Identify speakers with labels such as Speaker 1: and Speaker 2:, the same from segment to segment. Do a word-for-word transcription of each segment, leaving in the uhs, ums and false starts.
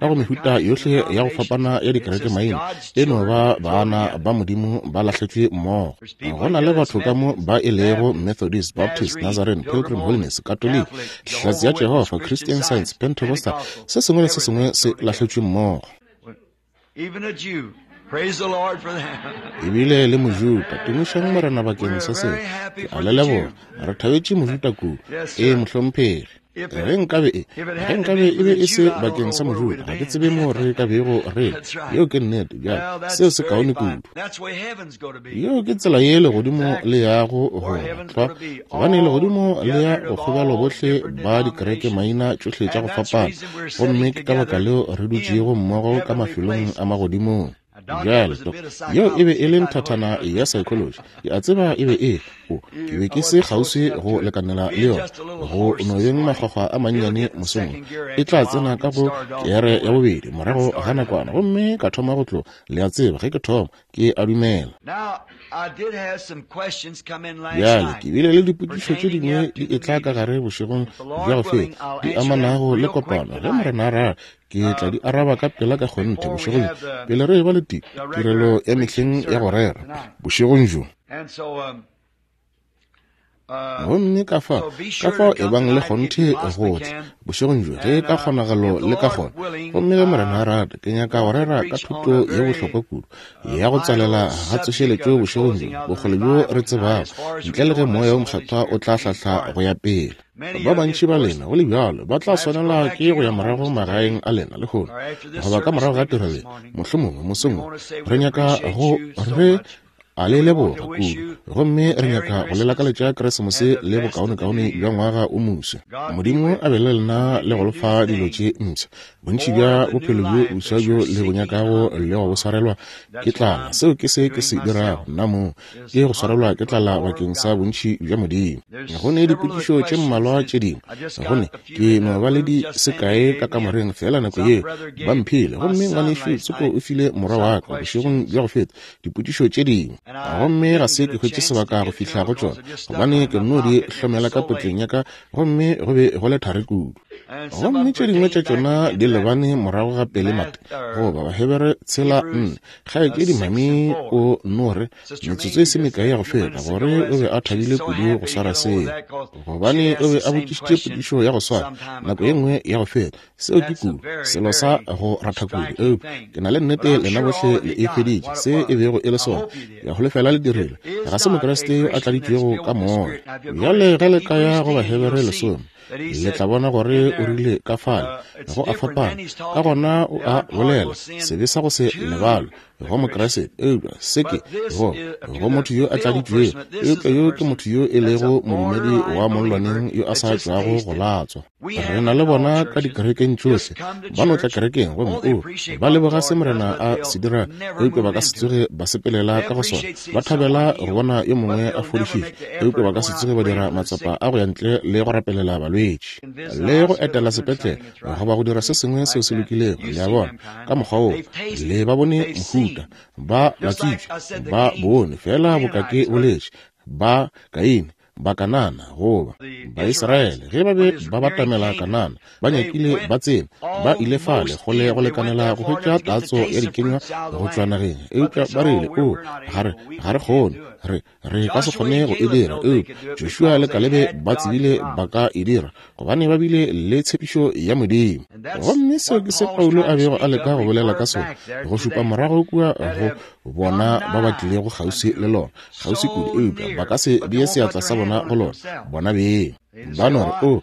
Speaker 1: Ka go mehuta yohle ya go fapana ya dikerekemaina, e no ba baana ba Modimo ba lahletšwe mmogo. Go na le batho ka mo ba e lego Methodist, Baptist, Nazarene, Pilgrim Holiness, Catholic, Hlatse ya Jehofa, Christian Science, Pentecostal, se sengwe le se sengwe se lahletšwe mmogo. Ebile le Mojuta, tumišang Morena bakeng sa se. Ke a le leboga. Re thabetše Mojuta kudu. Ee, mohlomphegi. Ge nkabe e ge nkabe e be e se bakeng sa Mojuda, ga ke tsebe mo re ka bego re. Yeo ke nnete. Bjale seo se kaone kudu. Yeo ke tsela ye legodimo le yago go tlwa, gobane legodimo le ya go kgobalo bohle ba dikereke maina tšohle tša go fapana, gomme ke ka baka leo re dutšego mmogo ka mafelong a magodimong. Bjale yeo e be e le nthathana ya psychology. Ke a tseba e be e o ke be ke se kgauswi go lekanela le yona go no beng makgwakgwa a mannyane mosong. E tla tsena ka go kere ya bobedi morago ga nakwana, gomme ka thoma go tlo. Le a tseba ge ke thoma ke a dumela. Bjale ke bile le dipotšišo tše dingwe di etla ka gare bošegong bja go feta di amanago le kopano. Ge Morena a rata, ke tla di araba ka pela ka kgonthe bošegong pele re eba le tirelo ya mehleng ya go rera bošegong bjo. Gomme ka fao ka fao e bang le kgonthe go tla bošegong bjo ge ka kgonagalo le ka kgona. Gomme ge Morena a rata, ke nyaka go rera ka thuto ye bohlokwa kudu ya go tswalela ga tsošeletšo bošegong bjo, bokgole bjo re tsebago, ntle le ge Moya wo Mokgethwa o tla hlahla go ya pele. Ba bantši ba lena go le bjalo ba tla swanela ke go ya morago magaeng a lena lehono goba ka morago ga tirelo mohlomongwe mosong. Re nyaka go re a le leboga kudu, gomme re nyaka go le lakaletša Keresemose le bokaonekaone bja ngwaga o moswa. Modimo a be le lena le go le fa dilo tše mpsha, bontši bja bophelo bjo boswa bjo le bo nyakago le go bo swarelwa ke tlala. Seo ke se ke se dirago nna mo, ke go swarelwa ke tlala bakeng sa bontši bja Modimo. Go ne dipotšišo tše mmalwa tše dingwe, gone ke no ba le di sekae ka kamoreng fela nako yeo ba mphile, gomme ngwanešu Tsoko o file morwa wa ka bošegong bja go feta dipotšišo tše dingwe, gomme ga se ke hwetše sebaka go fihla go tšona gobane ke nno di hlomela ka potleng ya ka, gomme go be go le thari kudu. Gomme tše dingwe tša tšona di lebane morago ga pele mate goba Bahebere tshela nne. Kgaetšedi Mami o no re metsotso e se mekae ya go feta gore o be a thabile kudu go swara seo, gobane o be a botšišitše potšišo ya go swana nako ye nngwe ya go feta. Seo ke kudu selo sa go ratha kudu, eupša ke na le nnete lena bohle le e feditše se e bego e le sona. Ke a holofela le dirile. Ga se Mokriste yo a tladitšwego ka moya. Bjale ge le ka ya go Bahebere lesome, le tla bona gore o rile ka fale go a fapana. Ka gona o a bolela sebe sa go se lebalwe go Mokriste, eupša se ke go go motho yo a tladitšwego, eupša yo ke motho yo e lego modumedi wa mollwaneng yo a sa tšwago go latswa. Re na le bona ka dikerekeng tšohle, ba no tla kerekeng gomme o ba leboga se Morena a se dira, eupša ba ka se tsoge ba sepelela ka go sona. Ba thabela go bona yo mongwe a fodišitšwe, eupša ba ka se tsoge ba dira matsapa a go ya ntle le go rapelela balwetši le go etela sepetlele goba go dira se sengwe seo se lokilego. Le a bona ka mokgwa woo le ba bone mohuta, ba latswitšwe, ba bone fela boka ke boletše ba Kaine, ba Kanana goba Baisraele ge ba be ba batamela Kanana, ba nyakile ba tsena, ba ile fale kgole go lekanela go hwetša tatso ya dikenywa go tšwa nageng, eupša ba rile o ga re ga re kgone, re re ka se kgone go e dira. Eupša Joshua le Kalebe ba tsebile ba ka e dira, gobane ba bile le tshepišo ya Modimo. Gomme seo ke se Paulo a bego a leka go bolela ka sona, go šupa morago kua go bona ba ba tlilego kgauswi le lona, kgauswi kudu, eupša ba ka se bee seatla sa bona go lona, bona beng. Ba no re, o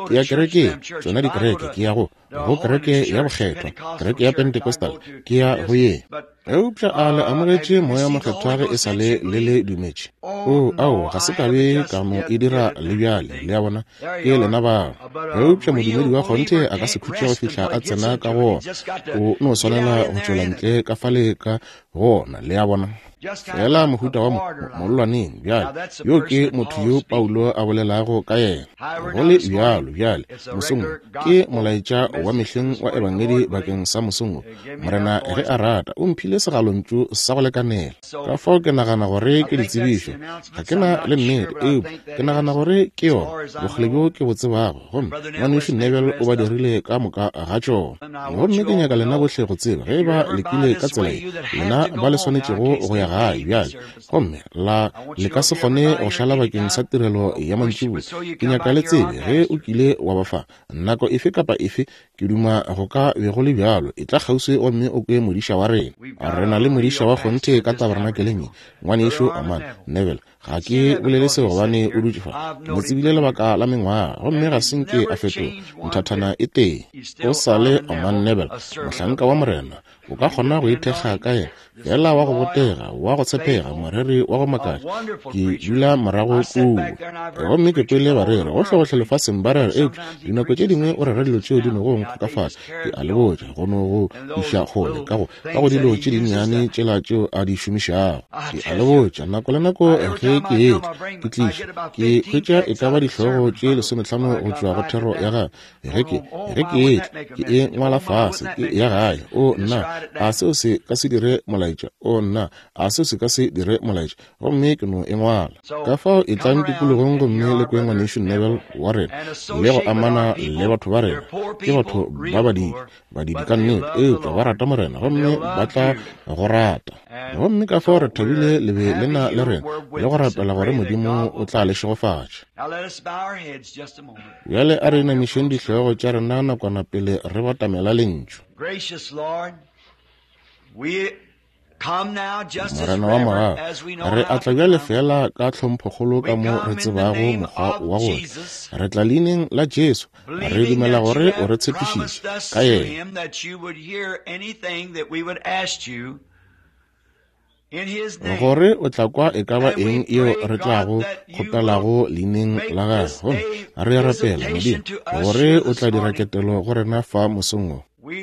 Speaker 1: ke ya kerekeng, tšona dikereke, ke ya go go kereke ya bokgethwa, kereke ya Pentecostal, ke ya go ye. Eupša a le amogetše Moya Mokgethwa ge e sa le le le dumetše? O ao, ga se ka be ka mo e dira le bjale, le a bona, ke lena bao. Eupša modumedi wa kgonthe a ka se khutše go fihla a tsena ka go ona, o no swanela go tšwela ntle ka fale ka go ona, le a bona. Fela mohuta wa mollwaneng. Bjale yo ke motho yo Paulo a bolelago ka yena. Go le bjalo bjale mosong ke molaetša wa mehleng wa ebangedi bakeng sa mosong. Morena ge a rata o mphile segalontšu sa go lekanela. Ka fao ke nagana gore ke ditsebišo, ga ke na le nnete, eupša ke nagana gore ke yona bokgole bjo ke bo tsebago, gomme ngwanešu Neville o ba dirile ka moka ga tšona. Gomme ke nyaka lena bohle go tseba ge ba lekile ka tsela ye, lena ba le swanetšego go ya gae bjale, gomme la le ka se kgone go šala bakeng sa tirelo ya mantšiboa. Ke nyaka le tsebe ge o kile wa ba fa nako efe kapa efe, ke duma go ka be go le bjalo, e tla kgauswi gomme o kwe modiša wa rena. Re na le modiša wa kgonthe ka tabernakeleng ye, ngwanešu Orman Neville. Ga ke bolele seo gobane o dutše fa. Ke mo tsebile lebaka la mengwaga, gomme ga se nke a fetoga nthathana e tee. O sa le Orman Neville, mohlanka wa Morena. O ka kgona go ithekga ka yena, fela wa go botega, wa go tshepega, moreri wa go makatša. Ke dula morago kua, gomme ke kwele bareri gohlegohle lefaseng ba rera, eupša dinako tše dingwe o rera dilo tšeo di nogo nkgokafatša. Ke a le botša, go no go iša kgole ka go ka go dilo tše dinnyane tšela tšeo a di šomišago. Ke a le botša, nako le nako ge ke etla ke tliša, ke hwetša e ka ba dihlogo tše lesometlhano go tšwa go thero ya gagwe. Ge ke ge ke etla ke e ngwala fase, ke ya gae. O nna, a seo se ka se dire molaetša? O nna, a seo se ka se dire molaetša? Gomme ke no e ngwala. Ka fao e tlang tikologong gomme le kwe ngwanešu Neville wa rena le go amana le batho ba rena. Ke batho ba badidi, badidi ka nnete, eupša ba rata Morena gomme ba tla go rata. Gomme ka fao re thabile le be le na le rena le go rapela gore Modimo o tla le šegofatša. Bjale a re inamišeng dihlogo tša rena nakwana pele re batamela lentšu. Morena wa morago, re atla bjale fela ka tlhomphokgolo ka mo re tsebago mokgwa wa go tla. Re tla leineng la Jesu, re dumela gore o re tshepišitše ka yena gore o tla kwa e ka ba eng yeo re tlago kgopelago leineng la gagwe. Gomme re rapela Modimo gore o tla dira ketelo go rena fa mosong wo. Re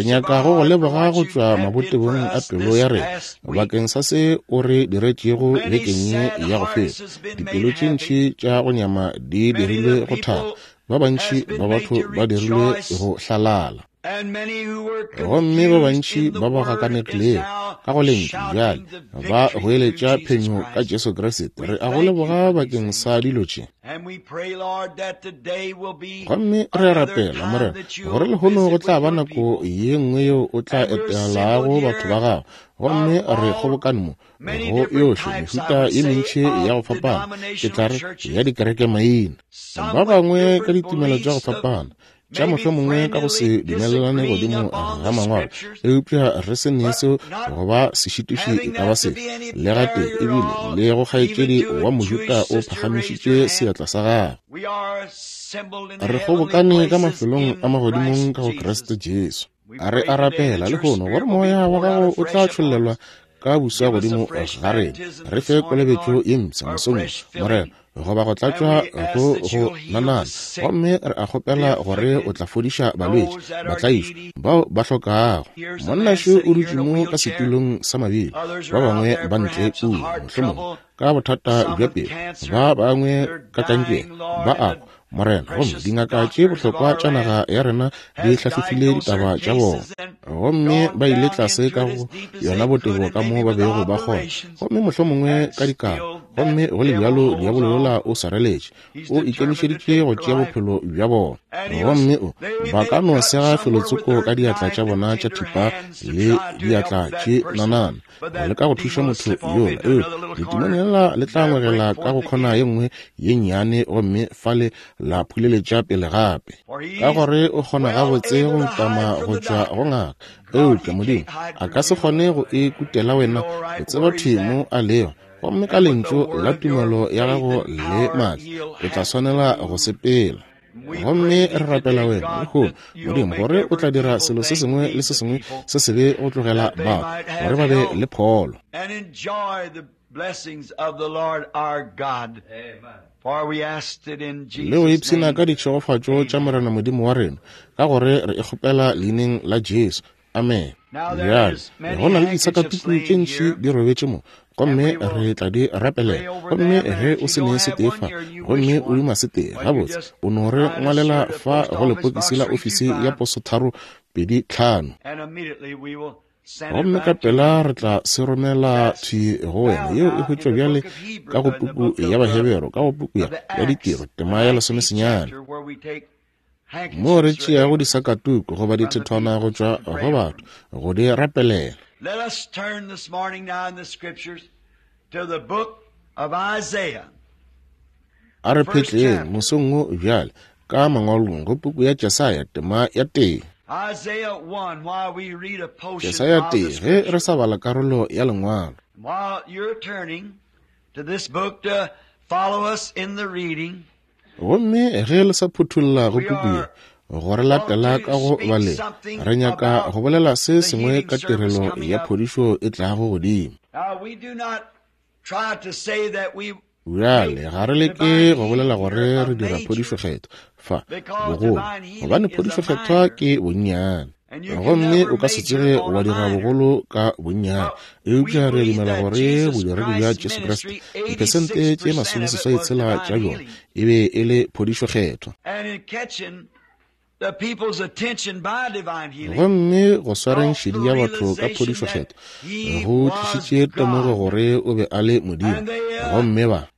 Speaker 1: nyaka go go leboga go tšwa mabotebong a pelo ya rena bakeng sa se o re diretšego bekeng ye ya go feta. Dipelo tše ntši tša go nyama di dirilwe go thaba, ba bantši ba batho ba dirilwe go hlalala, gomme ba bantši ba ba gakanegilego ka go lentšu bjale ba goeletša phenyo ka Jesu Kriste. Re a go leboga bakeng sa dilo tše. Gomme re a rapela, Morena, gore lehono go tla ba nako ye nngwe yeo o tla etelago batho ba gago. Gomme re kgobokane mo go yohle mehuta ye mentši ya go fapana, ke tla re ya dikereke maina, ba bangwe ka ditumelo tša go fapana, tša mohlomongwe ka go se dumelelane godimo ga mangwalo, eupša re se ne seo go ba sešitiši e ka ba sefe le gatee. Ebile le go kgaetšedi wa Mojuda o phagamišitše seatla sa gagwe. Re kgobokane ka mafelong a magodimong ka go Kriste Jesu. A re a rapela lehono gore moya wa gago o tla tšhollelwa ka buswa godimo ga rena. Re fe kolobetšo ye mpsha mosong, Morena, goba go tlatšwa go go nanana. Gomme re a kgopela gore o tla fodiša balwetši, batlaišwa, bao ba hlokago. Monnašu o dutše mo ka setulong sa mabili, ba bangwe ba ntle kua, mohlomongwe ka bothata bja pelo, ba bangwe ka kankere, ba a kwa, Morena. Gomme dingaka tše bohlokwa tša naga ya rena di hlahlofile ditaba tša bona, gomme ba ile tlase ka go yona botebo ka mo ba bego ba kgona, gomme mohlomongwe ka dikaro. Gomme go le bjalo diabolo yola o swareletše, o ikemišeditše go tšea bophelo bja bona. Gomme o ba ka no sega felotsoko ka diatla tša bona tša thipa le diatla tše nanana go leka go thuša motho yola, eupša letimone lela le tla ngwegela ka go kgona ye nngwe ye nnyane, gomme fale la phuleletša pele gape, ka gore o kgona gabotse go utama go tšwa go ngaka. Eupša Modimo a ka se kgone go e kutela wena, o tseba thwi mo a lego. Gomme ka lentšu la tumelo ya gago le maatla o tla swanela go sepela. Gomme re rapela wena lehono, Modimo, gore o tla dira selo se sengwe le se sengwe se sebe go tlogela batho gore ba be le pholo le go ipshina ka ditšhegofatšo tša Morena Modimo wa rena, ka gore re e kgopela leineng la Jesu. Amen. Bjale go na le disakatuku tše ntši di robetše mo, gomme re tla di rapelela. Gomme ge o se ne setee fa, gomme o duma setee, gabotse o no re ngwalela fa go lepokisi la ofisi ya poso tharo pedi tlhano, gomme ka pela re tla se romela thwi go wena. Yeo e hwetšwa bjale ka go puku ya Bahebero, ka go puku ya ya Ditiro, tema ya lesomesenyane, mo re tšeago disakatuku goba dithethwana go tšwa go batho go di rapelela.
Speaker 2: Let us turn this morning now in the scriptures to the book of Isaiah.
Speaker 1: A re phetleng mosong wo bjale ka mangwalong go puku ya Jesaya tema ya tee.
Speaker 2: Isaiah one, while we read a portion
Speaker 1: Jesaya
Speaker 2: of the
Speaker 1: tee, ge re
Speaker 2: scripture.
Speaker 1: sa bala karolo ya lengwalo.
Speaker 2: While you're turning to this book to follow us in the reading,
Speaker 1: gomme ge le sa phuthulla go puku ye go re latela ka go baleng, re nyaka go bolela se sengwe ka tirelo ya phodišo e tlago godimo. Bjale ga re leke go bolela gore re dira phodišo kgethwa fa bogolo, gobane phodišo kgethwa ke bonnyane, gomme o ka se tsoge wa dira bogolo ka bonnyane. Eupša re dumela gore bodiredi bja Jesu Kriste diphesente tše masomeseswai tshela tša bjona e be e le phodišo kgethwa. Gomme go swareng šedi ya batho ka phodišo kgethwa go tlišitše temogo gore o be a le Modimo. Gomme ba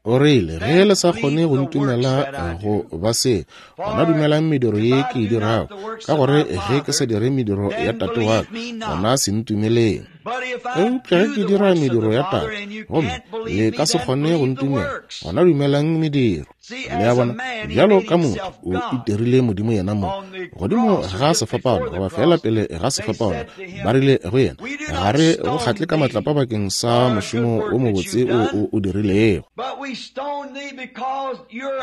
Speaker 1: o rile, ge le sa kgone go ntumela go ba se, gona dumelang mediro ye ke e dirago, ka gore ge ke sa dire mediro ya Tate wa ka, gona se ntumeleng. Eupša ge ke dira mediro ya Tate, gomme le ka se kgone go ntumela, gona dumelang mediro. Le a bona, bjalo ka motho o itirile Modimo yena mong. Godimo ga sefapano, goba fela pele ga sefapano, ba rile go yena, ga re go kgatle ka matlapa bakeng sa mošomo o mobotse o o dirilego,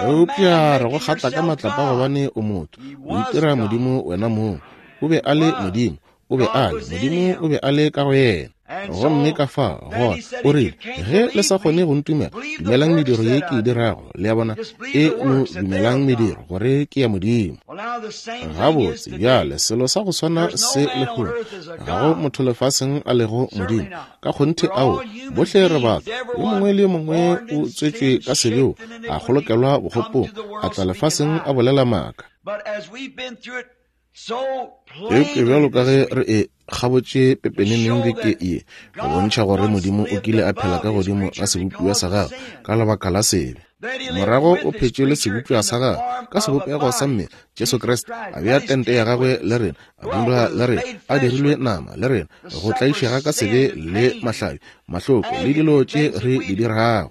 Speaker 1: eupša re go kgatla ka matlapa gobane o motho, o itira Modimo wena mong. O be a le Modimo, o be a le Modimo, o be a le ka go yena. Gomme ka fa gona o rile, ge le sa kgone go ntumela, dumelang mediro ye ke e dirago. Le a bona, e no dumelang mediro gore ke ya Modimo. Gabotse bjale selo sa go swana se lehono, ga go motho lefaseng a lego Modimo. Ka kgonthe ao, bohle re batho, yo mongwe le yo mongwe o tswetšwe ka sebeo, a kgolokelwa bokgopong, a tla lefaseng a bolela maaka. Eupša bjalo ka ge re e kgabotše pepeneneng beke ye, go bontšha gore Modimo o kile a phela ka godimo ga sebopiwa sa gagwe ka lebaka la sebe. Morago o phetše le sebopiwa sa gagwe ka sebopego sa mmele, Jesu Kriste, a bea tente ya gagwe le rena, a dula le rena, a dirilwe nama le rena, go tlaišega ka sebe le mahlabi, mahloko le dilo tše re di dirago.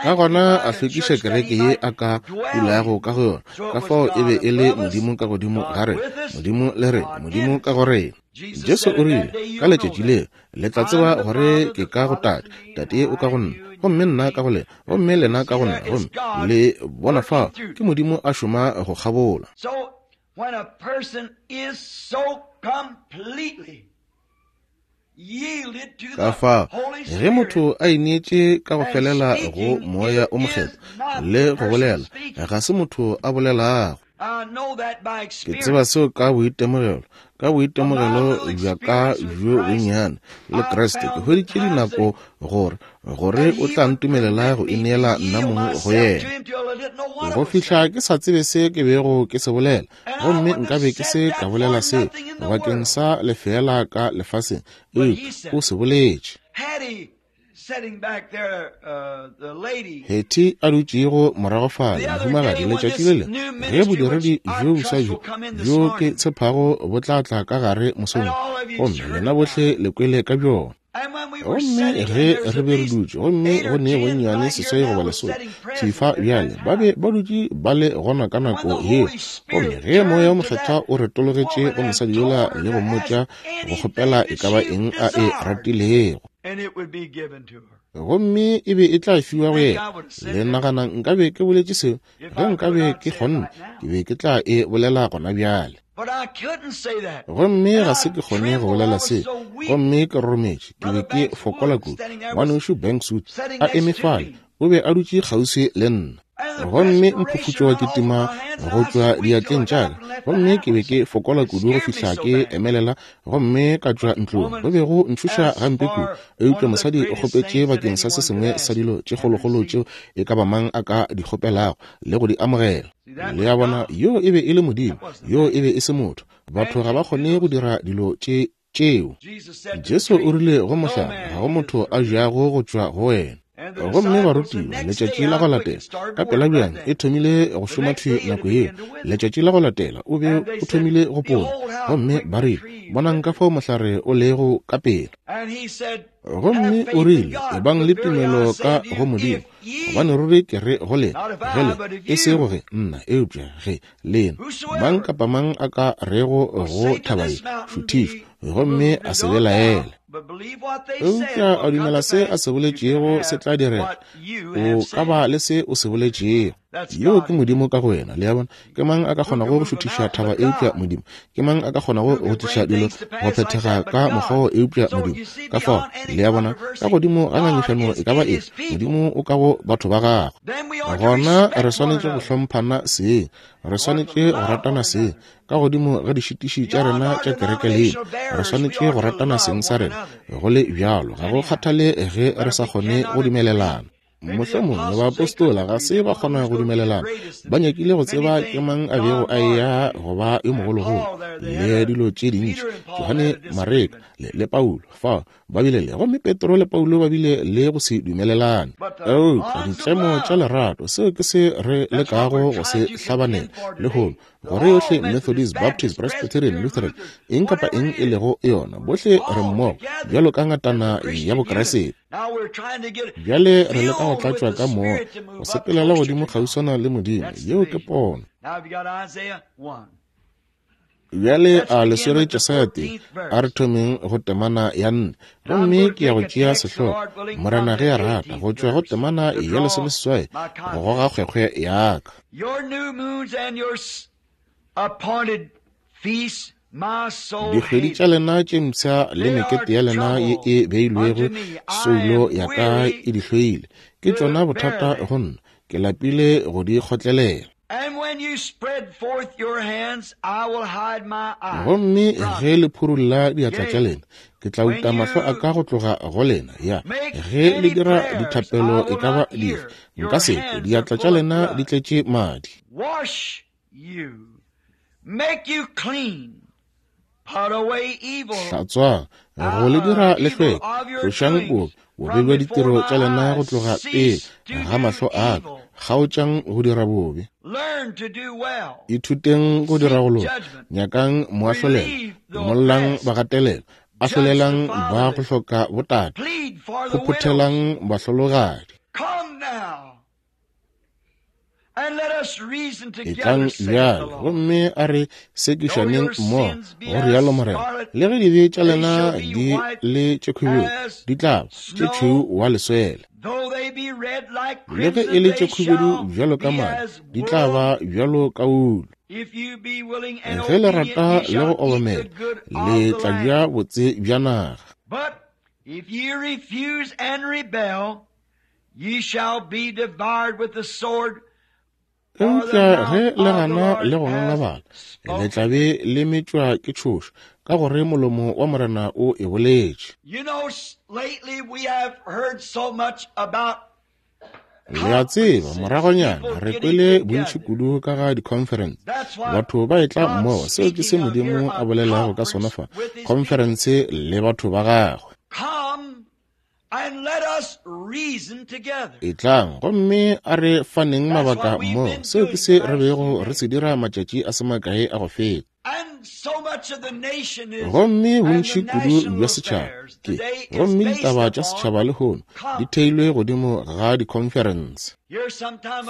Speaker 1: Ka gona a hlwekiša kereke ye a ka dulago ka go yona. Ka fao e be e le Modimo ka godimo ga rena, Modimo le rena, Modimo ka go rena. Jesu o rile, ka letšatši leo le tla tseba gore ke ka go Tate, Tate o ka go nna, gomme nna ka go lena, gomme lena ka go nna. Gomme le bona fao ke Modimo a šoma go kgabola. Ka fao ge motho a ineetše ka go felela go Moya o Mokgethwa le go bolela, ga se motho a bolelago. Ke tseba seo ka boitemogelo, ka boitemogelo bja ka bjo bonnyane le Kriste, ke hweditše dinako gore gore o tla ntumelela go ineela nna mong go yena, go fihla ke sa tsebe se ke bego ke se bolela, gomme nkabe ke se ka bolela seo bakeng sa lefeela ka lefaseng, eupša o se boletše. Hetty a dutšego morago fale, mohumagadi, letšatši le lengwe ge bodiredi bjo boswa bjo bjo ke tshepago bo tla tla ka gare mosong, gomme lena bohle le kwele ka bjona. Gomme ge re be re dutše, gomme go ne bonnyane seswai goba lesome thifa bjale, ba be ba dutše ba le gona ka nako yeo. Gomme ge Moya o Mokgethwa o retologetše go mosadi yola le go mmotša go kgopela e ka ba eng a e ratilego, gomme e be e tla fiwa go yena. Le nagana nkabe ke boletše seo? Ge nkabe ke kgonne, ke be ke tla e bolela gona bjale. Gomme ga se ke kgone go bolela seo, gomme ke rorometše, ke be ke fokola kudu. Ngwanešu Bankswood a eme fale, o be a dutše kgauswi le nna, gomme mphufutšo wa kitima go tšwa diatleng tša ka, gomme ke be ke fokola kudu go fihla ke emelela gomme ka tšwa ntlong. Go be go ntšhoša gampe kudu, eupša mosadi o kgopetše bakeng sa se sengwe sa dilo tše kgolokgolo tšeo e ka ba mang a ka di kgopelago le go di amogela. Le a bona, yo e be e le Modimo, yo e be e se motho. Batho ga ba kgone go dira dilo tše tšeo. Jesu o rile go mohlare, ga go motho a jago go tšwa go wena. Gomme barutiwa letšatši la go latela ka pela bjang e thomile go šoma thwi nako yeo. Letšatši la go latela o be o thomile go pola, gomme ba rile, bonang ka fao mohlare o lego ka pela. Gomme o rile, ebang le tumelo ka go Modimo. Gobane ruri ke re go lena, ge le, e sego ge nna, eupša ge lena, mang kapa mang a ka rego go thaba ye, šuthišwa, gomme a se belaele, eupša a dumela se a se boletšego se tla direga, o ka ba le se o se boletšego. Yo ke Modimo ka go wena. Le a bona? Ke mang a ka kgonago go šuthiša thaba eupša Modimo? Ke mang a ka kgonago go tliša dilo go phethega ka mokgwa wo eupša Modimo? Ka fao, le a bona, ka godimo ga ngangišano e ka ba efe, Modimo o ka go batho ba gagwe. Gona re swanetše go hlomphana seng, re swanetše go ratana seng, ka godimo ga dišitiši tša rena tša kereke lena, re swanetše go ratana seng sa rena. Go le bjalo, ga go kgathale ge re sa kgone go dumelelana. Mohlomongwe baapostola ga se ba kgona go dumelelana, ba nyakile go tseba ke mang a bego a eya go ba yo mogologolo le dilo tše dintši. Johane Mareka le, le Paulo fao ba bile le, gomme Petro le Paulo ba bile le go se dumelelane. Eupša ditlemo tša lerato, seo ke se re lekago go se hlabanela lehono, gore yohle Methodist, Baptist, Presbyterian, Lutheran, eng kapa eng e lego yona, bohle re mmogo bjalo ka ngatana ya Bokriste. Bjale re leka go tlatšwa ka moya, go sepelela godimo kgauswana le Modimo. Yeo ke pono. Bjale a le swere Jesaya tee, a re thomeng go temana ya nne, gomme ke ya go tšea sehlogo, Morena ge a rata, go tšwa go temana ya lesomeseswai go goga kgwekgwe ya ka. Dikgwedi tša lena tše mpsha le mekete ya lena ye e beilwego soulo ya ka e di hloile, ke tšona bothata go nna, ke lapile go di kgotlelela. Gomme ge le phurulla diatla tša lena, ke tla uta mahlo a ka go tloga go lena. Ya, ge le dira dithapelo e ka ba dife, nka se kwe, diatla tša lena di tletše madi. Hlatswang, go le dira le hlweke, tlošang bobe, bobe bja ditiro tša lena go tloga pele ga mahlo a ka, kgaotšang go dira bobe. Ithuteng go dira go loka, nyakang moahlolelo, imollang bagatelelo, ahlolelang ba go hloka botate, phophothelang bahlologadi. Etlang bjale, gomme a re sekišaneng mmogo, go rialo Morena. Le ge dibe tša lena di le tše khubedu, di tla ba tše tšhweu wa leswele. Le ge e le tše khubedu bjalo ka madi, di tla ba bjalo ka wulu. Ge le rata le go obamela, le tla ja botse bja naga. Eupša ge le gana le go ngangabala, le tla be le metšwa ke tšhoša, ka gore molomo wa Morena o e boletše. Le a tseba, moragonyana re kwele bontši kudu ka ga di-conference, batho ba etla mmogo. Seo ke se Modimo a bolelago ka sona fa, conference le batho ba gagwe. Etlang, gomme a re faneng mabaka mmogo. Seo ke se re bego re se dira matšatši a se makae a go feta. Gomme bontši kudu bja setšhaba ke, gomme ditaba tša setšhaba lehono di theilwe godimo ga di-conference.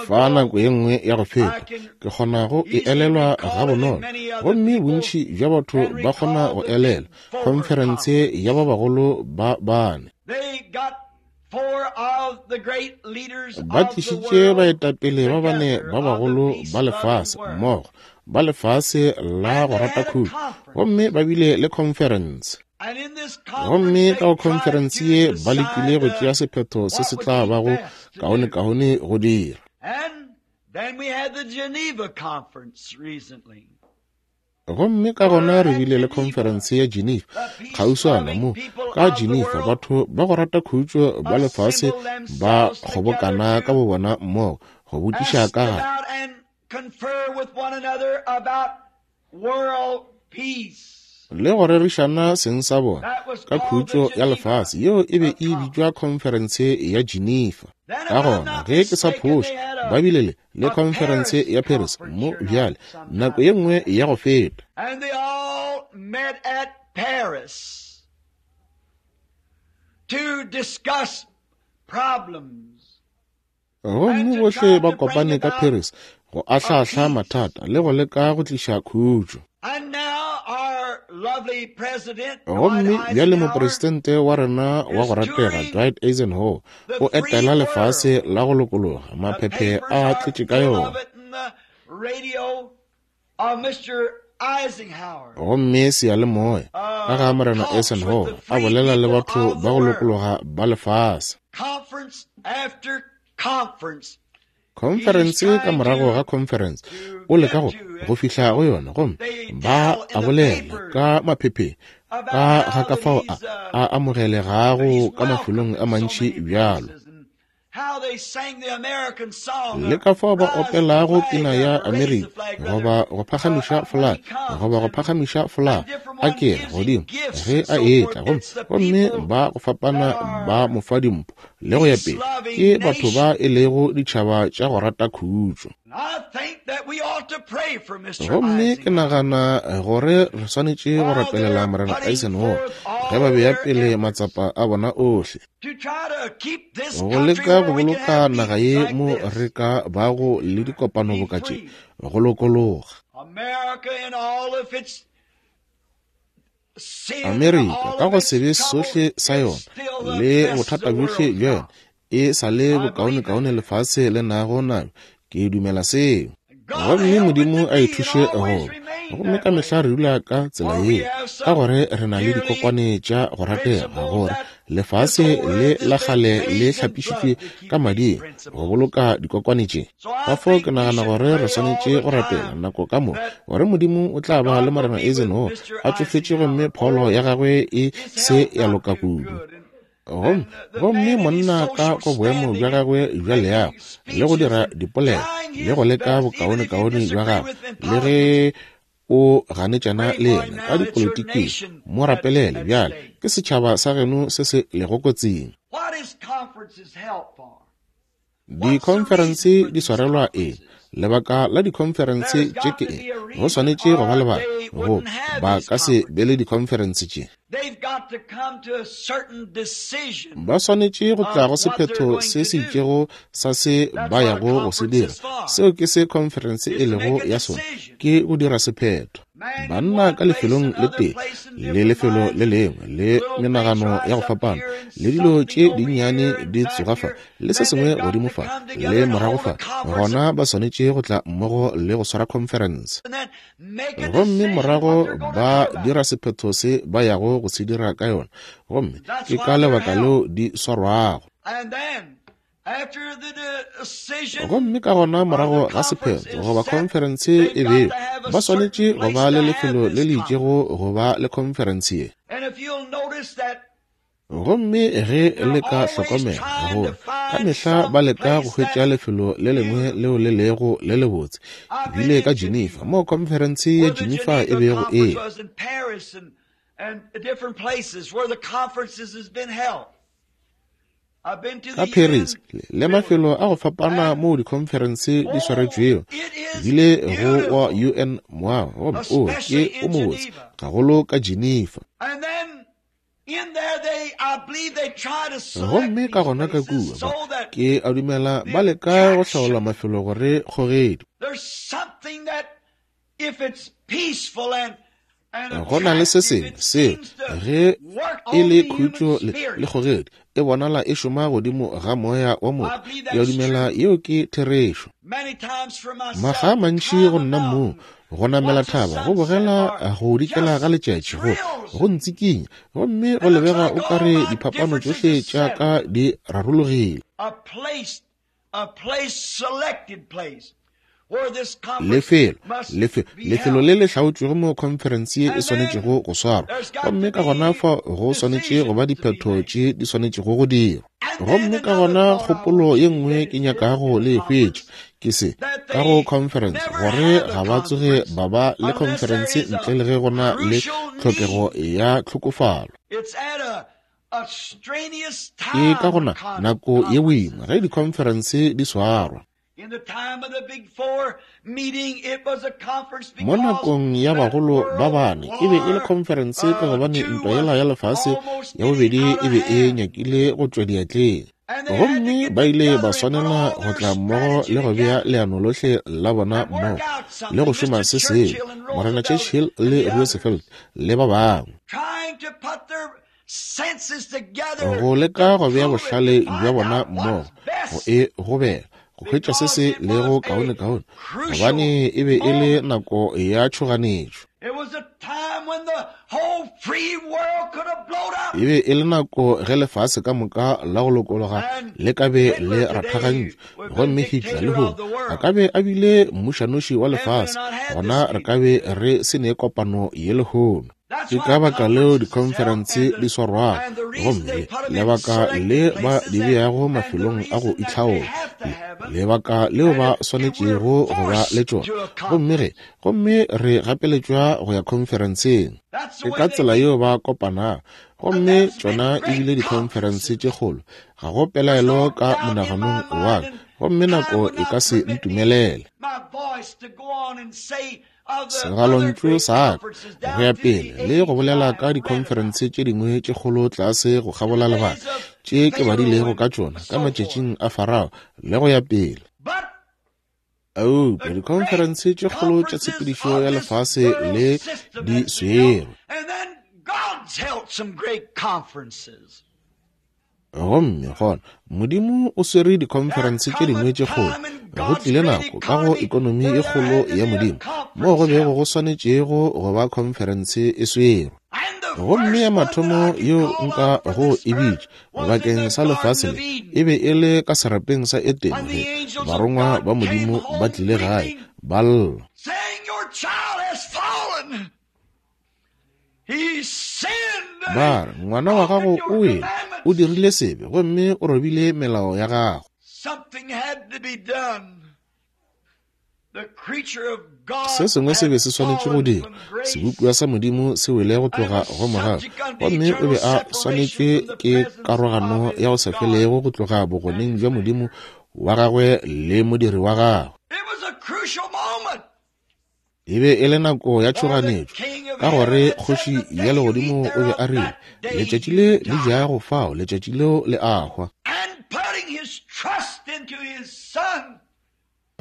Speaker 1: Fa nako ye nngwe ya go feta, ke kgona go e elelwa gabonolo, gomme bontši bja batho ba kgona go elelwa conference ya ba bagolo ba bane. Ba tlišitše baetapele ba bane ba bagolo ba lefase mmogo, ba lefase la go rata khutšo, gomme ba bile le conference. Gomme ka go conference ye ba lekile go tšea sephetho se se tla bago kaone-kaone go dira. Gomme ka gona re bile le conference ya Geneva kgauswana mo. Ka Geneva batho ba go rata khutšo ba lefase ba kgobokana ka bobona mmogo go botšiša ka ga le go rerišana seng sa bona ka khutšo ya lefase. Yeo e be e bitšwa conference ya Geneva. Ka gona ge ke sa phoše, ba bile le le conference ya Paris mo bjale nako ye nngwe ya go feta. Gomme bohle ba kopane ka Paris go ahlahla mathata le go leka go tliša khutšo. Gomme bjale mopresidente wa rena wa go ratega Dwight Eisenhower o etela lefase la go lokologa, maphephe a tletše ka yona. Gomme seyalemoya ka ga Morena Eisenhower a bolela le batho ba go lokologa ba lefase. Conference ka morago ga conference o leka go go fihla go yona, gomme ba a bolela ka maphepheng ka ga ka fao a a amogelegago ka mafelong a mantši bjalo, le ka fao ba opelago pina ya Amerika goba go phagamiša flag goba go phagamiša flag a ke godimo ge a etla, gomme gomme ba go fapana ba mo fa dimpho le go ya pele. Ke batho ba e lego ditšhaba tša go rata khutšo. Gomme ke nagana gore re swanetše go rapelela Morena Eisenhower ge ba bea pele matsapa a bona ohle go leka go boloka naga ye mo re ka bago le dikopano boka tše go lokologa. Amerika ka go sebe sohle sa yona le bothata bjohle bja yona e sa le bokaonekaone lefase le nago nabo. Ke dumela seo. Gomme Modimo a e thuše go. Gomme ka mehla re dula ka tsela ye, ka gore re na le dikokwane tša go ratega, gore lefase le la kgale le hlapišitšwe ka mading go boloka dikokwane tše. Ka fao ke nagana gore re swanetše go rapela nako ka moka gore Modimo o tla ba le Morena Eisenhower a tšofetše gomme pholo ya gagwe e se ya loka kudu. Gomme gomme monna ka go boemo bja gagwe bja leago le go dira dipolelo le go leka bokaonekaone bja gagwe le ge o ganetšana le yena ka dipolitiking, mo rapelele bjale ke setšhaba sa geno se se lego kotsing. Dikhonferense di swarelwa eng? Lebaka la dikhonferense tše ke eng? Go swanetše go ba lebaka go ba ka se be le dikhonferense tše. Ba swanetše go tla go sephetho se se itšego sa se ba yago go se dira. Seo ke se khonferense e lego ya sona, ke go dira sephetho. Banna ka lefelong le tee le lefelo le lengwe le menagano ya go fapana le dilo tše dinnyane di tsoga fa le se sengwe godimo fa le morago fa, gona ba swanetše go tla mmogo le go swara conference. Gomme morago ba dira sephetho se ba yago go se dira ka yona, gomme ke ka lebaka leo di swarwago. Gomme ka gona morago ga sephetho goba conference e beo, ba swanetše go ba le lefelo le le itšego go ba le conference ye. Gomme ge le ka hlokomela gore ka mehla ba leka go hwetša lefelo le lengwe leo le lego le lebotse. Ke bile ka Geneva mo conference ya Geneva e bego e. Ka Paris le mafelo a go fapana moo dikhonferense di swaretšwego, bile go wa U N moago, gomme o ke o mobotse gagolo ka Geneva. Gomme ka gona ka kua ba ke a dumela ba leka go hlaola mafelo gore kgogedi. Go na le se sengwe seo ge e le khutšo le kgogedi e bonala e šoma godimo ga moya wa motho. Ke a dumela yeo ke therešo. Makga a mantši go nna moo go namela thaba, go bogela go dikela ga letšatši, go go ntsikinya, gomme go lebega o kare diphapano tšohle tša ka di rarologile. Lefelo, lefelo, lefelo le le hlaotšwego mo conference ye e swanetšego go swarwa, gomme ka gona fa go swanetše go ba diphetho tše di swanetšego go dirwa. Gomme ka gona kgopolo ye nngwe ke nyakago le e hwetša ke se ka go conference, gore ga ba tsoge ba ba le conference ntle le ge go na le tlhokego ya tlhokofalo. Ke ka gona nako ye boima ge di-conference di swarwa. Mo nakong ya bagolo ba bane e be e le conference ka gobane ntwa yela ya lefase ya bobedi e be e nyakile go tšwa diatleng. Gomme ba ile ba swanela go tla mmogo le go bea leano lohle la bona mmogo le go šoma se sengwe, Morena Churchill le Roosevelt le ba bangwe, go leka go bea bohlale bja bona mmogo go e gobela go hwetša se se lego kaonekaone, gobane e be e le nako ya tšhoganetšo. E be e le nako ge lefase ka moka la go lokologa le ka be le rathagantšwe, gomme Hitler lehono a ka be a bile mmušanoši wa lefase, gona re ka be re se ne kopano ye lehono. Ke ka baka leo dikhonferense di swarwago, gomme lebaka le ba di beago mafelong a go itlhaola, lebaka leo ba swanetšego go ba le tšona, gomme ge gomme re gapeletšwa go ya khonferenseng. Ke ka tsela yeo ba kopanago, gomme tšona e bile dikhonferense tše kgolo, ga go pelaelo ka monaganong wa ka, gomme nako e ka se ntumelele. Segalontšu sa ka go ya pele le go bolela ka dikhonferense tše dingwe tše kgolo tlase go kgabola lebaka tše ke badilego ka tšona ka matšatšing a Farao le go ya pele. Eupša dikhonferense tše kgolo tša tshepedišo ya lefase le di swerwe. Gomme gona Modimo o swere dikhonferense tše dingwe tše kgolo. Go tlile nako ka go ekonomi e kgolo ya Modimo moo go bego go swanetšego go ba khonferense e swerwe. Gomme ya mathomo yeo nka go e bitša bakeng sa lefase le e be e le ka serapeng sa Edene ge barongwa ba Modimo ba tlile gae ba lla. Ba re, ngwana wa gago o wele, o dirile sebe, gomme o robile melao ya gago. Se sengwe se be se swanetše go dirwa. Sebopiwa sa Modimo se wele go tloga go mogau, gomme o be a swanetšwe ke karogano ya go sa felego go tloga bogoneng bja Modimo wa gagwe le modiri wa gagwe. E be e le nako ya tšhoganetšo, ka gore kgoši ya legodimo o be a rile, letšatši le le jago fao, letšatši leo le a hwa.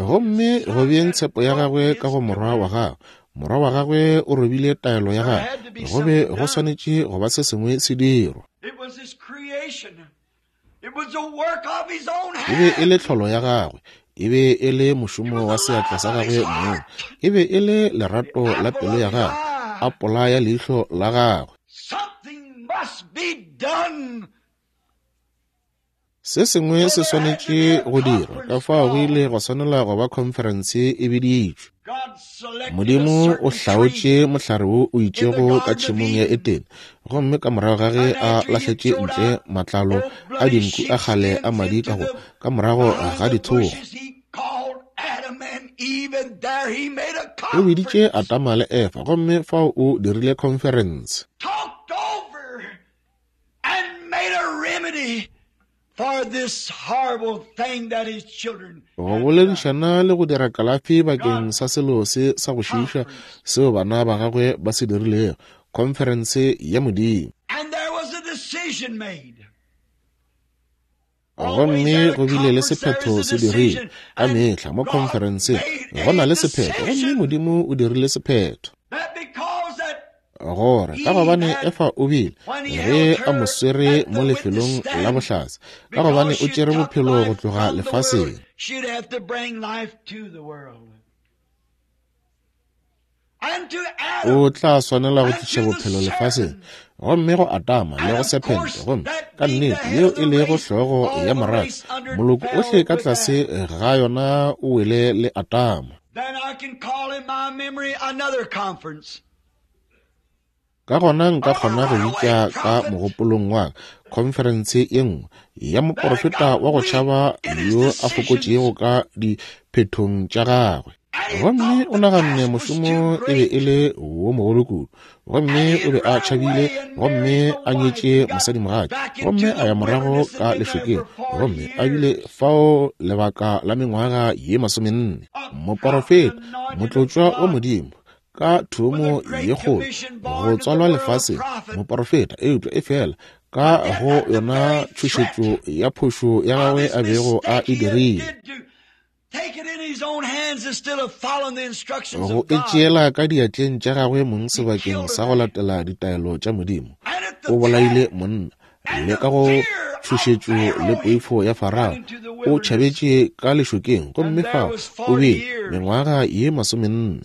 Speaker 1: Gomme go beeng tshepo ya gagwe ka go morwa wa gagwe, morwa wa gagwe o robile taelo ya gagwe, go be go swanetše go ba se sengwe se dirwa. E be e le tlholo ya gagwe, e be e le mošomo wa seatla sa gagwe mong, e be e le lerato la pelo ya gagwe, a pola ya leihlo la gagwe. Se sengwe se swanetše go dirwa, ka fao go ile go swanela go ba khonferense e biditšwe. Modimo o hlaotše mohlare wo o itšego ka tšhemong ya Edene, gomme ka morago ga ge a lahletše ntle matlalo a dinku a kgale a madi ka go ka morago ga dithogo, o biditše Adama le Efa, gomme fao o dirile khonferense. Go boledišana le go dira kalafi bakeng sa selo se sa go šiiša seo bana ba gagwe ba se dirilego, khonferense ya Modimo. Gomme go bile le sephetho se dirile ka mehla mo khonferenseng, go na le sephetho, gomme Modimo o dirile sephetho. Gore ka gobane Efa o bile ge a mo swere mo lefelong la bohlatse, ka gobane o tšere bophelo go tloga lefaseng, o tla swanela go tliša bophelo lefaseng, gomme go Adama le go sephente, gomme ka nnete yeo e lego hlogo ya morafe, moloko ohle ka tlase ga yona o wele le Adama. Ka gona nka kgona go bitša ka mogopolong wa ka khonferense ye nngwe ya moporofeta wa go tšhaba yo a fokotšego ka diphethong tša gagwe. Gomme o naganne mošomo e be e le wo mogolo kudu, gomme o be a tšhabile, gomme a nyetše mosadimogatša, gomme a ya morago ka lešokeng, gomme a bile fao lebaka la mengwaga ye masomenne. Moporofeta, motlotšwa wa Modimo, ka thomo ye kgolo go tswalwa lefaseng, moporofeta, eupša e fela ka go yona tšhošetšo ya phošo ya gagwe a bego a e dirile. Go e tšeela ka diatleng tša gagwe mong sebakeng sa go latela ditaelo tša Modimo. O bolaile monna, le ka go tšhošetšo le poifo ya Farao, o tšhabetše ka lešokeng, gomme fao o bile mengwaga ye masomenne.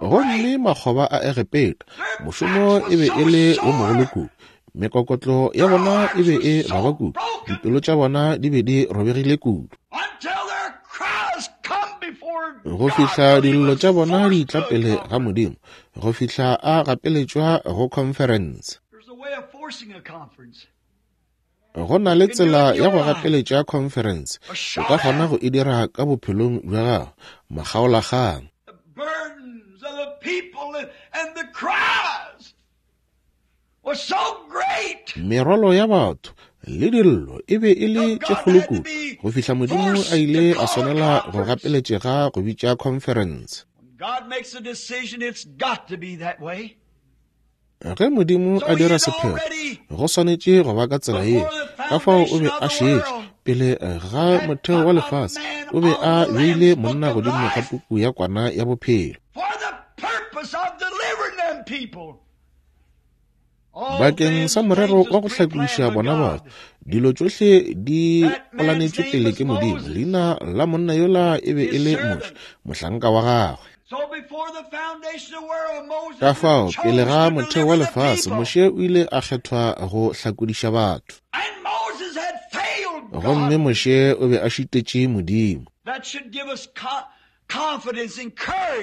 Speaker 1: Gomme makgoba a Egepeta, mošomo e be e le wo mogolo kudu, mekokotlo ya bona e be e baba kudu, dipelo tša bona di be di robegile kudu, go fihla dillo tša bona di tla pele ga Modimo, go fihla a gapeletšwa go conference. Go na le tsela ya go gapeletša conference, o ka kgona go e dira ka bophelong bja gago, makgaolakgang. Merwalo ya batho le dillo e be e le tše kgolo kudu, go fihla Modimo a ile a swanela go gapeletšega go bitša conference. Ge Modimo a dira sephetho, go swanetše go ba ka tsela ye. Ka fao o be a šetše pele ga motheo wa lefase, o be a beile monna godimo ga puku ya kwana ya bophelo bakeng sa morero wa go hlakodiša bona batho. Dilo tšohle di polanetšwe pele ke Modimo. Leina la monna yola e be e le Moshe, mohlanka wa gagwe. Ka fao pele ga motheo wa lefase, Moshe o ile a kgethwa go hlakodiša batho. Gomme Moshe o be a šitetše Modimo.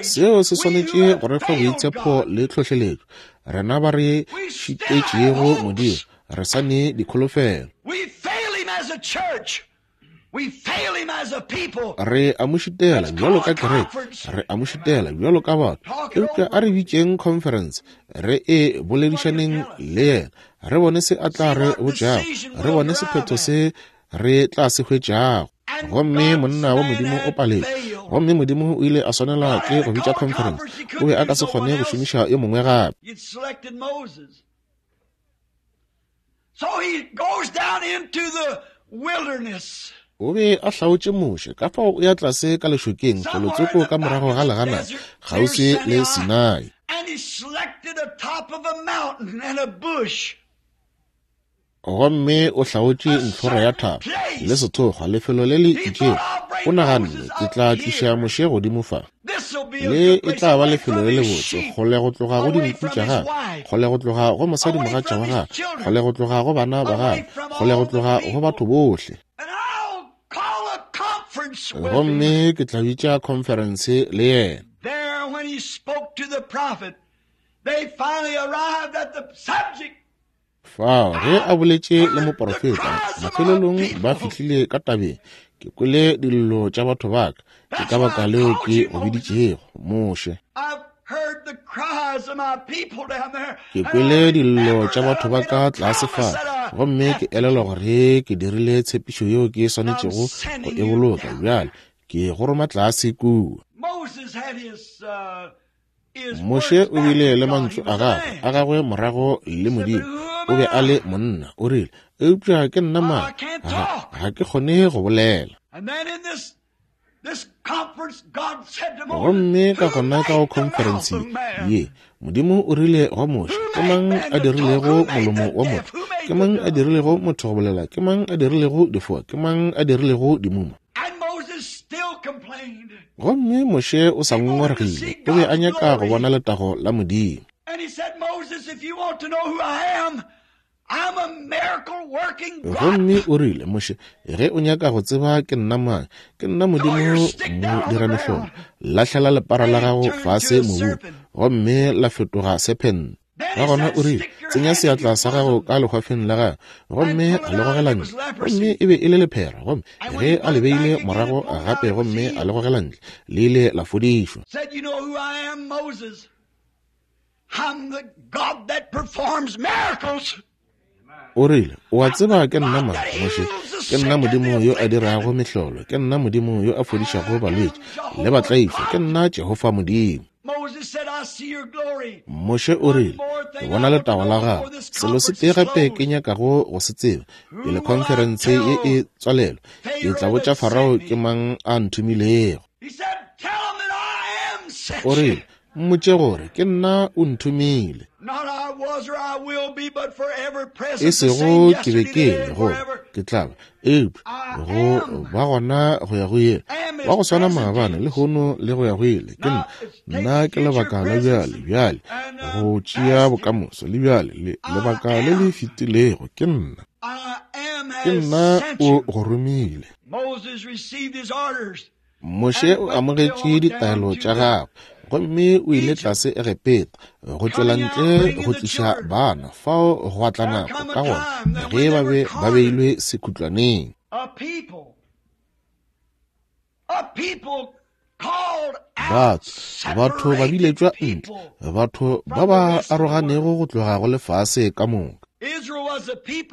Speaker 1: Seo se swanetše go re fa boitshepo le tlhohleletšo. Rena ba re šitetšego Modimo, re sa ne dikholofelo. Re a mo šitela bjalo ka kereke, re a mo šitela bjalo ka batho. Eupša a re bitšeng conference, re e boledišaneng le yena, re bone se a tla re botšago, re bone sephetho se re tla se hwetšago. Gomme monna wa Modimo o paletše, gomme Modimo o ile a swanela ke go bitša conference. O be a ka se kgone go šomiša yo mongwe gape. O be a hlaotše Moshe, ka fao o ya tlase ka lešokeng felotsoko ka morago ga legana kgauswi le Sinai. Gomme o hlaotše ntlhora ya thaba le sethokgwa, lefelo le le itšego. O naganne, ke tla tliša Moshe godimo fa. Le e tla ba lefelo le lebotse, kgole go tloga go dinku tša gagwe, kgole go tloga go mosadimogatša wa gagwe, kgole go tloga go bana ba gagwe, kgole go tloga go batho bohle. Gomme ke tla bitša conference le yena. Fao ge a boletše le moporofeta, mafelelong ba fihlile ka tabeng. Ke kwele dillo tša batho ba ka, ke ka baka leo ke go biditšego, Moshe. Ke kwele dillo tša batho ba ka tlase fa, gomme ke elelwa gore ke dirile tshepišo yeo ke swanetšego go e boloka. Bjale ke go roma tlase kua. Moshe o bile le mantšu a gagwe a gagwe morago le Modimo. O be a le monna, o rile, eupša ke nna mang? Ga, ga ke kgone go bolela. Gomme ka gona ka go conference ye, Modimo o rile go Moshe, ke mang a dirilego molomo wa motho? Ke mang a dirilego motho go bolela? Ke mang a dirilego difoa? Ke mang a dirilego dimuma? Gomme Moshe o sa ngongoregile, o be a nyaka go bona letago la Modimo. Gomme o rile, Moshe, ge o nyaka go tseba ke nna mang, ke nna Modimo modiramehlolo, lahlela lepara la gago fase mobung, gomme la fetoga sephente. Ka gona o rile, tsenya seatla sa gago ka lehwafeng la gago, gomme a le gogela ntle. Gomme e be e le lephera, gomme ge a le beile morago gape gomme a le gogela ntle, le ile la fodišwa. O rile, o a tseba ke nna mang, Moshe? Ke nna Modimo yo a dirago mehlolo, ke nna Modimo yo a fodišago balwetši le batlaišwa, ke nna Jehofa Modimo. Moshe o rile, ke bona letago la gago. Selo se tee gape ke nyakago go se tseba pele khonferense ye e tswalelwa, ke tla botša Farao ke mang a nthomilego. O rile, mmotše gore ke nna o nthomile. E sego ke be ke le goba ke tla ba, eupša go ba gona go ya go ile, wa go swana maabane lehono le go ya go ile. Ke nna, nna ke lebaka la bjale, bjale go tšea bokamoso, le bjale le lebaka le le fetilego. Ke nna, ke nna o go romile. Moshe o amogetše ditaelo tša gagwe gomme o ile tlase Egepeta go tšwela ntle go tliša bana. Fao go atla nako ka gona ge ba be ba beilwe sekhutlwaneng. Batho, batho ba biletšwa ntle, batho ba ba aroganego go tloga go lefase ka moka.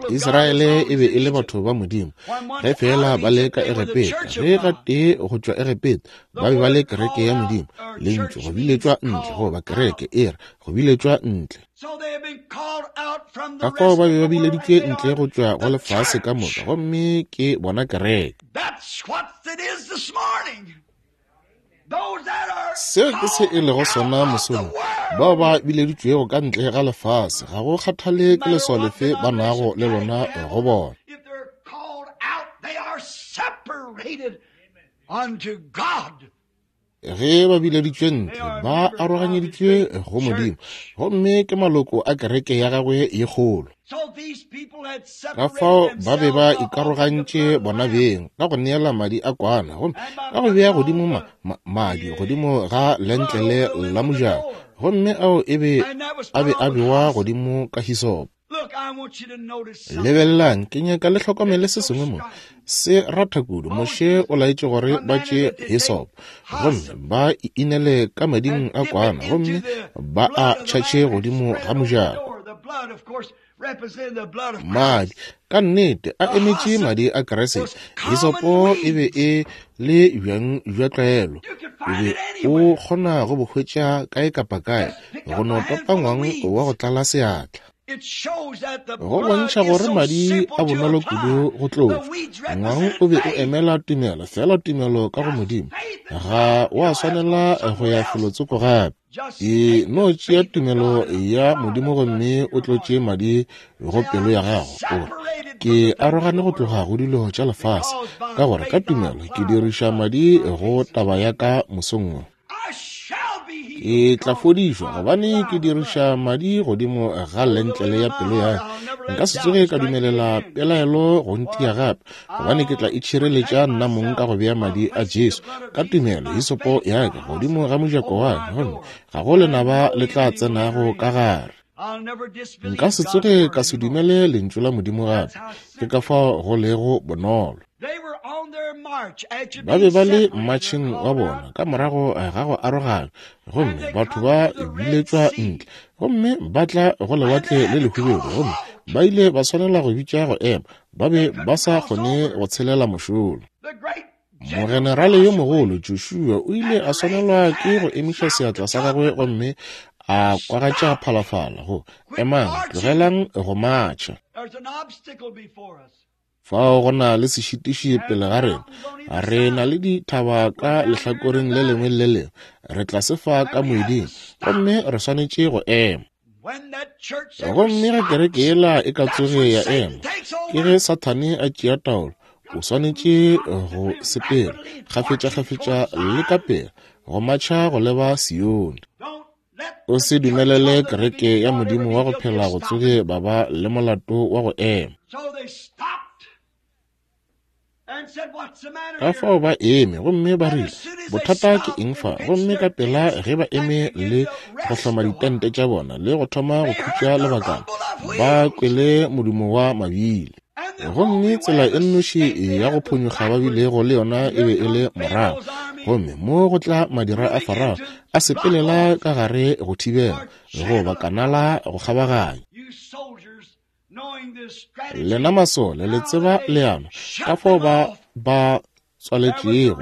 Speaker 1: Israele e be e le batho ba Modimo ge fela ba le ka Egepeta. Ge gatee go tšwa Egepeta ba be ba le kereke ya Modimo. Lentšu go biletšwa ntle, goba kereke e re go biletšwa ntle. Ka fao ba be ba bileditšwe ntle go tšwa go lefase ka moka, gomme ke bona kereke. Seo ke se e lego sona mosong, bao ba bileditšwego ka ntle ga lefase, ga go kgathale ke leswao lefe ba nago le lona go bona. Ge ba bileditšwe ntle, ba aroganyeditšwe go Modimo, gomme ke maloko a kereke ya gagwe ye kgolo. Ka fao ba be ba ikarogantše bona beng ka go neela madi a kwana, gomme ka go bea godimo ma, ma, madi godimo ga lentlele la mojako, gomme ao e be a be a bewa godimo ka hisopo. Lebelelang, ke nyaka le hlokomele se sengwe mo se ratha kudu. Moshe o laetše gore ba tšee hisopo gomme ba inele ka mading a kwana, gomme ba a tšhatšhe godimo ga mojako. Madi ka nnete a emetše madi a Kriste. Hisopo e be e le bjang bja tlwaelo, o be o kgona go bo hwetša kae kapa kae, go no topa ngwang wa go tlala seatla. Go bontšha gore madi a bonolo kudu go tlotšwa. Ngwang o be o emela tumelo, fela tumelo ka go Modimo. Ga wa swanela go ya felotsoko gape. E no tšea tumelo ya Modimo gomme o tlotše madi go pelo ya gago. O re, ke arogane go tloga go dilo tša lefase, ka gore ka tumelo ke diriša madi go taba ya ka mosong wo. Ke tla fodišwa gobane ke diriša madi godimo ga lentlele ya pelo ya ka. Nka se tsoge ka dumelela pelaelo go ntia gape, gobane ke tla itšhireletša nna mong ka go bea madi a Jesu ka tumelo hisopo ya ka godimo ga mojako wa ka, gomme ga go lenaba le tla tsenago ka gare. Nka se tsoge ka se dumele lentšu la Modimo gape. Ke ka fao go lego bonolo. Ba be ba le mmatšheng wa bona ka morago ga go arogana, gomme batho ba biletšwa ntle, gomme ba tla go lewatle le lehubedu, gomme ba ile ba swanela go bitša go ema. Ba be ba sa kgone go tshelela mošola. Mogenerale yo mogolo Joshua o ile a swanelwa ke go emiša seatla sa gagwe gomme a kwagatša phalafala go emang, tlogelang go matšha. Fao go na le sešitiši pele ga rena. Re na le dithaba ka lehlakoreng le lengwe le lengwe. Re tla se fa ka moeding, gomme re swanetše go ema. Gomme ge kereke yela e ka tsoge ya ema, ke ge Sathane a tšea taolo. O swanetše go sepela kgafetša-kgafetša le ka pela go matšha go leba Sione. O se dumelele kereke ya Modimo wa go phela go tsoge ba ba le molato wa go ema. Ka fao ba eme gomme ba rile, bothata ke eng fa? Gomme ka pela ge ba eme le go hloma ditente tša bona le go thoma go khutša lebakana, ba kwele modumo wa mabile. Gomme tsela e nnoši ya go phonyokga ba bilego le yona e be e le morago. Gomme mo go tla madira a Farao a sepelela ka gare go thibela, goba kanala go kgabaganya. Lena masole le tseba leano, ka fao ba ba tswaletšego.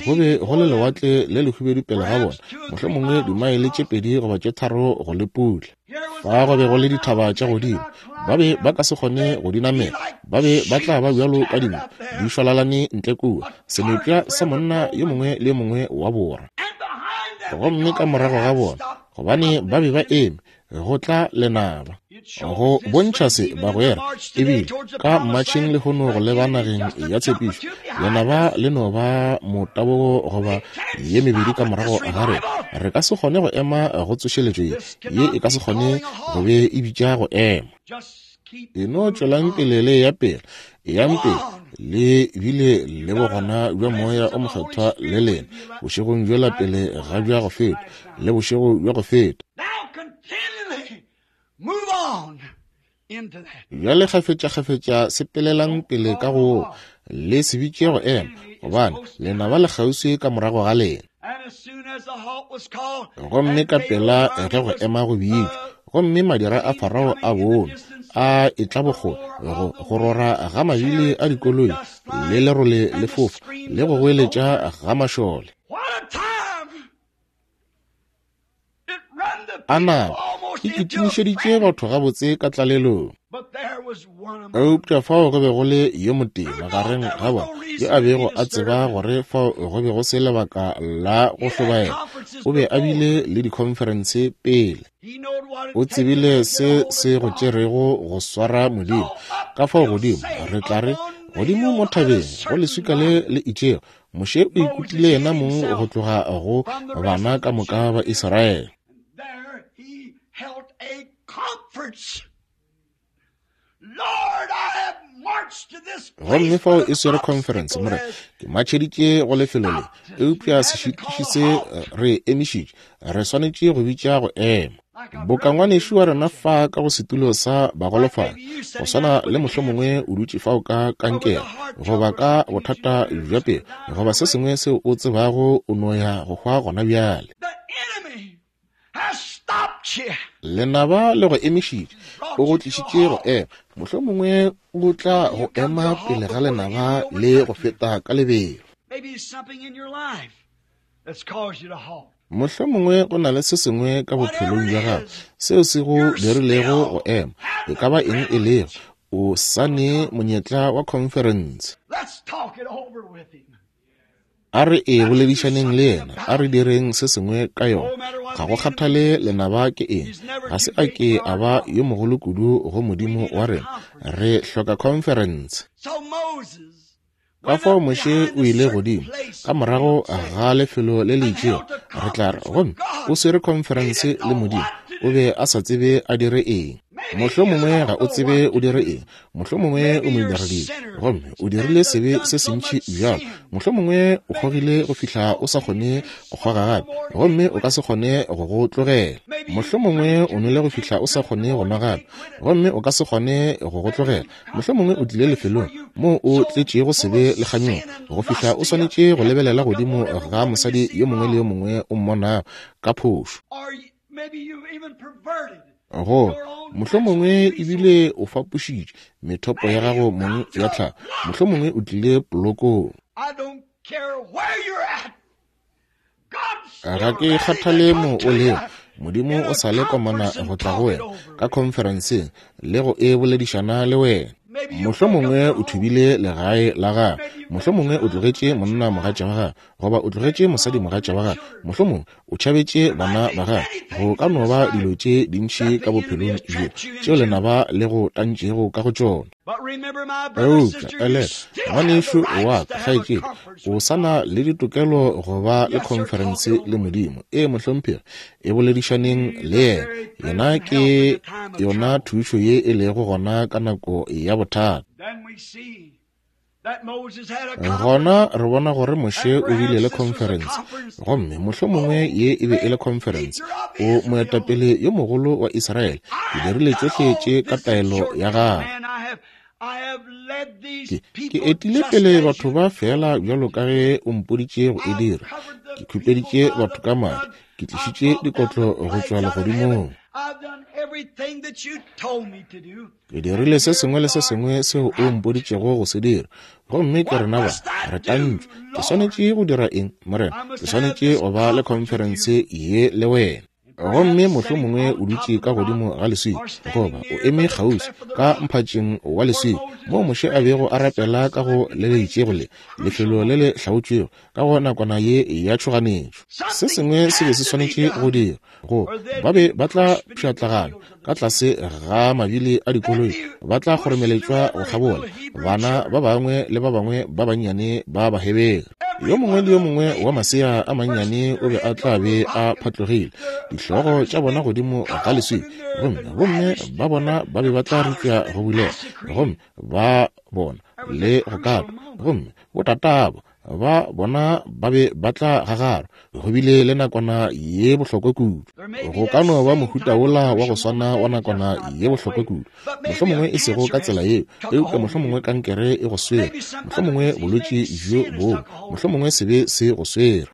Speaker 1: Go be go le lewatle le lehubedu pele ga bona, mohlomongwe dimaele tše pedi goba tše tharo go le putla. Fa go be go le dithaba tša godimo, ba be ba ka se kgone go di namela, ba be ba tla ba bjalo ka dinku di šwalalane ntle kua, senepša sa monna yo mongwe le yo mongwe wa bora. Gomme ka morago ga bona, gobane ba be ba eme, go tla lenaba. Go bontšha se bagwera, ebile ka mmatšheng lehono go leba nageng ya tshepišo, lenaba le no ba motabogo goba ye mebedi ka morago ga rena. Re ka se kgone go ema go tsošeletšo ye, ye e ka se kgone go be e bitša go ema. E no tšwelang pele le ya pele, eyang pele le bile le bogona bja Moya o Mokgethwa le lena bošegong bjola pele ga bja go feta le bošego bja go feta. Bjale kgafetša-kgafetša sepelelang pele ka go le se bitše go ema, gobane lenaba le kgauswi ka morago ga lena. Gomme ka pela ge go ema go bitšwa, gomme madira a Farao a bone a etla bokgole, go go rora ga mabili a dikoloi le lerole le fofa le go goeletša ga mašole. A nako e kitimišeditše batho gabotse ka tlalelong. Eupša fao go be go le yo motee magareng ga bona yo a bego a tseba gore fao go be go se lebaka la go hlobaela. O be a bile le dikhonferense pele. O tsebile se se go tšerego go swara Modimo. Ka fao godimo, re tla re, godimo mo thabeng go leswika le le itšego, Moshe o ikutile yena mong go tloga go bana ka moka ba Israele. Gomme fao e swere conference, more ke matšheditše go lefelo le, eupša sešitiši se re emišitše, re swanetše go bitša go ema. Boka ngwanešu wa rena fa ka go setulo sa bagolofadi, go swana le mohlomongwe o dutše fao ka kankere goba ka bothata bja pelo goba se sengwe seo o tsebago o no ya go hwa gona bjale. Lenaba le go emišitše, o go tlišitše go ema, mohlomongwe o tla go ema pele ga lenaba le go feta ka lebelo. Mohlomongwe go na le se sengwe ka bophelong bja gago seo se go dirilego go ema, e ka ba eng e lego, o sa ne monyetla wa conference. A re e boledišaneng le yena, a re direng se sengwe ka yona. Ga go kgathale lenaba ke eng, ga se a ke a ba yo mogolo kudu go Modimo wa rena. Re hloka conference. Ka fao Moshe o ile godimo ka morago ga lefelo le le itšego, re tla re, gomme o swere conference le Modimo. O be a sa tsebe a dire eng. Mohlomongwe ga o tsebe o dire eng, mohlomongwe o modiradibe gomme o dirile sebe se sentši bjalo, mohlomongwe o kgogile go fihla o sa kgone go kgoga gape gomme o ka se kgone go go tlogela. Mohlomongwe o nwele go fihla o sa kgone go nwa gape gomme o ka se kgone go go tlogela. Mohlomongwe o tlile lefelong moo o tletšego sebe le kganyogo go fihla o swanetše go lebelela godimo ga mosadi yo mongwe le yo mongwe o mmonago ka phošo. Go mohlomongwe ebile o fapošitše methopo ya gago mong ya tlhago, mohlomongwe o tlile polokong. Ga ke kgathale mo o lego, Modimo o sa le komana go tla go wena ka khonferenseng le go e boledišana le wena. Mohlomongwe o thubile legae la gagwe, mohlomongwe o tlogetše monna mogatša wa gagwe goba o tlogetše mosadi mogatša wa gagwe, mohlomongwe o tšhabetše bana ba gagwe. Go ka no ba dilo tše dintši ka bophelong bjo tšeo lenaba le go tantšego ka go tšona. Eupša elela, ngwanešu wa ka kgaetšedi, o sa na le ditokelo go ba le khonferense le Modimo. Ee, mohlomphegi, e boledišaneng le yena. Yena ke yona thušo ye e lego gona ka nako ya bothata. Gona re bona gore Moshe o bile le conference, gomme mohlomongwe ye e be e le conference. O moetapele yo mogolo wa Israele, ke dirile tšohle tše ka taelo ya gagwe. Ke, ke etile pele batho ba fela bjalo ka ge o mpoditše go e dira. Ke khupeditše batho ka madi, ke tlišitše dikotlo go tšwa legodimong. Ke dirile se sengwe le se sengwe seo o mpoditšego go se dira, gomme ke rena ba re tantšwe. Ke swanetše go dira eng, Morena? Ke swanetše go ba le khonferense ye le wena. Gomme mohlomongwe o dutše ka godimo ga leswika, goba o eme kgauswi ka mphatšeng wa leswika, moo Moshe a bego a rapela ka go le le itšego le lefelo le le hlaotšwego ka go nakwana ye ya tšhoganetšo. Se sengwe se be se swanetše go dira, go ba be ba tla pšhatlagana ka tlase ga mabili a dikoloi, ba tla kgoromeletšwa go kgabola bana ba bangwe le ba bangwe ba bannyane ba Bahebere. Yo mongwe le yo mongwe wa masea a mannyane o be a tla be a phatlogile dihlogo tša bona godimo ga leswika, gomme gomme ba bona ba be ba tla ripša go bulega, gomme ba bona le go katwa, gomme botatabo ba bona ba be ba tla gagarwa. Go bile le nakwana ye bohlokwa kudu. Go ka no ba mohuta wola wa go swana wa nakwana ye bohlokwa kudu, mohlomongwe e sego ka tsela yeo, eupša mohlomongwe kankere e go swere, mohlomongwe bolwetši bjo bongwe, mohlomongwe sebe se go swere,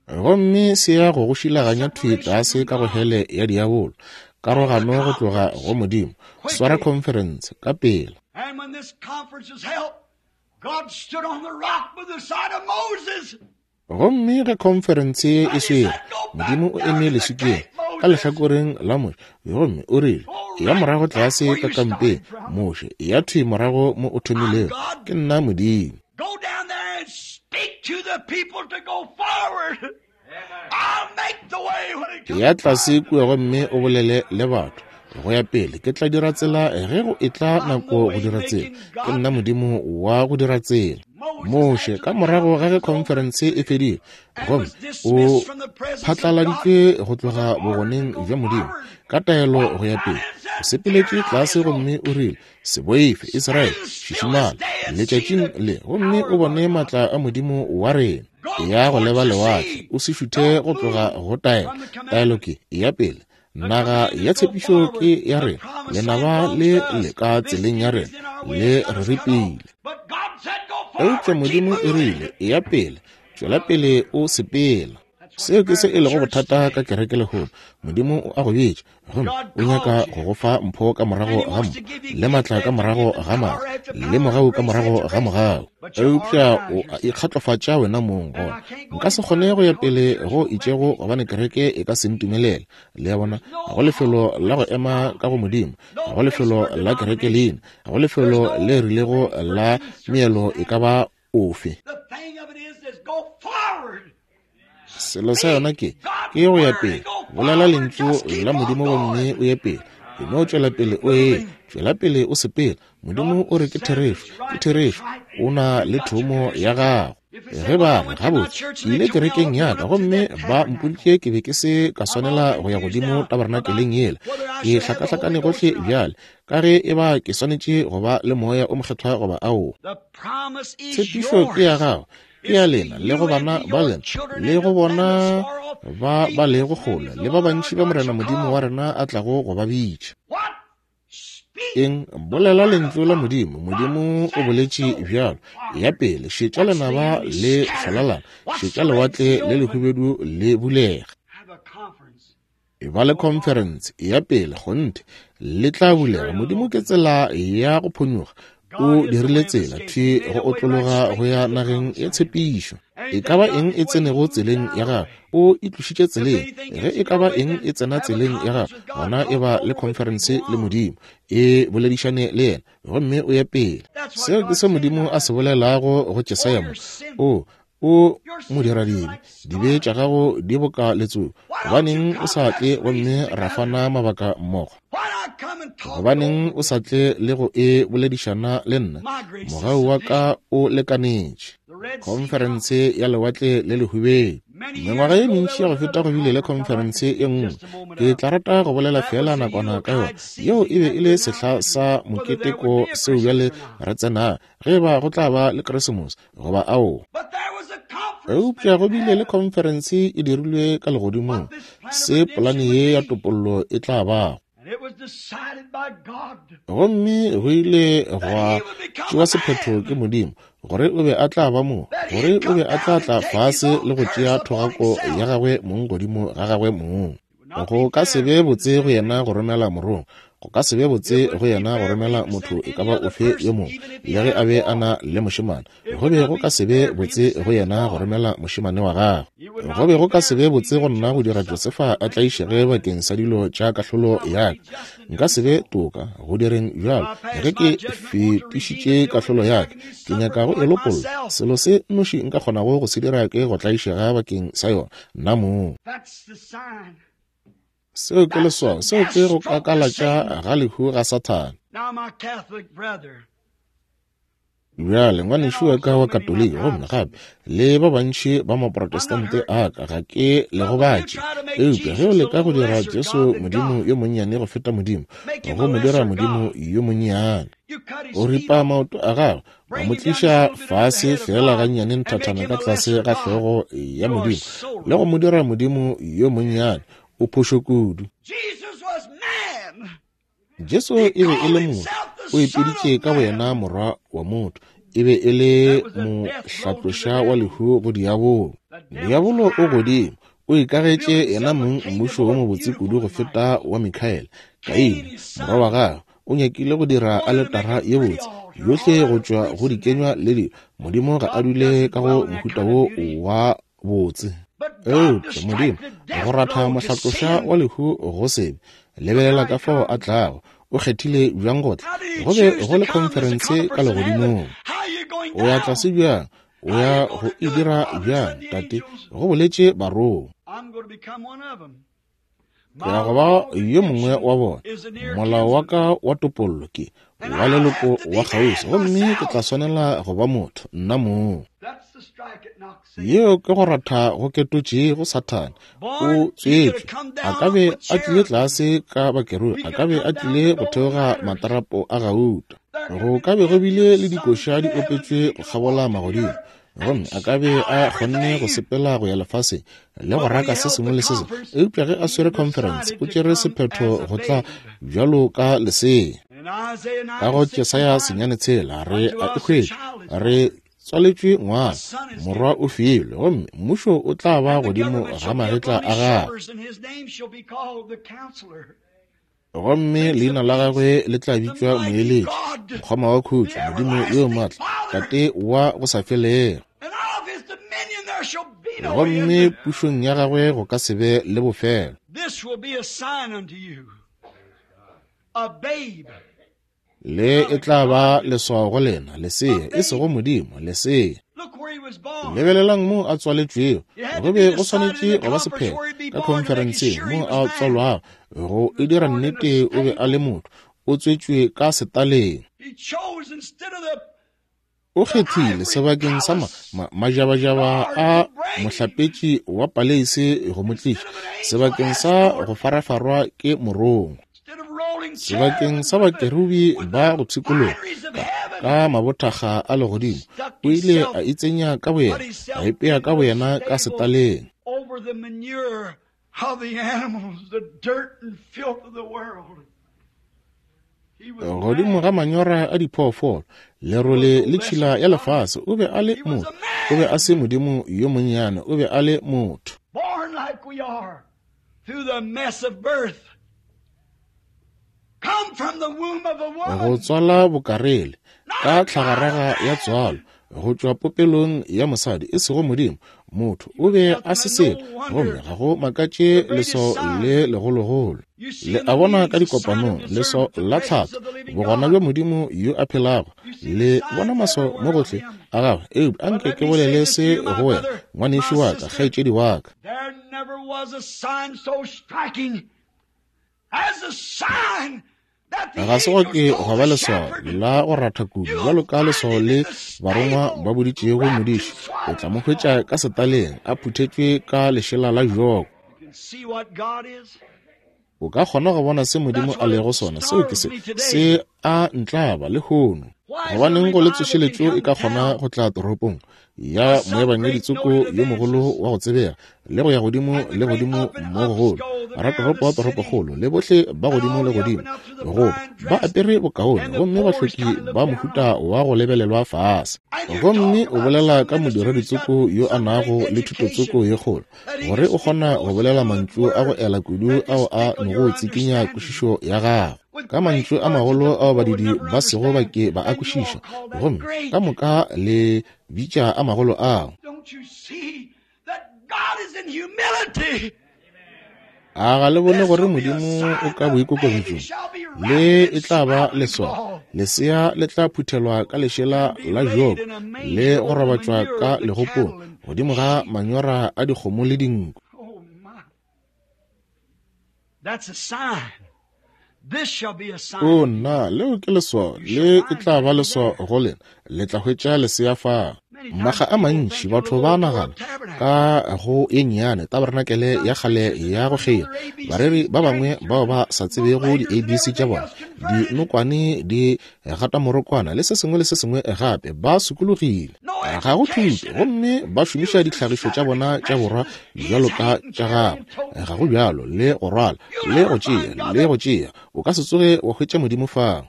Speaker 1: gomme se ya go go šilaganya thwi tlase ka go hele ya diabolo, karogano go tloga go Modimo. Swara khonferense ka pela.
Speaker 2: And when this conference was held, God stood on the rock by the side of Moses.
Speaker 1: Gomme ge khonferense e swere, Modimo o eme leswikeng ka lehlakoreng la Moshe, gomme o rile, ya morago tlase ka kampeng, Moshe, ya thwi morago mo o thomilego, ke nna Modimo.
Speaker 2: Go down there and speak to the people to go forward. I'll make the way when it comes.
Speaker 1: Ya tlase kua gomme o bolele le batho go ya pele, ke tla dira tsela ge go etla nako go dira tsela. Ke nna Modimo wa go dira tsela. Moshe ka morago ga ge khonferense e fedile, gomme o phatlaladitšwe go tloga bogoneng bja Modimo ka taelo go ya pele, o sepeletše tlase gomme o rile, se boife Israele, šišimala letšatšing le, gomme o bone maatla a Modimo wa rena. Ya go leba lewatle, o se šuthe go tloga go taelo. Taelo ke ya pele. Naga ya tshepišo ke ya rena, lenaba le le ka tseleng ya rena, le re ripile. Eupša Modimo o rile, ya pele, tšwela pele o sepela. Seo ke se e lego bothata ka kereke lehono. Modimo o a go bitša, gomme o nyaka go go fa mpho ka morago ga mpho, le maatla ka morago ga maatla, le mogau ka morago ga mogau. Eupša o a ikgatlofatša wena mong gona. Nka se kgone go ya pele go itšego gobane kereke e ka se ntumelele. Le a bona, ga go lefelo la go ema ka go Modimo, ga go lefelo la kereke leina, ga go lefelo le rilego la meelo e ka ba ofe. Selo sa yona ke ke go ya pele. Bolela lentšu la Modimo gomme o ye pele. E no tšwela pele o ye, tšwela pele o sepela. Modimo o re ke therešo, ke therešo. O na le thomo ya gago. Ge ba re, gabotse, ke ile kerekeng ya ka gomme ba mpoditše ke be ke se ka swanela go ya godimo tabernakeleng yela. Ke hlakahlakane gohle bjale, ka ge e ba ke swanetše go ba le moya o mokgethwa goba aowa. Tshepišo ke ya gago, ke ya lena le go bana ba lena, le go bona ba ba lego kgole, le ba bantši ba Morena Modimo wa rena a tlago go ba bitša. Eng? Bolela lentšu la Modimo. Modimo o boletše bjalo. Ya pele, šetša lenaba le šwalalana, šetša lewatle le lehubedu le bulega. E ba le khonferense ya pele, kgonthe le tla bulega. Modimo ke tsela ya go phonyokga. O dirile tsela thwi go otlologa go ya nageng ya tshepišo. E ka ba eng e tsenego tseleng ya gagwe, o e tlošitše tseleng. Ge e ka ba eng e tsena tseleng ya gagwe, gona e ba le khonferense le Modimo, e boledišane le yena, gomme o ye pele. Seo ke se Modimo a se bolelago go Jesaya mo. O o modiradibe, dibe tša gago di boka letsogo. Gobaneng o sa tle gomme ra fana mabaka mmogo? Gobaneng o sa tle le go e boledišana le nna? Mogau wa ka o lekanetše. Khonferense ya lewatle le lehubedu. Mengwaga ye mentši ya go feta go bile le khonferense e nngwe. Ke tla rata go bolela fela nakwana ka yona. Yeo e be e le sehla sa moketeko seo bjale re tsenago, ge ba go tla ba le Keresemose goba aowa. Eupša go bile le khonferense e dirilwe ka legodimong, se polane ye ya topollo e tla bago. Gomme go ile gwa tšewa sephetho ke Modimo gore o be a tla ba mo, gore o be a tla tla fase le go tšea thogako ya gagwe mong godimo ga gagwe mong. Go ka se be botse go yena go romela morongwa, go ka se be botse go yena go romela motho e ka ba ofe yo mongwe, le ge a be a na le mošemane. Go be go ka se be botse go yena go romela mošemane wa gagwe. Go be go ka se be botse go nna go dira Josefa a tlaišege bakeng sa dilo tša kahlolo ya ka. Nka se be toka go direng bjalo ge ke fetišitše kahlolo ya ka. Ke nyaka go e lopolla. Selo se nnoši nka kgonago go se dira ke go tlaišega bakeng sa yona nna mong. Seo ke leswao, seo ke go kakalatša ga lehu ga Sathane. Bjale ngwanešu wa ka wa Katoliki, gomme gape le ba bantši ba Maprotestante a ka, ga ke le gobatše, eupša ge o leka go dira Jesu Modimo yo monnyane go feta Modimo, go mo dira Modimo yo monnyane, o ripa maoto a gagwe, wa mo tliša fase fela gannyane nthathana ka tlase ga hlogo ya Modimo, le go mo dira Modimo yo monnyane, o phošo kudu. Jesu e be e le motho, o ipiditše ka boyena morwa wa motho, e be e le mohlatloša wa lehu go diabolo. Diabolo o godimo, o ikagetše yena mong mmušo wo mobotse kudu go feta wa Mikaele. Kaine, morwa wa gagwe, o nyakile go dira aletara ye botse yohle go tšwa go dikenywa le dilo. Modimo ga a dule ka go mohuta wo wa botse. Eupša Modimo go ratha mohlatloša wa lehu go sebe. Lebelela ka fao a tlago. O kgethile bjang go tla? Go be go le khonferense ka legodimong. O ya tlase bjang? O ya go e dira bjang, Tate? Go boletše barongwa. Ke ya go ba yo mongwe wa bona. Molao wa ka wa topollo ke wa leloko wa kgauswi, gomme ke tla swanela go ba motho nna mong. Yeo ke go ratha go ketotšego Sathane. O tswetšwe, a ka be a tlile tlase ka bakerubi, a ka be a tlile go theoga matarapo a gauta. Go ka be go bile le dikoša di opetšwe go kgabola magodimo, gomme a ka be a kgonne go sepela go ya lefaseng le go raka se sengwe le se sengwe. Eupša ge a swere conference, o tšere sephetho go tla bjalo ka lesea. Ka go Jesaya senyane tshela re a e hwetša, re tswaletšwe ngwana, morwa o filwe, gomme mmušo o tla ba godimo ga magetla a gagwe, gomme leina la gagwe le tla bitšwa Moeletši, Mokgoma wa Khutšo, Modimo yo maatla, Tate wa go sa felego. Gomme pušong ya gagwe go ka se be le bofelo. Le e tla ba leswao go lena, lesea, e sego Modimo, lesea. Lebelelang mo a tswaletšwego. Go be go swanetše go ba sephetho ka khonferenseng mo a tswalwago go e dira nnete o be a le motho, o tswetšwe ka setaleng. O kgethile sebakeng sa majabajaba a mohlapetši wa paleise go mo tliša, sebakeng sa go farafarwa ke morongwa, sebakeng sa bakerubi ba go pshikologa ka mabothakga a legodimo, o ile a itsenya ka boyena, a ipea ka boyena ka setaleng. Godimo ga manyora a diphoofolo, lerole le tšhila ya lefase, o be a le motho. O be a se Modimo yo monnyane, o be a le motho. Go tswala bokarele ka tlhagaraga ya tswalo, go tšwa popelong ya mosadi, e sego Modimo, motho. O be a se selo, gomme ga go makatše leswao le legologolo. Le a bona ka dikopanong, leswao la tlhatho, bogona bja Modimo yo a phelago. Le bona maswao mo gohle a gagwe. Eupša anke ke bolele se go wena, ngwanešu wa ka, kgaetšedi wa ka. Ga se go ke gwa ba leswao la go ratha kudu bjalo ka leswao le barongwa ba boditšego modiši. O tla mo hwetša ka setaleng a phuthetšwe ka lešela la joko. O ka kgona go bona se Modimo a lego sona. Seo ke se se a ntlaba lehono. Gobaneng go le tsošeletšo e ka kgona go tla toropong ya moebangedi tsoko yo mogolo wa go tsebega, le go ya godimo le godimo mo gogolo, ratoropo wa toropokgolo, le bohle ba godimo le godimo, goba ba apere bokaone, gomme bahloki ba mohuta wa go lebelelwa fase. Gomme o bolela ka modiredi tsoko yo a nago le thuto tsoko ye kgolo, gore o kgona go bolela mantšu a go ela kudu ao a nogo tsikinya kwešišo ya gago, ka mantšu a magolo ao badidi ba sego ba ke ba a kwešiša, gomme ka moka le bitša a magolo ao. A ga le bone gore Modimo o ka boikokobetšong? Le e tla ba leswao. Lesea le tla phuthelwa ka lešela la joko le go robatšwa ka legopong godimo ga manyora a dikgomo le dinku. O nna, leo ke leswao. Le e tla ba leswao go lena. Le tla hwetša lesea fao. Makga a mantši batho ba nagana ka go e nnyane tabernakelé ya kgale ya go kgeila. Bareri ba bangwe bao ba sa tsebego di-A B C tša bona, dinokwane di gata morokwana le se sengwe le se sengwe gape, ba sokologile. Ga go thuto, gomme ba šomiša ditlhagišo tša bona tša borwa bjalo ka tša gagwe. Ga go bjalo, le go rwala, le go tšea, le go tšea. O ka se tsoge wa hwetša Modimo fao.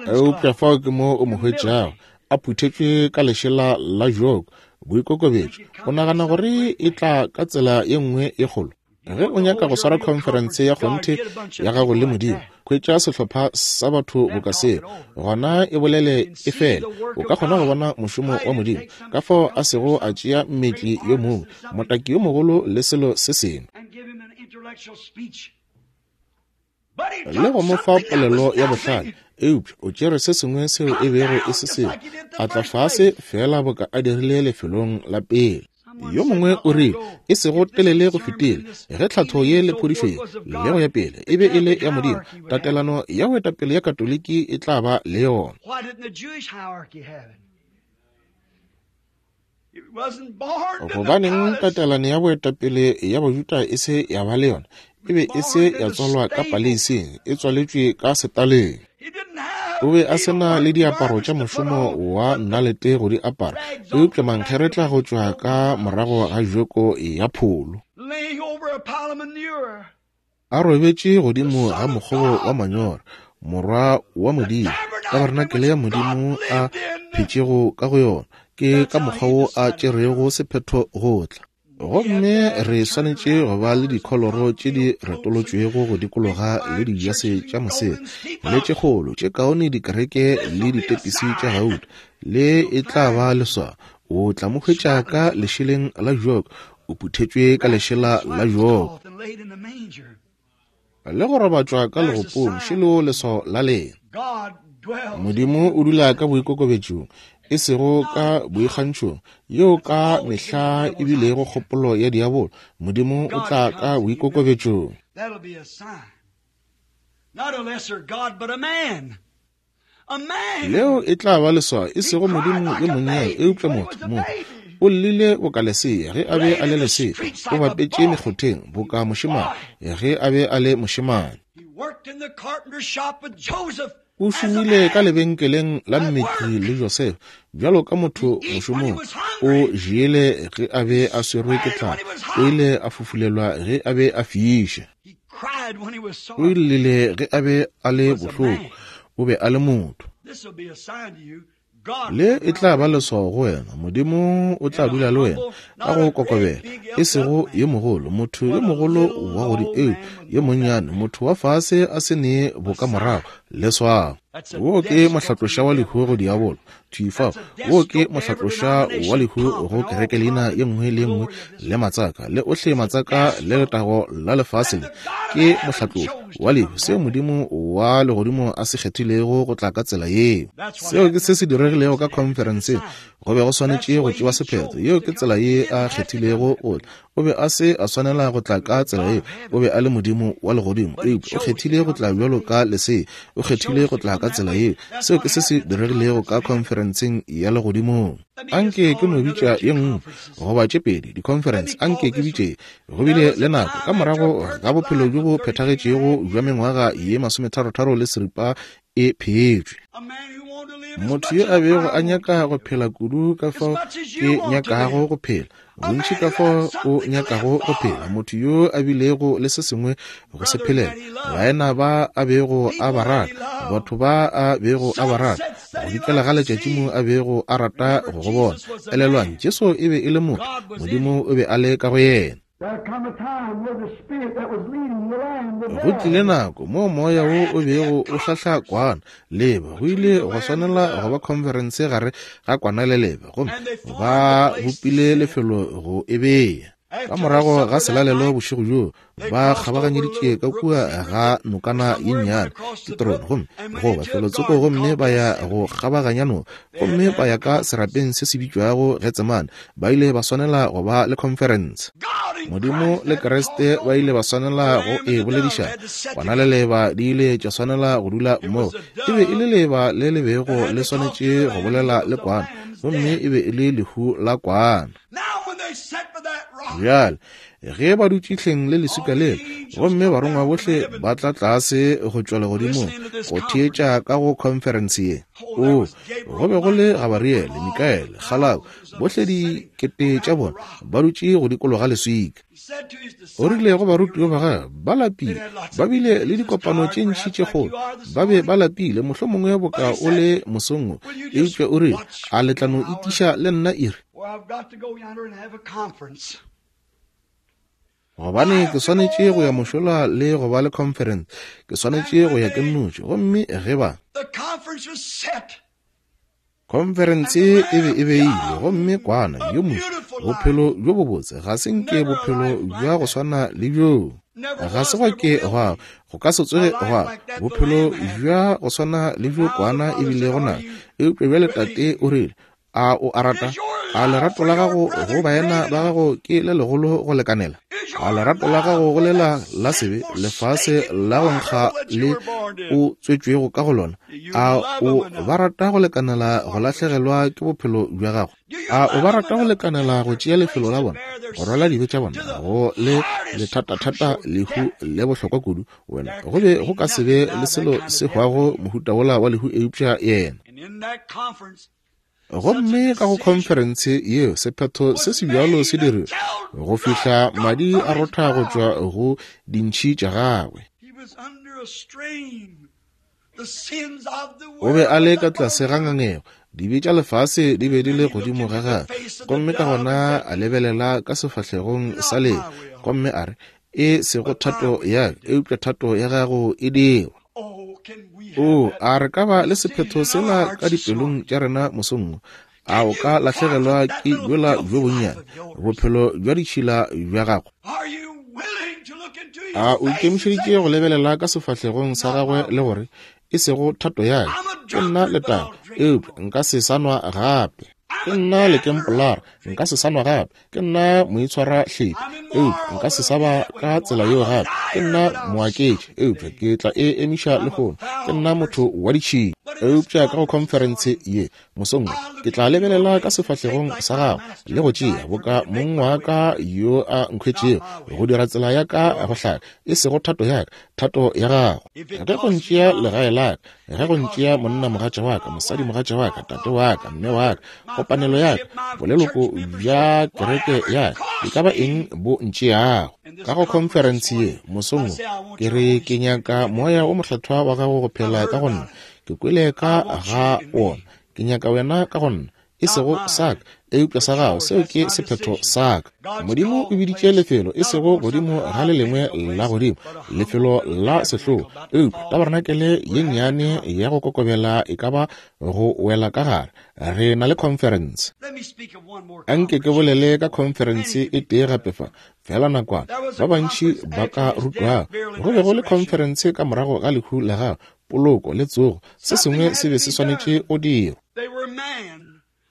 Speaker 1: Eupša fao ke mo o mo hwetšago, a phuthetšwe ka lešela la joko, boikokobetšo. O nagana gore e tla ka tsela ye nngwe ye kgolo? Ge o nyaka go swara khonferense ya kgonthe ya gago le Modimo, hwetša sehlopha sa batho boka seo, gona e bolele e fele. O ka kgona go bona mošomo wa Modimo, ka fao a sego a tšea mmetli yo mongwe, motaki yo mogolo le selo se sengwe, le go mo fa polelo ya bohlale, eupša o tšere se sengwe seo e bego e se seo, a tla fase fela boka a dirile lefelong la pele. Yo mongwe o rile, e sego telele go fetile, ge tlhatho ye le phodišo ye le go ya pele e be e le ya Modimo, tatelano ya boetapele ya Katoliki e tla ba le yona. Gobaneng tatelano ya boetapele ya Bajuda e se ya ba le yona? E be e se ya tswalwa ka paleising, e tswaletšwe ka setaleng. O be a se na le diaparo tša mošomo wa nnalete go di apara, eupša mankgeretla go tšwa ka morago ga joko ya pholo, a robetše godimo ga mokgobo wa manyora, morwa wa Modimo, tabernakelé ya Modimo a phetšego ka go yona. Ke ka mokgwa wo a tšerego sephetho go tla. Gomme re swanetše go ba le dikholoro tše di retolotšwego go dikologa le dijase tša mosela, le tše kgolo tše kaone dikereke le ditepisi tša gauta. Le e tla ba leswao. O tla mo hwetša ka lešeleng la joko, o phuthetšwe ka lešela la joko, le go robatšwa ka legopong. Šelo leswao la lena. Modimo o dula ka boikokobetšong, e sego ka boikgantšhong, yeo ka mehla e bilego kgopolo ya diabolo. Modimo o tla ka boikokobetšong. Leo e tla ba leswao, e sego Modimo yo monnyane, eupša motho. Motho o llile boka lesea ge a be a le lesea, o bapetše mekgotheng boka mošemane ge a be a le mošemane. O šomile ka lebenkeleng la mmetli le Joseph bjalo ka motho mošomong. O jele ge a be a swerwe ke tlala, o ile a fufulelwa ge a be a fiša, o llile ge a be a le bohloko. O be a le motho. Le e tla ba leswao go wena. Modimo o tla dula le wena ka go kokobela, e sego yo mogolo, motho yo mogolo wa godimo, eo yo monnyane, motho wa fase a se ne bokamorago. Leswao. Wo ke mohlatloša wa lehu go diabolo. Thwi fao. Wo ke mohlatloša wa lehu go kereke leina ye nngwe le nngwe le matsaka, le ohle matsaka le letago la lefase le. Ke mohlatloša wa lehu, seo Modimo wa legodimo a se kgethilego go tla ka tsela yeo. Seo ke se se diregilego ka khonferenseng. Go be go swanetše go tšewa sephetho. Yeo ke tsela ye a kgethilego go tla. O be a se a swanela go tla ka tsela yeo. O be a le Modimo wa legodimo, eupša o kgethile go tla bjalo ka lesea. O kgethile go tla ka tsela yeo. Seo ke se se diregilego ka khonferenseng ya legodimong. Anke ke no bitša ye nngwe goba tše pedi dikhonferense. Anke ke bitše. Go bile le nako ka morago ga bophelo bjo bo phethagetšego bja mengwaga ye masometharotharo le seripa e phetšwe. Motho yo a bego a nyaka go phela kudu ka fao ke nyakago go phela, bontši ka fao o nyakago go phela, motho yo a bilego le se sengwe go se phelela, baena ba a bego a ba rata, batho ba a bego a ba rata, go dikela ga letšatši mo a bego a rata go go bona. Elelwang, Jesu e be e le motho, Modimo o be a le ka go yena. Go tlile nako mo moya wo o bego o hlahla kwana leba, go ile go swanela go ba conference gare ga kwana le leba, gomme ba bopile lefelo go e bea. Ka morago ga selalelo bošego bjoo, ba kgabaganyeditše ka kua ga nokana ye nnyane Kitrone, gomme goba felotsoko, gomme ba ya go kgabaganya noka, gomme ba ya ka serapeng se se bitšwago Getsemane. Ba ile ba swanela go ba le conference. Modimo le Kriste ba ile ba swanela go e boledišana. Kwana le leba di ile tša swanela go dula mmogo. E be e le leba le le bego le swanetše go bolela le kwana, gomme e be e le lehu la kwana. Bjale ge ba dutše hleng le leswika lela, gomme barongwa bohle ba tla tlase go tšwa legodimong go theetša ka go conference ye. O, go be go le Gabariele, Mikaele, Kgalako, bohle dikete tša bona ba dutše go dikologa leswika. O rile go barutiwa ba gagwe, ba lapile, ba bile le dikopano tše ntši tše kgolo, ba be ba lapile, mohlomongwe boka o le mosong wo, eupša o rile, a le tla no itiša le nna iri? Gobane ke swanetše go ya mošola le go ba le conference, ke swanetše go ya ke nnoši. Gomme ge ba conference e be e beile, gomme kwana yo mongwe, bophelo bjo bobotse, ga se nke bophelo bja go swana le bjoo, ga se gwa ke gwa go ka se tsoge gwa bophelo bja go swana le bjo kwana e bile go na. Eupša bjale Tate o rile, a o a rata? A lerato la gago go baena ba gago ke le legolo go lekanela? A lerato la gago go lela la sebe, lefase la go nkga le o tswetšwego ka go lona, a o ba rata go lekanela go lahlegelwa ke bophelo bja gago? A o ba rata go lekanela go tšea lefelo la bona, go rwala dibe tša bona, go le lethatathata lehu le bohlokwa kudu? Wena go be go ka se be le selo se hwago mohuta wola wa lehu eupša yena. Gomme ka go conference yeo sephetho se se bjalo se dirilwe go fihla madi a rotha go tšwa go dintšhi tša gagwe. O be a le ka tlase ga ngangego, dibe tša lefase di be di le godimo ga gagwe, gomme ka gona a lebelela ka sefahlegong sa leo, gomme a re, e sego thato ya ka, eupša thato ya gago e dirwe. O, a re ka ba le sephetho sela ka dipelong tša rena mosong wo? A o ka lahlegelwa ke bjola bjo bonnyane, bophelo bja ditšhila bja gago? A o ikemišeditše go lebelela ka sefahlegong sa gagwe le gore, e sego thato ya ka, ke nna letago, eupša nka se sa nwa gape. Ke nna lekempolara, nka se sa nwa gape. Ke nna moitshwarahlepi, eupša nka se sa ba ka tsela yeo gape. Ke nna moaketši, eupša ke tla e emiša lehono. Ke nna motho wa ditšhila, eupša ka go conference ye mosong wo, ke tla lebelela ka sefahlegong sa gago le go tšea boka mong wa ka yo a nkhwetšego, go dira tsela ya ka go hlaka, e sego thato ya ka, thato ya gago. Ge go ntšea legae la ka, ge go ntšea monna mogatša wa ka, mosadi mogatša wa ka, tate wa ka, mme wa ka, kopanelo ya ka, boleloko bja kereke ya ka, e ka ba eng bo ntšeago. Ka go conference ye mosong wo, ke re ke nyaka moya o mohlathwa wa gago go phela ka go nna. Ke kwele ka ga wona, ke nyaka wena ka go nna, e sego sa ka, eupša sa gago, seo ke sephetho sa ka. Modimo o biditše lefelo, e sego godimo ga le lengwe la godimo, lefelo la sehlogo, eupša tabernakelye ye nnyane ya go kokobela e ka ba go wela ka gare. Re na le conference. Anke ke bolele ka conference e tee gape fa, fela nakwana, ba bantši ba ka rutwago. Go be go le conference ka morago ga lehu la gagwe, poloko le tsogo, se sengwe se be se swanetše go dirwa.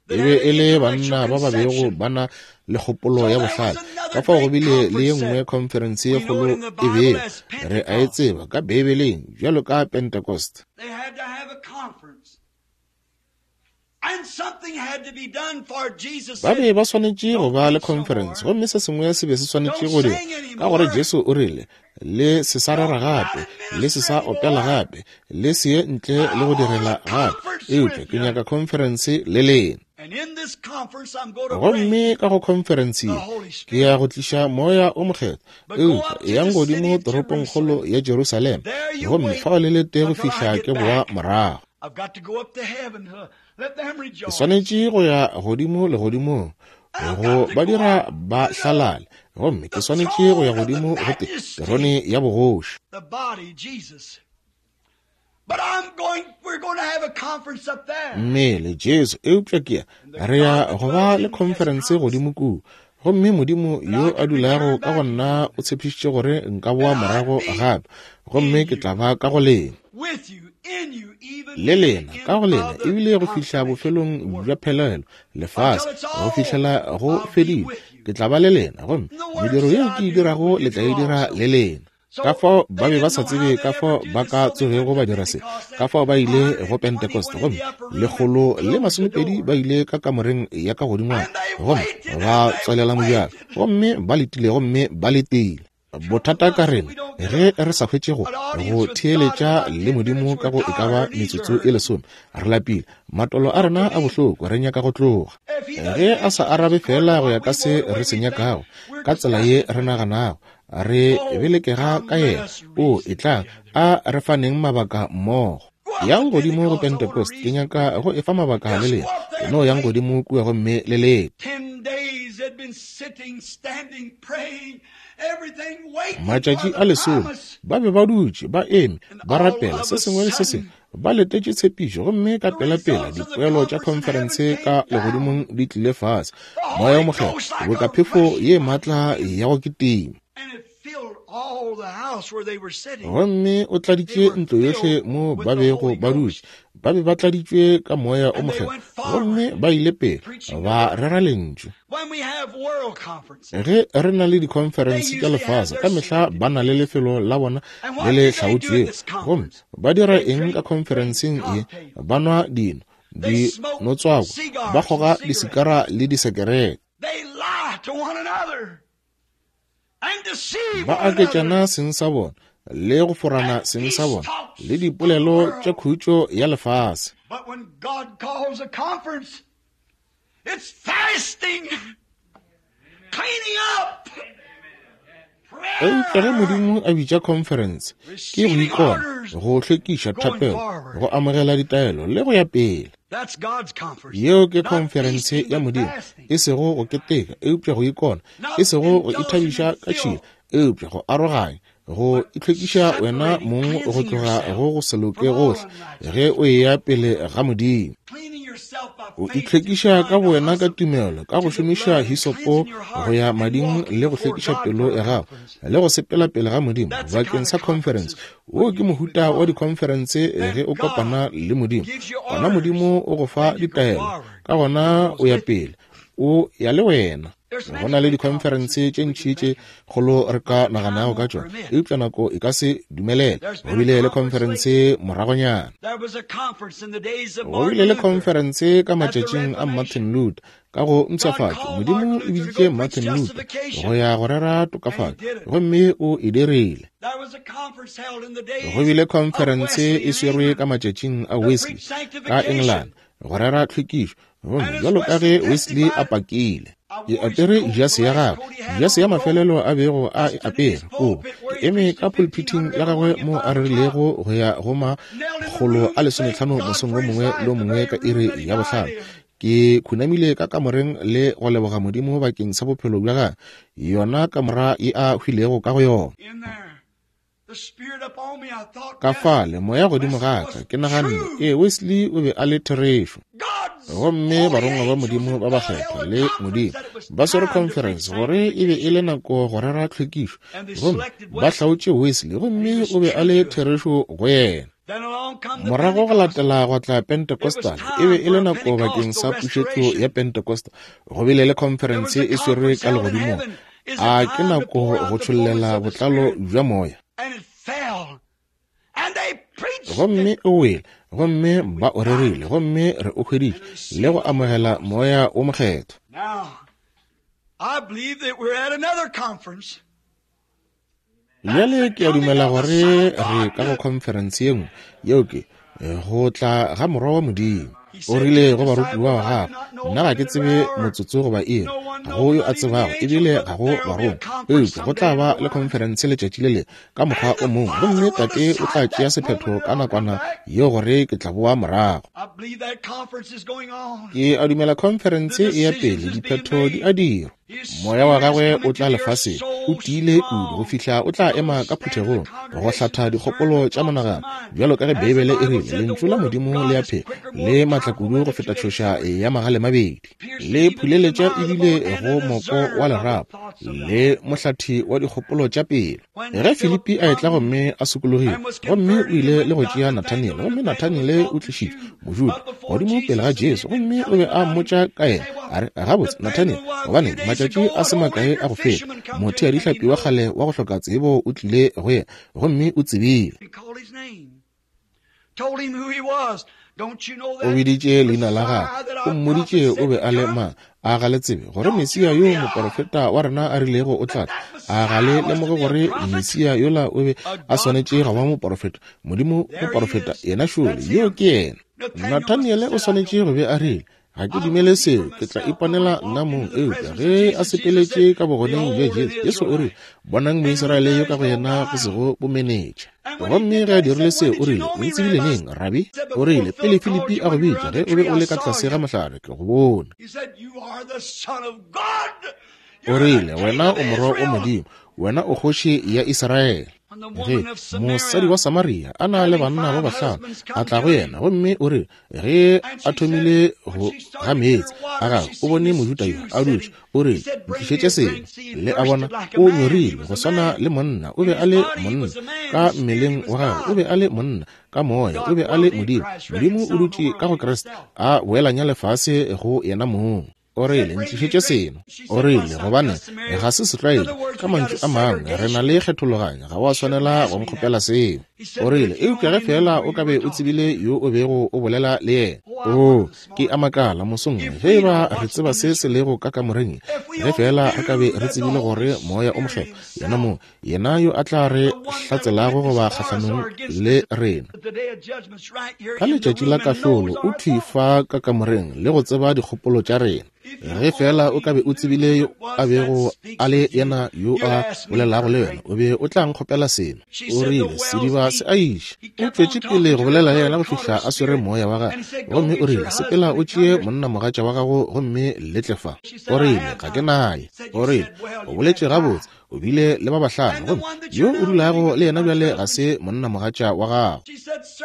Speaker 1: E be e le banna ba ba bego ba na le kgopolo ya bohlale. Ka fao go bile le ye nngwe conference ye kgolo e bego re a e tseba ka Beibeleng bjalo ka Pentecost. Ba be ba swanetše go ba le conference, gomme se sengwe se be se swanetše go dirwa, ka gore Jesu o rile, le se sa rera gape, le se sa opela gape, le se ye ntle le go direla gape. Eupša ke nyaka khonferense le lena. Gomme ka go khonferense ye ke ya go tliša Moya o Mokgethwa. Eupša eyang godimo toropongkgolo ya Jerusalema, gomme fao le lete go fihla ke boa morago. Ke swanetše go ya godimo legodimong go ba dira ba hlalale, gomme ke swanetše go ya godimo go te terone ya bogoši. Mmele Jesu, eupša ke ya re ya go ba le khonferense godimo kua. Gomme Modimo yo a dulago ka go nna o tshepišitše gore nka boa morago gape, gomme ke tla ba ka go lena le lena ka go lena, ebile go fihla bofelong bja phelelo lefase, go fihlela go fedile, ke tla ba le lena, gomme mediro yeo ke e dirago le tla e dira le lena. Ka fao ba be ba sa tsebe ka fao ba ka tsogego ba dira se, ka fao ba ile go Pentecost, gomme lekgolo le masomepedi ba ile ka kamoreng ya ka godingwana, gomme ba tswalela mojako, gomme ba letile, gomme ba letile. Bothata ka rena ge re sa hwetše go go theeletša le Modimo ka go e ka ba metsotso e lesome, re lapile, matolo a rena a bohloko, re nyaka go tloga. Ge a sa arabe fela go ya ka se re se nyakago, ka tsela ye re naganago, re belekega ka yena, o e tla a re faneng mabaka mmogo. Yang godimo go Pentecost, ke nyaka go efa mabaka le lena. No yang godimo kua gomme le lete. Matšatši a lesome ba be ba dutše ba eme ba rapela se sengwe le se sengwe, ba letetše tshepišo, gomme ka pelapela dipoelo tša khonferense ka legodimong di tlile fase. Moya o Mokgethwa boka phefo ye maatla ya go kitima, gomme o tladitše ntlo yohle mo ba bego ba dutše. Ba be ba tladitšwe ka Moya o Mokgethwa, gomme ba ile pele ba rera lentšu. Ge re na le dikhonferense tša lefase, ka mehla ba na le lefelo la bona le le hlaotšwego. Gomme ba dira eng ka khonferenseng ye? Ba nwa dino, dinotswako, ba kgoga disikara le disekerete, ba aketšana seng sa bona le go forana seng sa bona le dipolelo tša khutšo ya lefase. Eupša ge Modimo a bitša khonferense, ke go ikona, go hlwekiša thapelo, go amogela ditaelo le go ya pele. Yeo ke khonferense ya Modimo, e sego go keteka, eupša go ikona, e sego go ithabiša ka tšhila, eupša go aroganya, go itlhwekiša wena mong go tloga go go se loke gohle ge o eya pele ga Modimo. O itlhwekiša ka bowena ka tumelo, ka go šomiša hisopo go ya mading le go hlwekiša pelo ya gago le go sepela pele ga Modimo bakeng sa khonferense. Wo ke mohuta wa dikhonferense ge o kopana le Modimo. Gona Modimo o go fa ditaelo, ka gona o ya pele, o ya le wena. Go na le dikhonferense tše ntši tše kgolo re ka naganago ka tšona, eupša nako e ka se dumelele. Go bile le khonferense moragonyana. Go bile le khonferense ka matšatšing a Martin Luther ka go mpshafatšo. Modimo o biditše Martin Luther go ya go rera tokafatšo, gomme o e dirile. Go bile khonferense e swerwe ka matšatšing a Wesley ka England go rera tlhwekišo, gomme bjalo ka ge Wesley a pakile. Ke apere jase ya gagwe, jase ya mafelelo a bego a e apere kobo. Ke eme ka pulpiting ya gagwe mo a rerilego go ya go makgolo a lesometlhano mosong wo mongwe le wo mongwe ka iri ya bohlano. Ke khunamile ka kamoreng le go leboga Modimo bakeng sa bophelo bja gagwe, yona kamora ye a hwilego ka go yona. Ka fale moya godimo ga ka, ke naganne, ee, Wesley o be a le therešo. Gomme barongwa ba Modimo ba bakgethwa le Modimo ba swere conference gore e be e le nako go rera tlhwekišo, gomme ba hlaotše Wesley, gomme o be a le therešo go yena. Morago go latela go tla Pentecostal, e be e le nako bakeng sa pušetšo ya Pentecostal. Go bile le conference e swerwe ka legodimong. A ke nako go tšhollela botlalo bja moya. Gomme o wele, gomme ba o rerile, gomme re o hweditše le go amogela Moya o Mokgethwa. Bjale ke a dumela gore re ka go conference ye nngwe, yeo ke Go tla ga Morwa wa Modimo. O rile go barutiwa ba gagwe, nna ga ke tsebe motsotso goba iri, ga go yo a tsebago, ebile ga go barongwa, eupša go tla ba le khonferense letšatši le lengwe ka mokgwa o mongwe, gomme Tate o tla tšea sephetho ka nakwana yeo gore ke tla boa morago. Ke a dumela khonferense e ya pele, diphetho di a dirwa. Moya wa gagwe o tla lefaseng, o tiile kudu go fihla o tla ema ka phuthegong go hlatha dikgopolo tša monagano, bjalo ka ge Beibele e rile, lentšu la Modimo le a phela, le matla kudu go feta tšhoša ya magale mabedi, le phuleletša ebile go moko wa lerapo, le mohlathi wa dikgopolo tša pelo. Ge Filipi a etla gomme a sokologile, gomme o ile le go tšea Nathaniele, gomme Nathaniele o tlišitšwe, Mojuda, godimo pele ga Jesu, gomme o be a mmotša ka yena, a re, gabotse Nathaniele, gobane matšatši a se makae a go feta, motho ya dihlapi wa kgale wa go hloka tsebo o tlile go yena, gomme o tsebile. O biditše leina la gagwe, o mmoditše o be a le mang. A ga le tsebe gore Mesia yo moporofeta wa rena a rilego o tla tla? A ga le lemoge gore Mesia yola o be a swanetše go ba moporofeta? Modimo moporofeta, yena šole, yo ke yena. Nathaniele o swanetše go be a rile, ga ke dumele seo, ke tla iponela nna mong. Eupša ge a sepeletše ka bogoneng bja Jesu, Jesu o rile, bonang Moisraele yo ka go yena go sego bomenetša. Gomme ge a dirile seo, o rile, o ntsebile neng, Rabi? O rile, pele Filipi a go bitša, ge o be o le ka tlase ga mohlare, ke go bone. O rile, wena o morwa wa Modimo, wena o kgoši ya Israele. Ge mosadi wa Samaria a na le banna ba bahlano a tla go yena, gomme o re ge a thomile go ga meetse a gagwe, o bone Mojuda yo a dutše, o re, ntlišetše seno. Le a bona, o nyorilwe go swana le monna, o be a le monna ka mmeleng wa gagwe, o be a le monna ka moya, o be a le Modimo. Modimo o dutše ka go Kriste, a boelanya lefase go yena mong. O rile, ntlišetše seno. O rile, gobane ga se setlwaedi, ka mantšu a mangwe, re na le kgethologanyo, ga wa swanela go nkgopela seo. O rile, eupša ge feela o ka be o tsebile yo o bego o bolela le yena. O, ke a makala mosong, ge eba re tseba se se lego ka kamoreng, ge feela re ka be re tsebile gore Moya o Mokgethwa, yena mo, yena yo a tla re hlatselago goba kgahlanong le rena ka letšatši la kahlolo, o thwi fa ka kamoreng le go tseba dikgopolo tša rena. Ge feela o ka be o tsebile yo a bego a le yena yo a bolelago le wena, o be o tla nkgopela seno. O rile, sediba se a iša. O tšwetše pele go bolela le yena go fihla a swere moya wa gagwe, gomme o rile, sepela o tšee monnamogatša wa gago gomme le tle fa. O rile, ga ke naye. O rile, o boletše gabotse, o bile le ba bahlano, gomme yo o dulago le yena bjale ga se monnamogatša wa gago.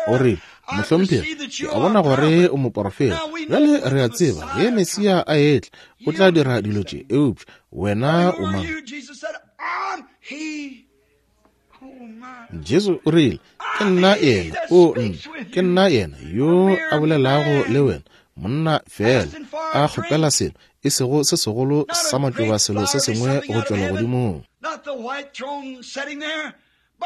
Speaker 1: O rile, mohlomphegi, ke a bona gore o moporofeta. Bjale re a tseba ge Mesia a etla, o tla dira dilo tše, eupša wena o mang? Jesu o rile, ke nna yena, o nna, ke nna yena yo a bolelago le wena. Monna fela a kgopela selo, e sego se segolo sa matšoba, selo se sengwe go tšwa legodimong,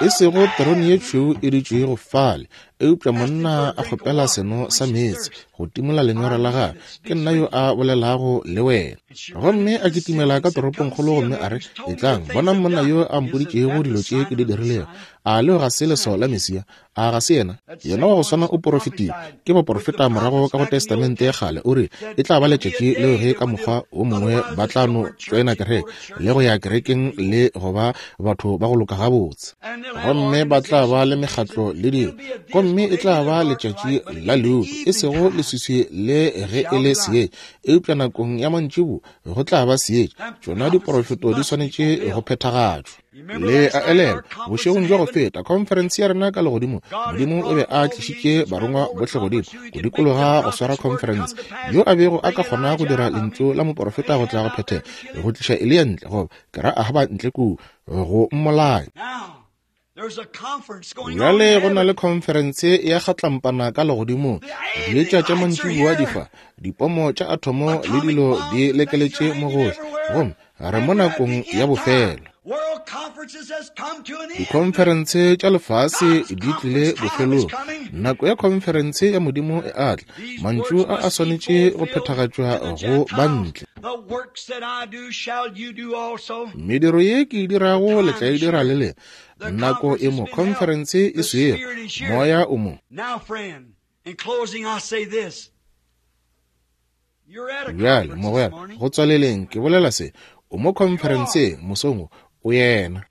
Speaker 1: e sego terone ye tšhweu e dutšego fale, eupša monna a kgopela seno sa meetse go timola lenyora la gagwe. Ke nna yo a bolelago le wena. Gomme a kitimela ka toropongkgolo gomme a re, etlang, bonang monna yo a mpoditšego dilo tše ke di dirilego. A leo ga se leswao la Mesia? A ga se yena? Yena wa go swana o porofetile ke baporofeta morago ka go Testamente ya kgale. O re e tla ba letšatši leo ge ka mokgwa o mongwe ba tla no tšoena kereke le go ya kerekeng le go ba batho ba go loka gabotse, gomme ba tla ba le mekgatlo le dilo, gomme e tla ba letšatši la leuto, e sego leswiswi le ge e le seetša, eupša nakong ya mantšiboa go tla ba seetša. Tšona diporofeto di swanetše go phethagatšwa. Le a elelwa, bošegong bja go feta, khonferense ya rena ka legodimo, Modimo o be a tlišitše barongwa bohle godimo go dikologa go swara khonferense. Yo a bego a ka kgona go dira lentšu la moporofeta go tla go phethega, go tliša Eliya ntle, goba ke ra Ahaba ntle kua, go mmolaya. Bjale go na le khonferense ya kgatlampana ka legodimong. Dietša tša mantšiboa di fa, dipomo tša athomo le dilo di lekeletše mo gohle, gomme re mo nakong ya bofelo. Dikhonferense tša lefase di tlile bofelong. Nako ya khonferense ya Modimo e a tla. Mantšu a a swanetše go phethagatšwa go bantle. Mediro ye ke e dirago le tla e dira le lena. Nako e mo, khonferense e swere, moya o mo. Bjale, mogwera, go tswaleleng ke bolela se. O mo khonferenseng mosong wo, o yena.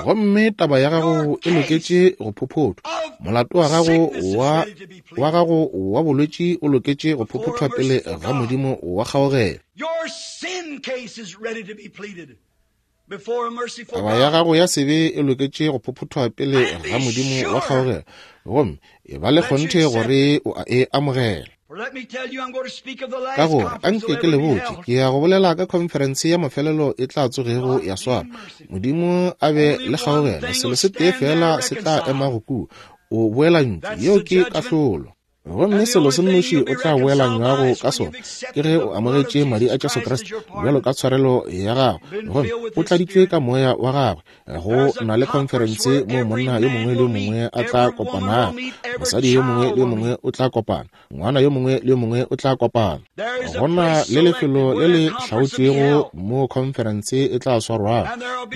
Speaker 1: Gomme taba ya gago e loketše go phophothwa. Molato wa gago wa wa gago wa bolwetši o loketše go phophothwa pele ga Modimo wa kgaogelo. Taba ya gago ya sebe e loketše go phophothwa pele ga Modimo wa kgaogelo, gomme e ba le kgonthe gore o a e amogela. Ka gore anke ke le botše, ke ya go bolela ka khonferense ya mafelelo e tla tsogego ya swara. Modimo a be le kgaogelo, selo se tee fela se tla ema go kua, o boelantšwe, yeo ke kahlolo. Gomme selo se nnoši o tla boelanywago ka sona ke ge o amogetše madi a Jesu Kriste bjalo ka tshwarelo ya gago, gomme o tladitšwe ka moya wa gagwe. Go na le khonferense moo monna yo mongwe le yo mongwe a tla kopanago, mosadi yo mongwe le yo mongwe o tla kopana, ngwana yo mongwe le yo mongwe o tla kopana. Go na le lefelo le le hlaotšwego mo khonferense e tla swarwago,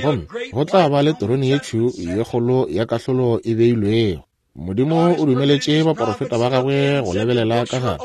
Speaker 1: gomme go tla ba le terone ye tšhweu ye kgolo ya kahlolo e beilwego. Modimo o dumeletše baporofeta ba gagwe go lebelela ka gare,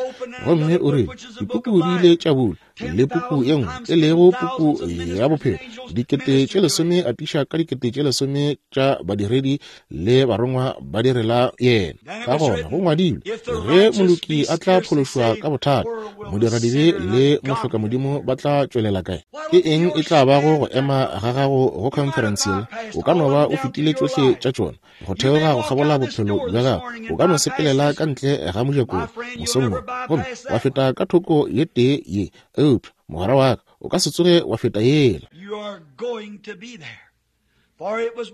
Speaker 1: gomme o rile dipuku di ile tša bulwa, le puku ye nngwe e lego puku ya bophelo, dikete tše lesome atiša ka dikete tše lesome tša badiredi le barongwa ba direla yena. Ka gona go ngwadilwe, ge moloki a tla phološwa ka bothata, modiradibe le mohlokamodimo ba tla tšwelela kae? Ke eng e tla bago go ema ga gago go khonferense yela? O ka no ba o fetile tšohle tša tšona go theoga go kgabola bophelo bja gago. O ka no sepelela ka ntle ga mojako mosong wo, gomme wa feta ka thoko ye tee ye, eupša mogwera wa ka o ka se tsoge wa feta yela.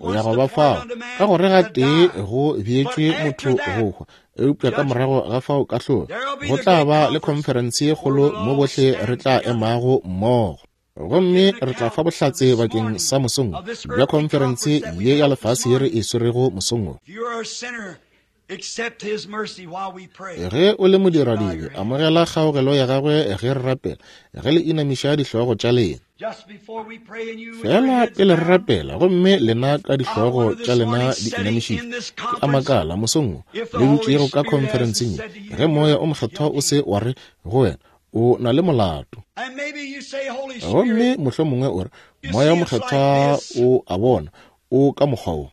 Speaker 1: O ya go ba fao, ka gore ga tee go beetšwe motho go hwa, eupša ka morago ga fao kahlolo. Go tla ba le khonferense ye kgolo mo bohle re tla emago mmogo, gomme re tla fa bohlatse bakeng sa mosong bja khonferense ye ya lefase ye re e swerego mosong wo. Ge o le modiradibe, amogela kgaogelo ya gagwe ge re rapela, ge le inamiša dihlogo tša lena. Fela pele re rapela, gomme lena ka dihlogo tša lena di inamišitšwe, ke a makala mosong wo le dutšego ka khonferenseng ye, ge moya o mokgethwa o se wa re go wena, o na le molato. Gomme mohlomongwe o re, moya o mokgethwa o a bona, o ka mokgwa wo.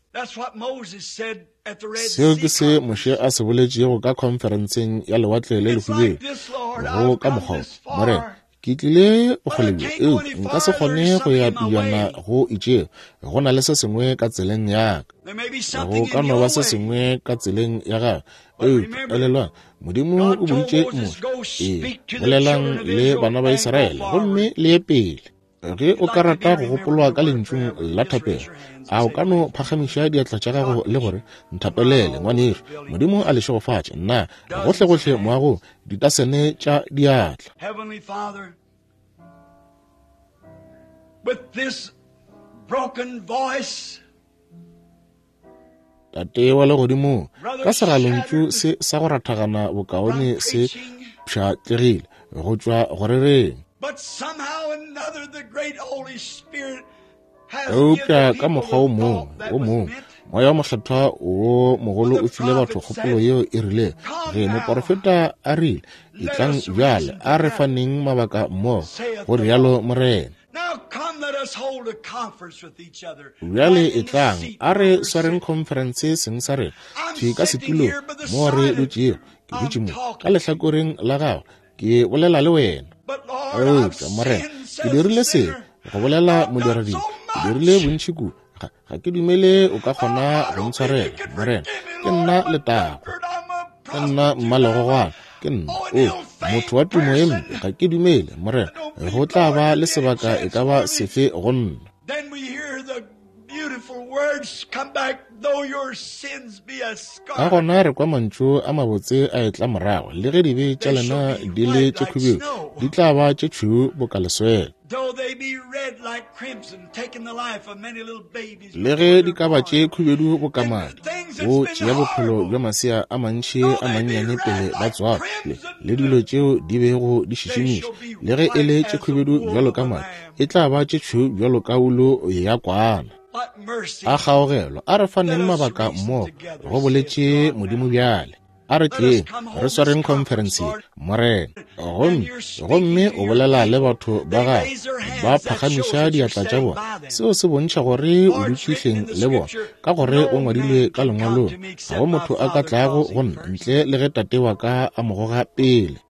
Speaker 1: Seo ke se Moshe a se boletšego ka khonferenseng ya lewatle le lehubelo. Go ka mokgwa wo, Morena, ke tlile bokgole bjo, eupša nka se kgone go ya pejana go itšego. Go na le se sengwe ka tseleng ya ka. Go ka no ba se sengwe ka tseleng ya gagwe. Eupša elelwang, Modimo o boditše Moshe, ee, bolelang le bana ba Israele gomme le ye pele. Ge o ka rata go gopolwa ka lentšung la thapelo, a o ka no phagamiša diatla tša gago le gore, nthapelele ngwanešu, Modimo a le šegofatše. Nna gohlegohle moagong, ditasene tša diatla. Tate wa legodimong, ka segalontšu se sa go rathagana bokaone se pšhatlegile go tšwa go rereng. Eupša ka mokgwa o mongwe o mongwe, moya wa mokgethwa wo mogolo o file batho kgopolo yeo e rilego. Ge moporofeta a rile, etlang bjale a re faneng mabaka mmogo, go rialo Morena. Bjale etlang a re swareng khonferense seng sa rena thwi ka setulong mo re dutšego. Ke dutše mo ka lehlakoreng la gago, ke bolela le wena. Eupša Morena, ke dirile se go bolela modiradibe, ke dirile bontši kudu, ga, ga ke dumele o ka kgona go ntshwarela. Morena, ke nna letago, ke nna mmalegogwana, ke nna o motho wa tumo ye mpe, ga ke dumele Morena go tla ba le sebaka e ka ba sefe go nna. Ka gona re kwa mantšu a mabotse a etla morago, le ge dibe tša lena di le tše khubedu, di tla ba tše tšhweu boka leswele. Le ge di ka ba tše khubedu boka madi, go tšea bophelo bja masea a mantši a mannyane pele ba tswalwa, le dilo tšeo di bego di šišimiša, le ge e le tše khubedu bjalo ka madi, e tla ba tše tšhweu bjalo ka wulu ya kwana. A kgaogelo, a re faneng mabaka mmogo, go boletše Modimo bjale. A re tleng, re swareng khonferense ye, Morena. Gomme, gomme o bolela le batho ba gago, ba phagamiša diatla tša bona. Seo se bontšha gore o dutše hleng le bona, ka gore o ngwadilwe ka lengwalong, ga go motho a ka tlago go nna ntle le ge tate wa ka a mo goga pele.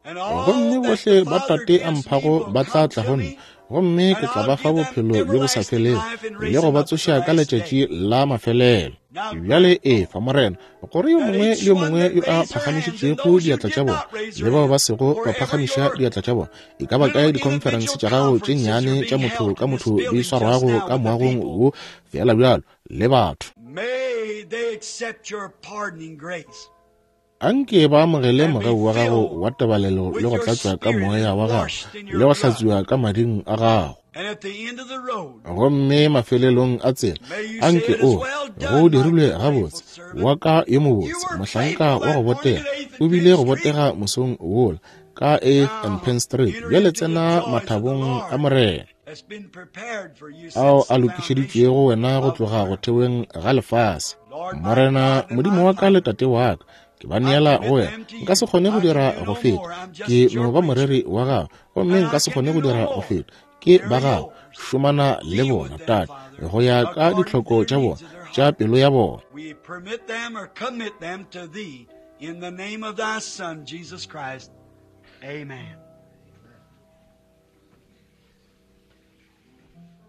Speaker 1: Gomme bohle ba tate a mphago ba tla tla go nna, gomme ke tla ba fa bophelo bjo bo sa felego le go ba tsoša ka letšatši la mafelelo. Bjale efa, Morena, gore yo mongwe le yo mongwe yo a phagamišitšego diatla tša bona le bao ba sego ba phagamiša diatla tša bona, e ka ba kae dikhonferense tša gago tše nnyane tša motho ka motho di swarwago ka moagong wo fela bjalo le batho, anke ba amogele mogau wa gago wa tebalelo le go tlatšwa ka moya wa gago le go hlatswiwa ka mading a gago. Gomme mafelelong a tsela, anke o go dirilwe gabotse, wa ka yo mobotse, mohlanka wa go botega, o bile go botega mosong wola ka eighth and Penn Street. Bjale tsena mathabong a Morena ao a lokišeditšwego wena go tloga go theweng ga lefase. Morena Modimo wa ka le Tate wa ka, ke ba neela go wena. Nka se kgone go dira go feta, ke no ba moreri wa gago, gomme nka se kgone go dira go feta. Ke ba gago, šomana le bona, Tate, go ya ka ditlhoko tša bona, tša pelo ya bona.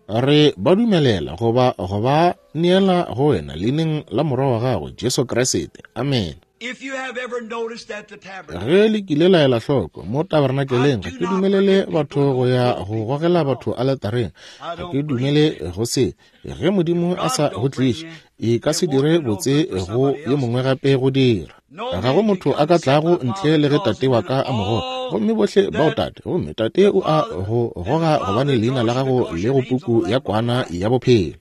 Speaker 1: Re ba dumelela goba go ba neela go wena leineng la Morwa wa gago, Jesu Kriste. Amen. Ge le kile la ela hloko mo tabernakeleng, ga ke dumelele batho go ya go gogela batho aletareng. Ga ke dumele go se. Ge Modimo a sa go tliše, e ka se dire botse go yo mongwe gape go dira. Ga go motho a ka tlago ntle le ge Tate wa ka a mo goga. Gomme bohle bao Tate, gomme Tate o a go goga gobane leina la gago le go puku ya kwana ya bophelo.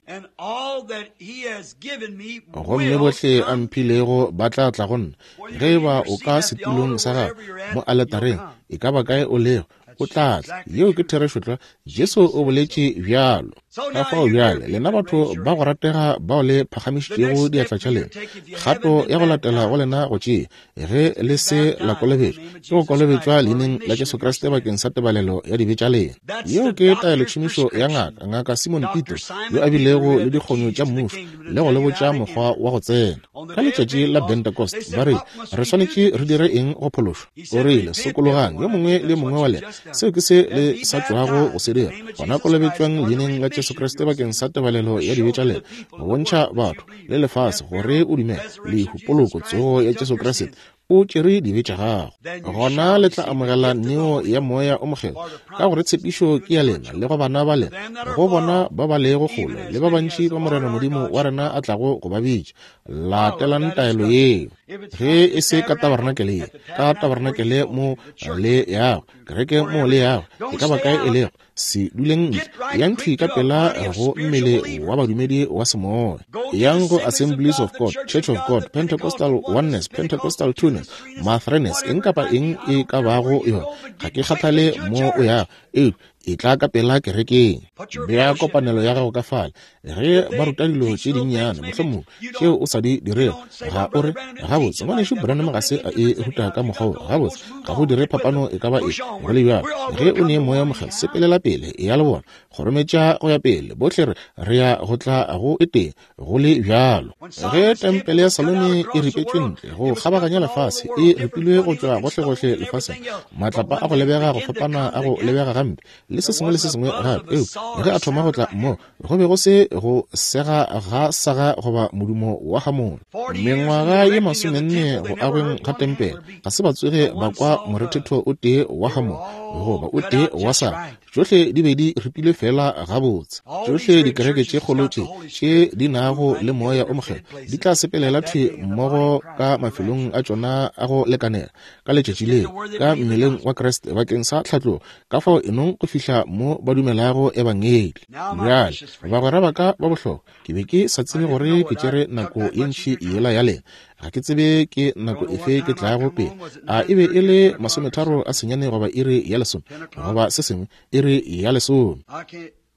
Speaker 1: Gomme bohle a mphilego ba tla tla go nna. Ge e ba o ka setulong sa gago mo aletareng, e ka ba kae o lego, o tla tla. Yeo ke therešo tlwa. Jesu o boletše bjalo. Ka fao bjale, lena batho ba go ratega bao le phagamišitšego diatla tša lena, kgato ya go latela go lena go tšea, ge le se la kolobetšwa, ke go kolobetšwa leineng la Jesu Kriste bakeng sa tebalelo ya dibe tša lena. Yeo ke taelotšhomišo ya ngaka, Ngaka Simon Petro, yo a bilego le dikgonyo tša mmušo le go le botša mokgwa wa go tsena. Ka letšatši la Pentecost ba rile, re swanetše re dire eng go phološwa? O rile, sokologang yo mongwe le yo mongwe wa lena. Seo ke se le sa tšwago go se dira. Gona kolobetšwang leineng la Jesu Kriste bakeng sa tebalelo ya dibe tša lena, go bontšha batho le lefase gore o dumela lehu, poloko, tsogo ya Jesu Kriste o tšere dibe tša gago. Gona le tla amogela neo ya Moya o Mokgethwa, ka gore tshepišo ke ya lena le go bana ba lena, go bona ba ba lego kgole le ba bantši ba Morena Modimo wa rena a tlago go ba bitša. Latelang taelo yeo. Ge e se ka tabernakele ye, ka tabernakele mo le yago, kereke mo le yago, e ka ba kae e lego, se duleng ntle, yang thwi ka pela go mmele wa badumedi wa semoya. Yang go Assemblies of God, Church of God, Pentecostal Oneness, Pentecostal Twoness, Mathrenes, eng kapa eng e ka bago yona, ga ke kgathale mo o yago, eupša e tla ka pela kerekeng. Bea kopanelo ya gago ka fale. Ge ba ruta dilo tše dinnyane mohlomongwe tšeo o sa di dirego, ga o re, gabotse ngwanešu Branham ga se a e ruta ka mokgwa wo. Gabotse, ga go dire phapano e ka ba eng. Go le bjalo, ge o ne Moya Mokgethwa, sepelela pele, ya le bona, kgorometša go ya pele. Bohle re re ya go tla go e tee, go le bjalo. Ge tempele ya Salome e ripetšwe ntle go kgabaganya lefase, e ripilwe go tšwa gohlegohle lefaseng, matlapa a go lebega go fapana a go lebega gampe le se sengwe le se sengwe gape. Eupša ge a thoma go tla mo, go be go se go sega ga saga goba modumo wa gamola. Mengwaga ye masomenne go agweng ga tempele, ga se ba tsoge ba kwa morethetho o tee wa gamola. goba o tee wa sa. Tšohle di be di ripilwe fela gabotse. Tšohle dikereke tše kgolo tše tše di nago le Moya o Mokgethwa di tla sepelela thwi mmogo ka mafelong a tšona a go lekanela ka letšatši leo, ka mmeleng wa Kriste bakeng sa tlhatlogo, ka fao enong go fihla mo ba dumelago ebangedi. Bjale, bagwera ba ka ba bohlokwa, ke be ke sa tsebe gore ke tšere nako ye ntši yela ya lena. Ga ke tsebe ke nako efe ke tlago pele. A e be e le masometharo a senyane goba iri ya lesome, goba se sengwe, iri ya lesome.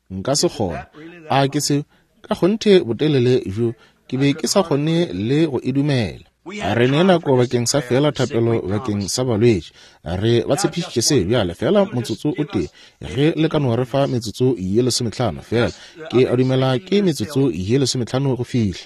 Speaker 1: Nka se kgone. A ke se ka kgonthe botelele bjo ke be ke sa kgone le go e dumela. Re ne nako bakeng sa fela thapelo bakeng sa balwetši. Re ba tshepišitše se bjale fela motsotso o tee, ge le ka no re fa metsotso ye lesometlhano fela. Ke a dumela ke metsotso ye lesometlhano go fihla.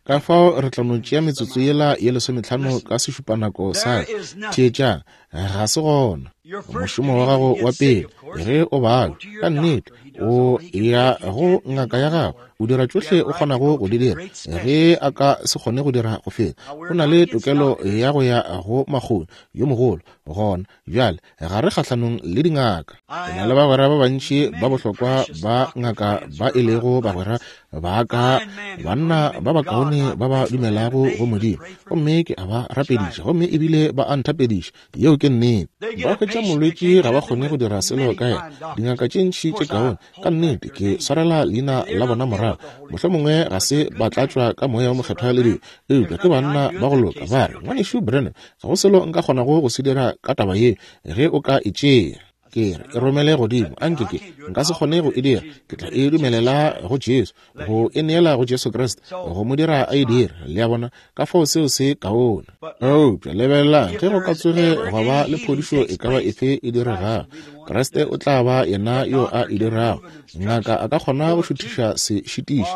Speaker 1: Ka fao re tla no tšea metsotso yela ye lesometlhano ka sešupanako sa theetšang. Ga se gona. Mošomo wa gago wa pele ge o balwa, ka nnete o ya go ngaka ya gago, o dira tšohle o kgonago go di dira. Ge a ka se kgone go dira go feta, o na le tokelo ya go ya go makgoni yo mogolo. Gona bjale ga re kgahlanong le dingaka. Ke na le bagwera ba bantši ba bohlokwa ba ngaka ba e lego bagwera ba ka, banna ba bakaone ba ba dumelago go Modimo, gomme ke a ba rapediša, gomme ebile ba a nthapediša. Yeo ke nnete. Ba hwetša molwetši ga ba kgone go dira selo ka yena. Dingaka tše ntši tše kaone, ka nnete ke swarela leina la bona morago. Mohlomongwe ga se ba tlatšwa ka Moya o Mokgethwa le dilo, eupša ke banna ba go loka. Ba re, Ngwanešu Branham, ga go selo nka kgonago go se dira ka taba ye ge o ka e tšea. Ke re, e romele godimo. Anke ke nka se kgone go e dira. Ke tla e dumelela go Jesu, go e neela go Jesu Kriste, go mo dira a e dira. Le a bona? Ka fao seo se kaone. Eupša lebelelang, ge go ka tsoge gwa ba le phodišo e ka ba efe e diregago, Kriste o tla ba yena yo a e dirago. Ngaka a ka kgona go šuthiša sešitiši,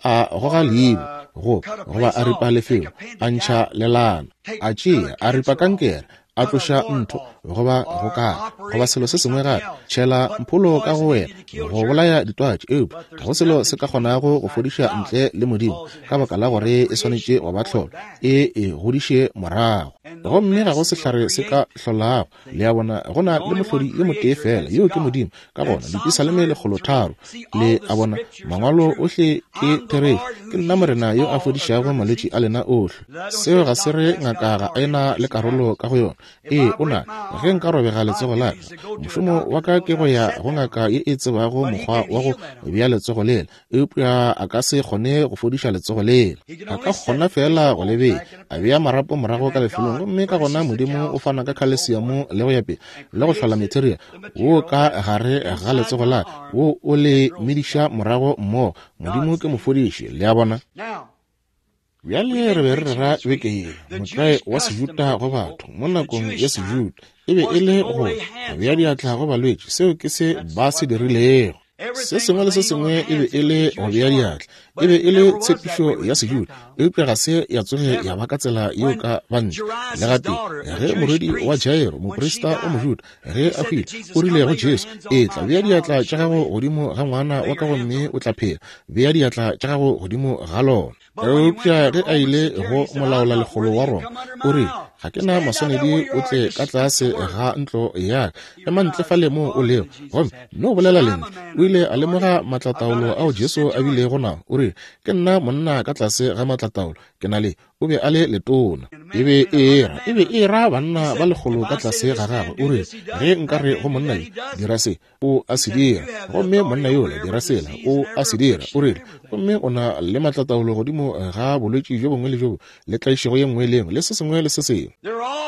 Speaker 1: a goga leibo, go goba a ripa lefelo, a ntšha lelana, a tšea, a ripa kankere, a tloša ntho goba go ka goba selo se sengwe gape, tšhela mpholo ka go wena go bolaya ditwatši. Eupša ga go selo se ka kgonago go fodiša ntle le Modimo, ka baka la gore e swanetše go ba tlholo e e godiše morago. Gomme ga go sehlare se ka hlolago. Le a bona, go na le mohlodi yo motee fela, yeo ke Modimo. Ka gona Dipisaleme lekgolo tharo, le a bona, mangwalo ohle ke therešo. Ke nna Morena yo a fodišago malwetši a lena ohle. Seo ga se re ngaka ga e na le karolo ka go yona. Ee, o na. Ge nka robega letsogo la ka, mošomo wa ka ke go ya go ngaka ye e tsebago mokgwa wa go bea letsogo lela, eupša a ka se kgone go fodiša letsogo lela. A ka kgona fela go le bea, a bea marapo morago ka lefelong, gomme ka gona Modimo o fana ka khalesiamo le go ya pele le go hlola material wo ka gare ga letsogo la ka, wo o le mediša morago mmogo. Modimo ke mofodiši. Le a bona? Bjale re be re rera beke ye motlae wa Sejuta go batho mo nakong ya Sejuta e be e le go bea diatla go balwetši. Seo ke se ba se dirilego. Se sengwe le se sengwe e be e le go bea diatla, e be e le tshepišo ya Sejuta, eupša ga se ya tsoge ya ba ka tsela yeo ka bantle. Le gatee ge morwedi wa Jairo, moprista wa Mojuda, ge a hwile, o rile go Jesu, etla bea diatla tša gago godimo ga ngwana wa ka gomme o tla phela. Bea diatla tša gago godimo ga lona. Eupša ge a ile go molaola lekgolo wa Roma, o rile, ga ke na maswanedi o tle ka tlase ga ntlo ya ka, ema ntle fale mo o lego, gomme no bolela lentšu. O ile a lemoga maatlataolo ao Jesu a bilego nao. O rile, ke nna monna ka tlase ga maatlataolo, ke na le. O be a le letona. E be e era, e be e ra banna ba lekgolo ka tlase ga gagwe. O rile, ge nka re go monna yo, dira se, o a se dira. Gomme monna yola, dira sela, o a se dira. O rile, gomme o na le maatlataolo godimo ga bolwetši bjo bongwe le bjo, le tlaišego ye nngwe le nngwe, le se sengwe le se sengwe.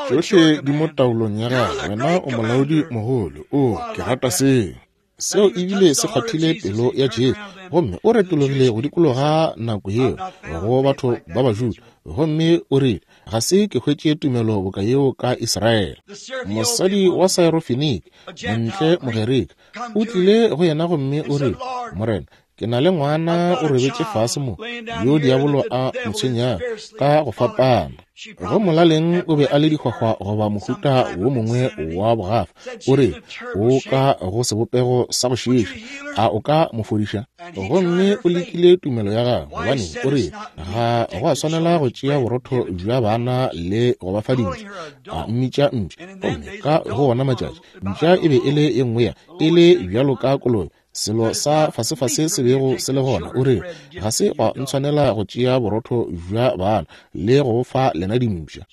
Speaker 1: Tšohle di mo taolong ya gagwe. Wena o molaodi mogolo. O, ke rata seo. Seo ebile se kgwathile pelo ya Jesu, gomme o retologile go dikologa nako yeo go batho ba Bajuda, gomme o rile, ga se ke hwetše tumelo boka yeo ka Israele. Mosadi wa Syrophenike, montle Mogerika, o tlile go yena gomme o rile, Morena, ke na le ngwana o robetše fase mo, yo diabolo a mo tshwenyago ka go fapana. Go molaleng o be a le dihwahwa goba mohuta wo mongwe wa bogafa. O re, o ka go sebopego sa go šiiša, a o ka mo fodiša? Gomme o lekile tumelo ya gagwe, gobane o re, ga go a swanela go tšea borotho bja bana le go ba fa dimpša. A mmitša mpša. Gomme ka go wona matšatši, mpša e be e le ye nngwe ya, e le bjalo ka kolobe, selo sa fasefase se bego se le gona. O re, ga se gwa ntshwanela go tšea borotho bja bana le go fa lena dimpša.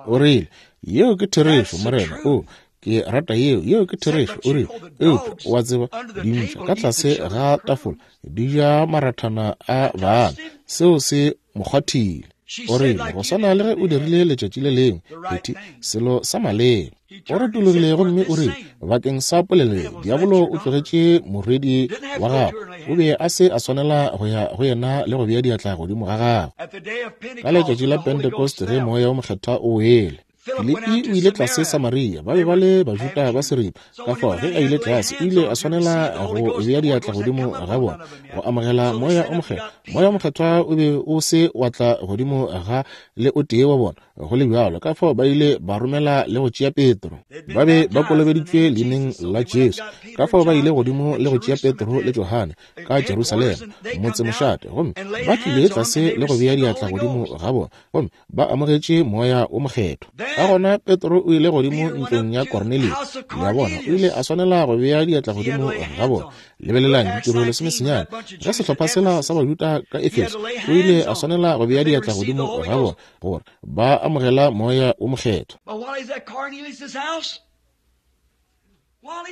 Speaker 1: O rile, yeo ke therešo, Morena. O, ke rata yeo, yeo ke therešo. O rile, eupša wa tseba, dimpša ka tlase ga tafola di ja marathana a bana. Seo se mo kgwathile. O rile, go swana le ge o dirile letšatši le lengwe, Phethe, selo sa maleba. O retologile gomme o rile, bakeng sa polelo ye, diabolo o tlogetše morwedi wa gagwe. O be a se a swanela go ya go yena le go bea diatla godimo ga gagwe. Ka letšatši la Pentecost ge moya o mokgethwa o wele, Filipi o ile tlase Samaria, ba be ba le Bajuda ba seripa. Ka fao ge a ile tlase, o ile a swanela go bea diatla godimo ga bona go amogela moya o mokgethwa. Moya o mokgethwa o be o se wa tla godimo ga le o tee wa bona. Go le bjalo, ka fao ba ile ba romela le go tšea Petro. Ba be ba kolobeditšwe leineng la Jesu. Ka fao ba ile godimo le go tšea Petro le Johane ka Jerusalema, motsemošate, gomme ba tlile tlase le go bea diatla godimo ga bona, gomme ba amogetše moya o mokgethwa. Ka gona Petro o ile godimo ntlong ya Kornelio. Le a bona, o ile a swanela go bea diatla godimo ga bona. Lebelelang ditiro lesomesenyane. Ge sehlopha sela sa Bajuda ka Efeso, o ile a swanela go bea diatla godimo ga bona gore ba amogela moya o mokgethwa.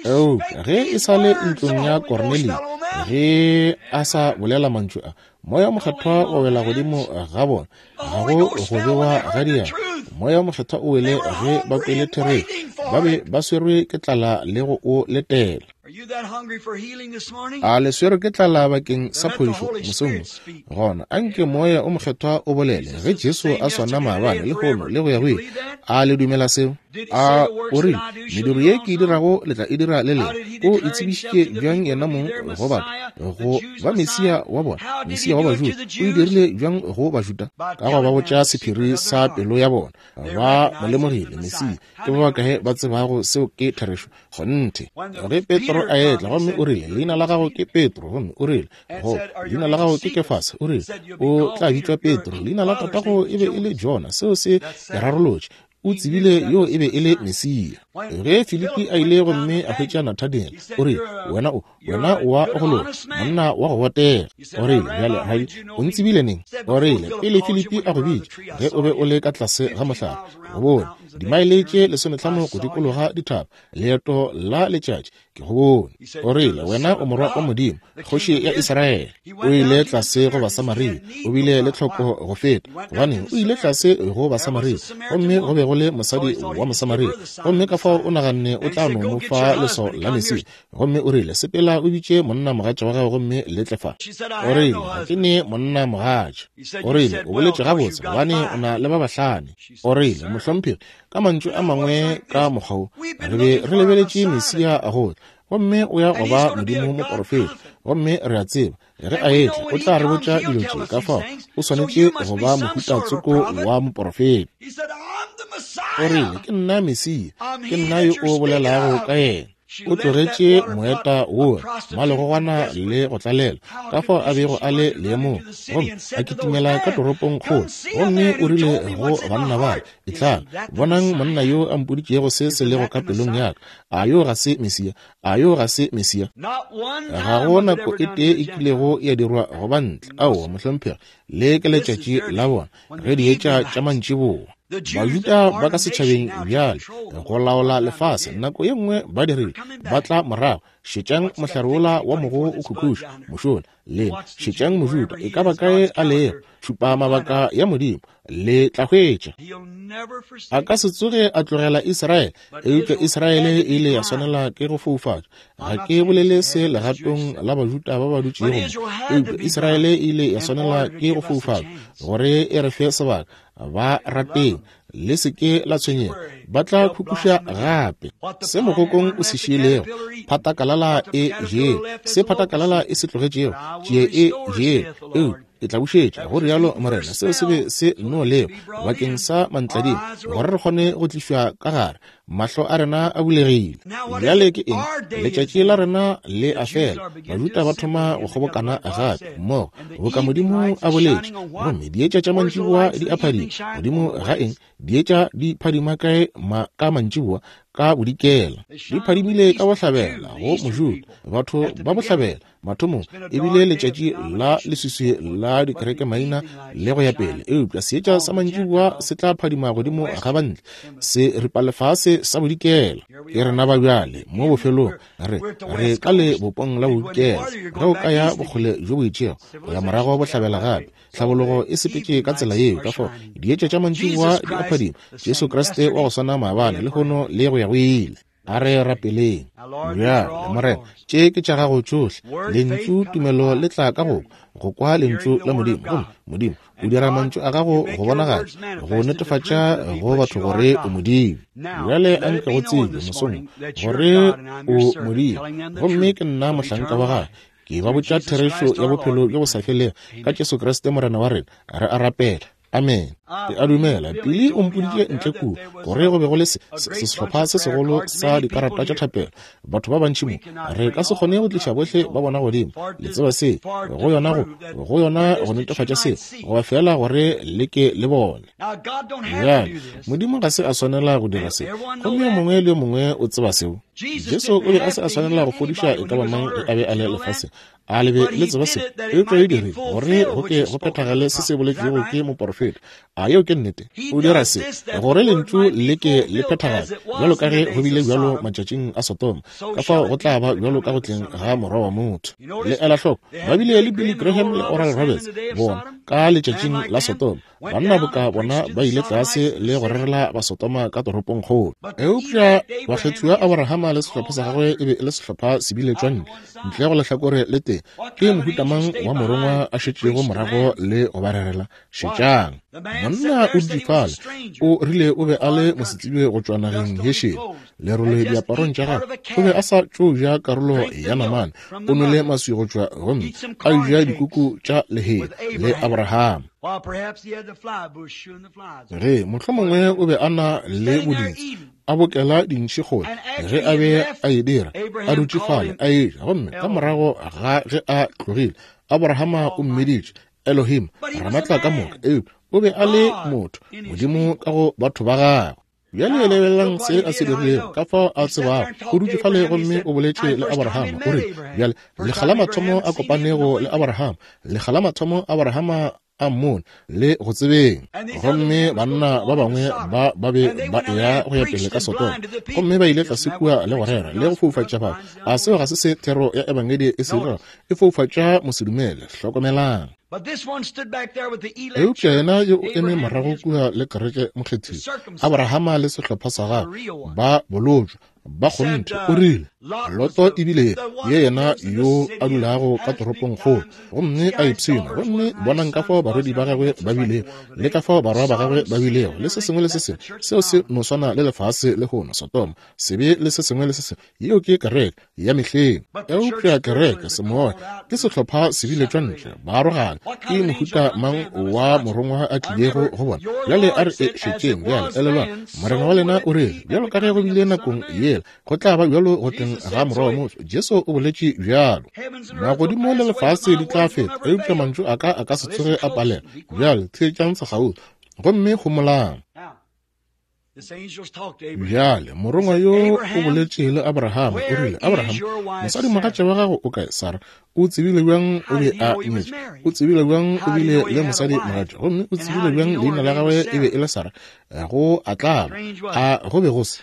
Speaker 1: Eupša ge e sa le ntlong ya Kornelio, ge a sa bolela mantšu a, moya o mokgethwa wa wela godimo ga bona. Ga go go bewa ga diatla. Moya o mokgethwa o wele ge ba kwele therešo. Ba be ba swerwe ke tlala le go o letela. A le swerwe ke tlala bakeng sa phodišo mosong wo? Gona anke moya o mokgethwa o bolele. Ge Jesu a swana maabane, lehono le go ya go ile, a le dumela seo? A o rile, mediro ye ke e dirago le tla e dira le lena. O itsebišitše bjang yena mong go batho, go ba Mesia wa bona, Mesia wa Bajuda? O e dirile bjang go Bajuda? Ka go ba botša sephiri sa pelo ya bona. Ba mo lemogile Mesia. Ke ba bakae ba tsebago seo ke therešo? Kgonthe. Ge Petro a etla, gomme o rile, leina la gago ke Petro, gomme o rile, go, leina la gago ke Kefase, o rile, o tla bitšwa Petro, leina la tatago e be e le Jona. Seo se e rarolotše. O tsebile yo e be e le Mesia. Ge Filipi a ile gomme a hwetša Nathaniel, o rile, wena o, wena wa go loka, monna wa go botega. O rile, bjale rabi, o ntsebile neng? O rile, pele Filipi a go bitša, ge o be o le ka tlase ga mohlare, go bone dimaele tše lesometlhano go dikologa dithaba, leeto la letšatši, ke go bone. O rile, wena o morwa wa Modimo, kgoši ya Israele. O ile tlase go Basamaria, o bile le tlhoko go feta, gobane o ile tlase go Basamaria, gomme go be go le mosadi wa Mosamaria, gomme ka fao o naganne o tla no mo fa leswao la Mesia. Gomme o rile, sepela o bitše monna mogatša wa gago gomme le tle fa. O rile, ga ke ne monna mogatša. O rile, o boletše gabotse, gobane o na le ba bahlano. O rile, mohlomphegi, ka mantšu a mangwe ka mokgwa wo, re be re lebeletše Mesia a go tla, gomme o ya go ba Modimo moporofeta, gomme re a tseba ge a etla o tla re botša dilo tše. Ka fao o swanetše go ba mohuta tsoko wa moporofeta. O rile, ke nna Mesia, ke nna yo o bolelago ka yena. O tlogetše moeta wola, malegogwana le go tlalela, ka fao a bego a le leemong, gomme a kitimela ka toropong kgolo, gomme o rile go banna bale, etlang, bonang monna yo a mpoditšego se se lego ka pelong ya ka. A yo ga se Mesia? A yo ga se Mesia? Ga go nako e tee e kilego ya dirwa go ba ntle. Aowa, mohlomphegi, le ke letšatši la bona ge dietša tša mantšiboa. Bajuda ba ka setšhabeng bjale go laola lefase, nako ye nngwe ba dirile, ba tla morago. Šetšang mohlare wola wa mogo o khukhuša mošola, lena šetšang Mojuda e ka ba kae a lego, šupa mabaka ya Modimo, le tla hwetša. A ka se tsoge a tlogela Israele, eupša Israele e ile ya swanela ke go foufatšwa. Ga ke bolele se legatong la Bajuda ba ba dutšego mo, eupša Israele e ile ya swanela ke go foufatšwa gore e re fe sebaka. Ba rateng, le se ke la tshwenyega, ba tla khukhuša gape. Se mogokong o se šiilego, phatakalala e jele, se phatakalala e se tlogetšego, tšie e jele, eupša Ke tla bušetša, go rialo Morena. Seo se be se no leo bakeng sa mantladima, gore re kgone go tlišwa ka gare. Mahlo a rena a bulegile. Bjale ke eng? Letšatši la rena le a fela. Bajuda ba thoma go kgobokana gape mmogo, boka Modimo a boletše. Gomme dietša tša mantšiboa di a phadima. Godimo ga eng? Dietša di phadima kae ma, ka mantšiboa? Ka bodikela. Di phadimile ka bohlabela go Mojuda. Batho ba bohlabela mathomong e bile letšatši la leswiswi la dikereke maina le go ya pele, eupša seetša sa mantšiboa se tla phadima godimo ga bantle, se ripa lefase sa bodikela. Ke rena ba bjale mo bofelong, re re ka le bopong la bodikela. Ge o ka ya bokgole bjo bo itšego go ya morago bohlabela gape, tlhabologo e sepetše ka tsela yeo. Ka fao dietša tša mantšiboa di a phadima. Jesu Kriste wa go swana maabane, lehono le go ya go ile. A re rapeleng. Bjale Morena, tše ke tša gago tšohle. Lentšu tumelo le tla ka go go kwa lentšu la Modimo. Gomme Modimo o dira mantšu a gago go bonagatša, go netefatša go batho gore o Modimo. Bjale a nke go tsebe mosong gore o Modimo, gomme ke nna mohlanka wa gagwe. Ke ba botša therešo ya bophelo bjo bo sa felego ka Jesu Kriste Morena wa rena. Re a rapela. Amen. Ke a dumela Pili o mpoditše ntle kua gore go be go le sehlopha se segolo sa dikarata tša thapelo, batho ba bantši mo. Re ka se kgone go tliša bohle ba bona godimo. Le tseba se go yona, go go yona go netefatša se, goba fela gore le ke le bone. Bjale Modimo ga se a swanela go dira se, gomme yo mongwe le yo mongwe o tseba seo. Jesu o be a se a swanela go fodiša e ka ba mang a be a le lefaseng. A le be le tseba se, eupša e dirile gore go ke go phethagale se se boletšwego ke moporofeta. A yeo ke nnete? O dira se gore lentšu le ke le phethagale, bjalo ka ge go bile bjalo matšatšing a Sodoma, ka fao go tla ba bjalo ka go tleng ga Morwa wa motho. Le ela hloko, ba bile le Billy Graham le Oral Roberts bona ka letšatšing la Sodoma. Banna boka bona ba ile tlase le go rerela ba Sodoma ka toropong kgolo. Eupša bakgethiwa Abrahama le sehlopha sa gagwe e be e le sehlopha se biletšwa ntle, ntle go lehlakore le tee. Ke mohuta mang wa morongwa a šetšego morago le go ba rerela? Šetšang. Monna o dutše fale, o rile o be a le mosetsebje go tšwa nageng ye šele, lerole diaparong tša gagwe. O be a sa tšo ja karolo ya namane, o nwele maswi go tšwa gomme a ja dikuku tša lehea le Abrahama. Ge mohlomongwe o be a na le boditsi, a bokela dintši kgole ge a be a e dira, a dutše fale a eja. Gomme ka morago ga ge a tlogile, Abrahama o mmiditše Elohim, Ramatla ka moka. Eupša o be a le motho, Modimo ka go batho ba gagwe. Bjale lebelelang se a se dirilego, ka fao a tsebago. O dutše fale gomme o boletše le Abrahama. O rile, bjale lekga la mathomo a kopanego le Abrahama, lekga la mathomo Abrahama a mmone le go tsebeng. Gomme banna ba bangwe ba ba be ba eya go ya pele ka Sodoma, gomme ba ile tlase kua le go rera le go foufatša batho. A seo ga se se thero ya ebangedi e se dirago? E foufatša mosedumele. Hlokomelang. Eupša yena yo o eme morago kua le kereke mokgethiwa, Abrahama le sehlopha sa gagwe ba bolotšwa ba kgonthe. O rile Loto ebile ye yena yo a dulago ka toropong kgolo gomme a ipshina, gomme bonang ka fao barwedi ba gagwe ba bilego le ka fao barwa ba gagwe ba bilego le se sengwe le se sengwe. Seo se no swana le lefase lehono, Sodoma, sebe le se sengwe le se sengwe. Yeo ke kereke ya mehleng. Eupša kereke semoya ke sehlopha se biletšwa ntle, ba arogana. Ke mohuta mang wa morongwa a tlilego go bona? Bjale a re e šetšeng. Bjale elelwang, Morena wa lena o rile, bjalo ka ge go bile nakong yela, go tla ba bjalo go tleng ga Morwa wa motho. Jesu o boletše bjalo. Magodimo le lefase di tla feta, eupša mantšu a ka a ka se tsoge a palela. Bjale theetšang sekgauswi gomme homolang. Bjale morongwa yo o boletše le Abrahama, o rile, Abraham, mosadi mogatša wa gago o kae? Sara. O tsebile bjang o be a nyetše? O tsebile bjang o bile le mosadi mogatša? Gomme o tsebile bjang leina la gagwe e be e le Sara? Go a tlaba, a go be go se.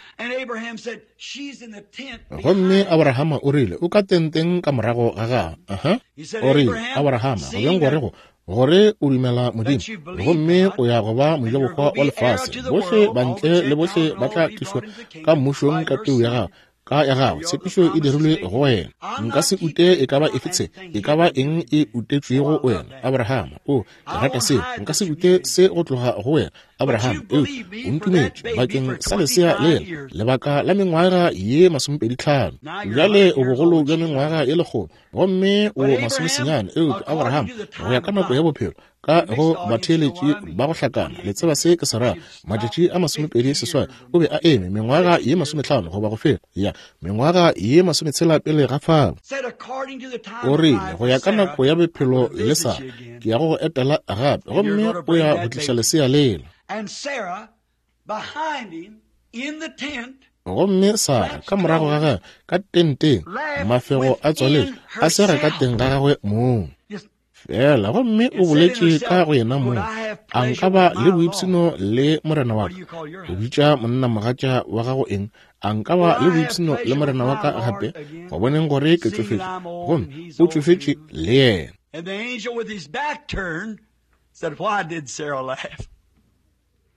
Speaker 1: Gomme Abrahama o rile, o ka tenteng ka morago ga gagwe. Aha. O rile, Abrahama, go bjang gore go gore o dumela Modimo, gomme o ya go ba mojabohwa wa lefase. Bohle bantle le bohle ba tla tlišwa ka mmušong ka peu ya gago. Ka ya gagwe tshepišo e dirilwe go wena. Nka se ute e ka ba efe tshe, e ka ba eng e utetšwego wena, Abraham. O, ke rata seo. Nka se ute se go tloga go wena, Abraham. Eupša o ntumetše bakeng sa lesea lela lebaka la mengwaga ye masomepedi tlhano. Bjale o bogolo bja mengwaga ye lekgolo, gomme o masomesenyane. Eupša Abraham, go ya ka nako ya bophelo, ka go batheeletši ba go hlakana, le tseba se ke se ra, matšatši a masomepedi seswai o be a eme mengwaga ye masometlhano goba go feta, ya mengwaga ye masometshela pele ga fao. O rile, go ya ka nako ya bophelo le Sara, ke ya go go etela gape, gomme o ya go tliša lesea lela. Gomme Sara ka morago ga gagwe ka tenteng, mafego a tswaletše, a sega ka teng ga gagwe mong fela, gomme o boletše ka go yena mong, a nka ba le boipshino le morena wa ka? O bitša monna mogatša wa gago eng? A nka ba le boipshino le morena wa ka gape? Go boneng gore ke tšofetše, gomme o tšofetše le yena.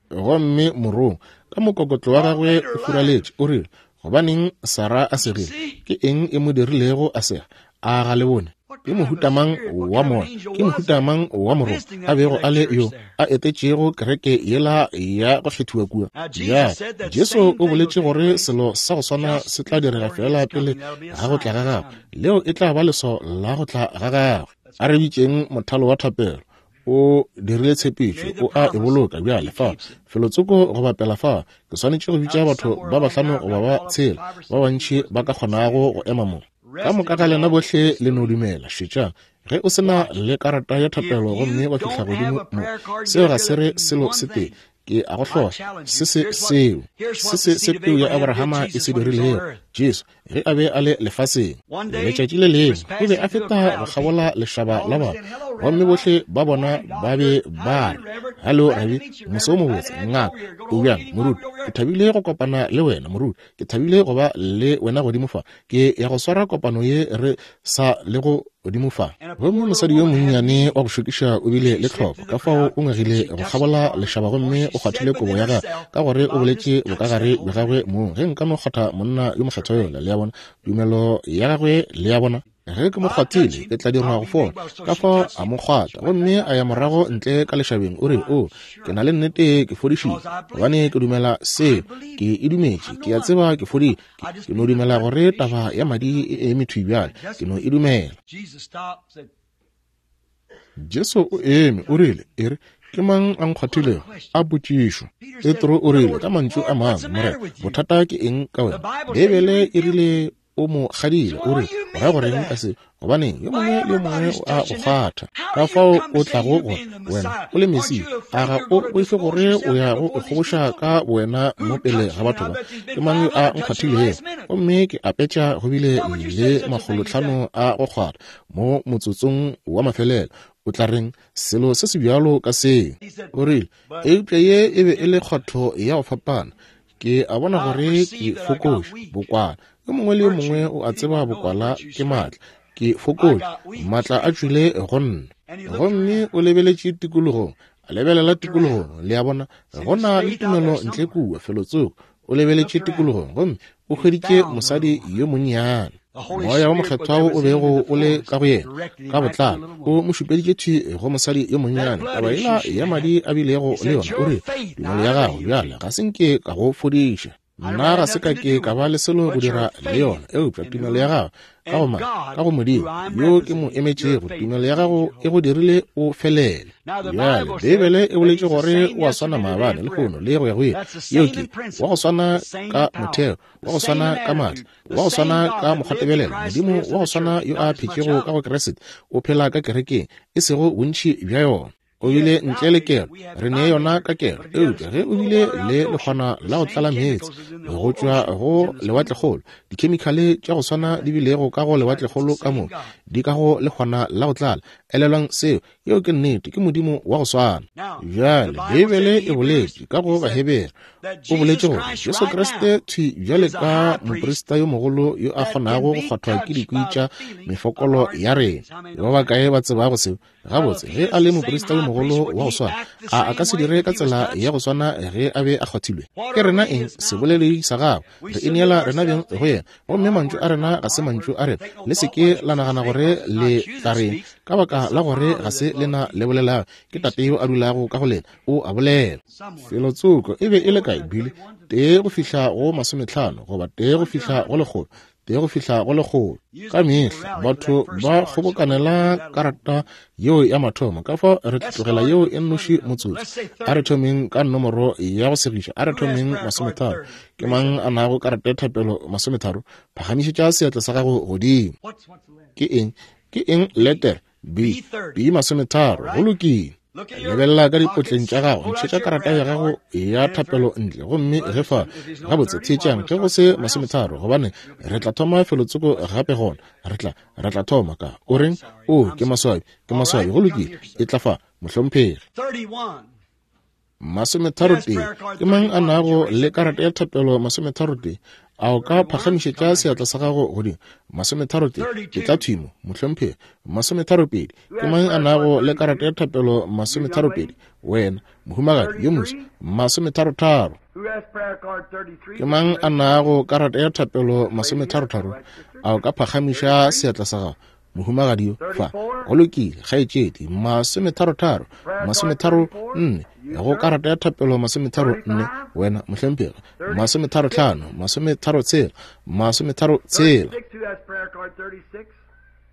Speaker 1: Gomme morong ka mokokotlo wa gagwe o furaletše, o rile, gobaneng Sara a segile? Ke eng e mo dirilego a sega? A ga le bone? Ke mohutamang wa moya, ke mohutamang wa morong a bego a le yo a etetšego kereke yela ya go kgethiwa kua. Ya, Jesu o boletše gore selo sa go swana se tla direga fela pele ga go tla ga gagwe. Leo e tla ba leswao la go tla ga gagwe. A re bitšeng mothalo wa thapelo. O dirile tshepišo, o a e boloka. Bjale fa felotsoko go bapela fa, ke swanetše go bitša batho ba bahlano goba ba tshela, ba bantši ba ka kgonago go ema mo. Ka moka ga lena bohle le no dumela. Šetšang, ge o se na le karata ya thapelo gomme wa fihla godimo mo, seo ga se re selo se tee. Ke a go hlohla se se seo se se se peu ya Abrahama e se dirilego Jesu ge a be a le lefaseng. Letšatši le lengwe o be a feta go kgabola lešaba la batho, gomme bohle ba bona ba be ba re, Hallo rabi, moso o mobotse, ngaka, o bjang, moruti? Ke thabile go kopana le wena, moruti. Ke thabile go ba le wena godimo fa. Ke ya go swara kopano ye re sa le go godimo fa. Gomme mosadi yo monnyane wa go šokiša o bile le tlhoko, ka fao o ngwegile go kgabola lešaba gomme o kgwathile kobo ya gagwe, ka gore o boletše bokagare bja gagwe mong, ge nka no kgwatha monna yo mokgethwa yola. Le a bona tumelo ya gagwe, le a bona, ge ke mo kgwathile ke tla dirwa go fola. Ka fao a mo kgwatha, gomme a ya morago ntle ka lešabeng. O re, o, ke na le nnete ke fodišitše, gobane ke dumela seo, ke e dumetše, ke a tseba ke fodile. Ke no dumela gore taba ya madi e eme thwi bjale, ke no e dumela. Jesu o eme, o rile, e re, ke mang a nkgwathilego? A potšišo. Petro o rile ka mantšu a mangwe, Morena, bothata ke eng ka wena? Beibele e rile o mo kgadile. O re, o ra goreng ka se? Gobaneng yo mongwe le yo mongwe o a go kgwatha. Ka fao o tlago gore wena o le Mesia, a ga o boife gore o ya go ikgoboša ka bowena mo pele ga batho ba? Ke mang yo a nkgwathilego? Gomme ke apetša go bile le makgolotlhano a go kgwatha mo motsotsong wa mafelelo. O tla reng selo se se bjalo ka seo? O rile, eupša ye e be e le kgwatho ya go fapana. Ke a bona gore ke fokoše bokwala. Yo mongwe le yo mongwe o a tseba bokwala ke maatla. Ke fokoše, maatla a tšwile go nna. Gomme o lebeletše tikologong, a lebelela tikologong, le a bona, go na le tumelo ntle kua felotsoko. O lebeletše tikologong gomme o hweditše mosadi yo monnyane. Moya wa mokgethwa o bego o le ka go yena ka botlalo o mo šupeditše thwi go mosadi yo monnyane. Taba yela ya madi a bilego le yona, o rile, tumelo ya gago bjale ga se nke ka go fodiša. Nna ga se ka ke ka ba le selo go dira le yona, eupša tumelo ya gago ka go mang, ka go Modimo yo ke mo emetšego, tumelo ya gago e go dirile o felele. Bjale Beibele e boletše gore o a swana maabane, lehono le go ya go ile. Yeo ke wa go swana ka motheo, wa go swana ka maatla, wa go swana ka mokgwatebelelo. Modimo wa go swana yo a phetšego ka go Kriste o phela ka kerekeng, e sego bontši bja yona. O bile ntle le kelo, re ne yona ka kelo, eupša ge o bile le lekgwana la go tlala meetse go tšwa go lewatlekgolo, dikhemikhale tša go swana di bilego ka go lewatlekgolo ka mo di ka go lekgwana la go tlala, Elelwang seo, yeo ke nnete, ke Modimo wa go swana. Bjale Beibele e boletše ka go Bahebere, o boletše gore Jesu Kriste thwi bjale ka moprista yo mogolo yo a kgonago go kgwathwa ke dikwi tša mefokolo ya rena. Ba bakae ba tsebago seo? Gabotse, ge a le moprista yo mogolo wa go swana, a a ka se dire ka tsela ya go swana ge a be a kgwathilwe? Ke rena eng? Seboledi sa gagwe. Re ineela rena beng go yena, gomme mantšu a rena ga se mantšu a rena. Le se ke la nagana gore le tla reng, ka baka la gore ga se lena le bolelago, ke Tate yo a dulago ka go lena, o a bolela. Felotsoko e be e le kae, Billy? Tee go fihla go masometlhano, goba tee go fihla go lekgolo, tee go fihla go lekgolo. Ka mehla batho ba kgobokanela karata yeo ya mathomo, ka fao re tlogela yeo e nnoši motsotso. A re thomeng ka nomoro ya go segiša, a re thomeng masometharo. Ke mang a nago karata ya thapelo masometharo? Phagamišetša seatla sa gago godimo. Ke eng? Ke eng letter B? B masometharo. Go lokile. Lebelela ka dipotleng tša gago, ntšhetša karata ya gago ya thapelo ntle, gomme ge fa gabotse theetšang ge go se masometharo, gobane re tla thoma felotsoko gape gona. Re tla re tla thoma ka o reng? O ke maswabi, ke maswabi. Go lokile, e tla fa, mohlomphegi. Masometharo tee. Ke mang a nago le karata ya thapelo masometharo tee? A o ka phagamišetša seatla sa gago godimo? Masometharo tee. Ke tla thwimo, mohlomphegi. Masometharo pedi. Ke mang a nago le karata ya thapelo masometharo pedi? Wena, mohumagadi yo moso. Masometharo tharo. Ke mang a nago karata ya thapelo masometharo tharo? A o ka phagamiša seatla sa gago, mohumagadi yo fa? Go lokile, kgaetšedi. Masometharo tharo. Masometharo nne. Go karata ya thapelo masometharo nne. Wena, mohlomphegi. Masometharo tlhano. Masometharo tshela. Masometharo tshela.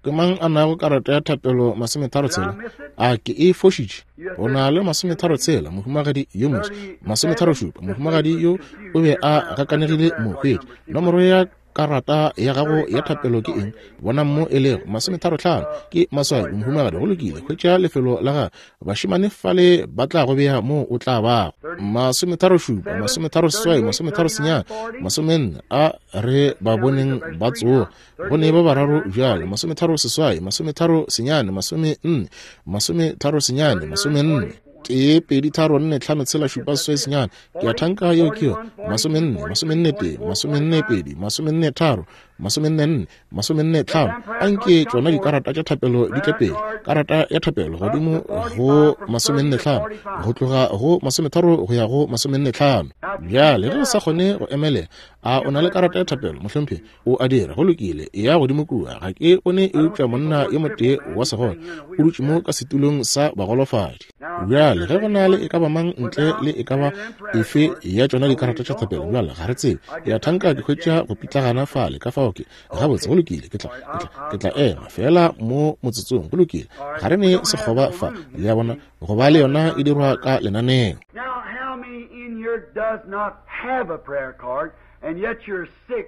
Speaker 1: Ke mang a nago karata ya thapelo masometharo tshela? A ke e fošitše? O na le masometharo tshela, mohumagadi yo moso. Masometharo šupa, mohumagadi yo o be a gakanegile mohwetši. Nomoro ya karata ya gago ya thapelo ke eng? Bona mo e lego. Masometharo tlhano. Ke maswabi, mohumagadi. Go lokile, hwetša lefelo la gago. Bašemane fale ba tla go bea mo o tla bago. Masometharo šupa, masometharo seswai, masometharo senyane, masomenne. A re ba boneng ba tsoga. Go ne ba bararo bjale. Masometharo seswai, masometharo senyane, masomenne, masometharo senyane, masomenne. Tee, pedi, tharo, nne, tlhano, tshela, šupa, seswai, senyane. Ke a thanka yeo ke yona. Masomenne, masomenne tee, masomenne pedi, masomenne tharo, masomenne nne, masomenne tlhano. Anke tšona dikarata tša thapelo di tle pele. Karata ya thapelo godimo go masomenne tlhano, go tloga go masometharo go ya go masomenne tlhano. Bjale ge o sa kgone go emelela, a o na le karata ya thapelo, mohlomphegi? O a dira. Go lokile, e ya godimo kua. Ga ke bone eupša monna yo motee wa segole o dutše mo ka setulong sa bagolofadi. Bjale ge go na le e ka ba mang ntle le e ka ba efe ya tšona dikarata tša thapelo, bjale ga re tsebe. Ya thanka ke hwetša go pitlagana fale, ka fao ke gabotse. Go lokile, ke tla ke tla ke tla ema fela mo motsotsong. Go lokile, ga re ne sekgoba fa, le a bona, go ba le yona e dirwa ka lenaneo.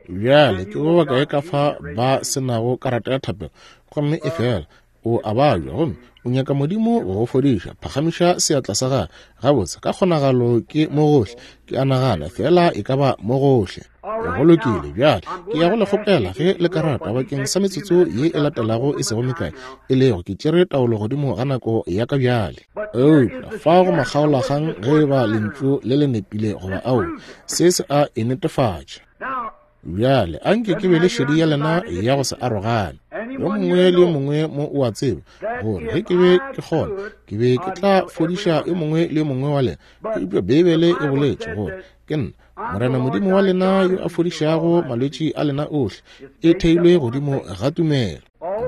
Speaker 1: Bjale ke ba bakae ka fa ba se nago karata ya thapelo, gomme e fela o a babja gomme o nyaka Modimo go go fodiša? Phagamiša seatla sa gagwe. Gabotse, ka kgonagalo ke mo gohle. Ke a nagana fela e ka ba mo gohle. Go lokile, bjale ke ya go le kgopela ge le karata bakeng sa metsotso ye e latelago e sego mekae, e lego ke tšere taolo godimo ga nako ya ka bjale. Eupša fa go makgaolakgang ge e ba lentšu le le nepile goba ao, se se a e netefatša. Bjale anke ke be le šedi ya lena ya go se arogane. Yo mongwe le yo mongwe mo o a tseba gore ge ke be ke kgona, ke be ke tla fodiša yo mongwe le yo mongwe wa lena. Eupša Beibele e boletše gore ke nna Morena Modimo wa lena yo a fodišago malwetši a lena ohle. E theilwe godimo ga tumelo.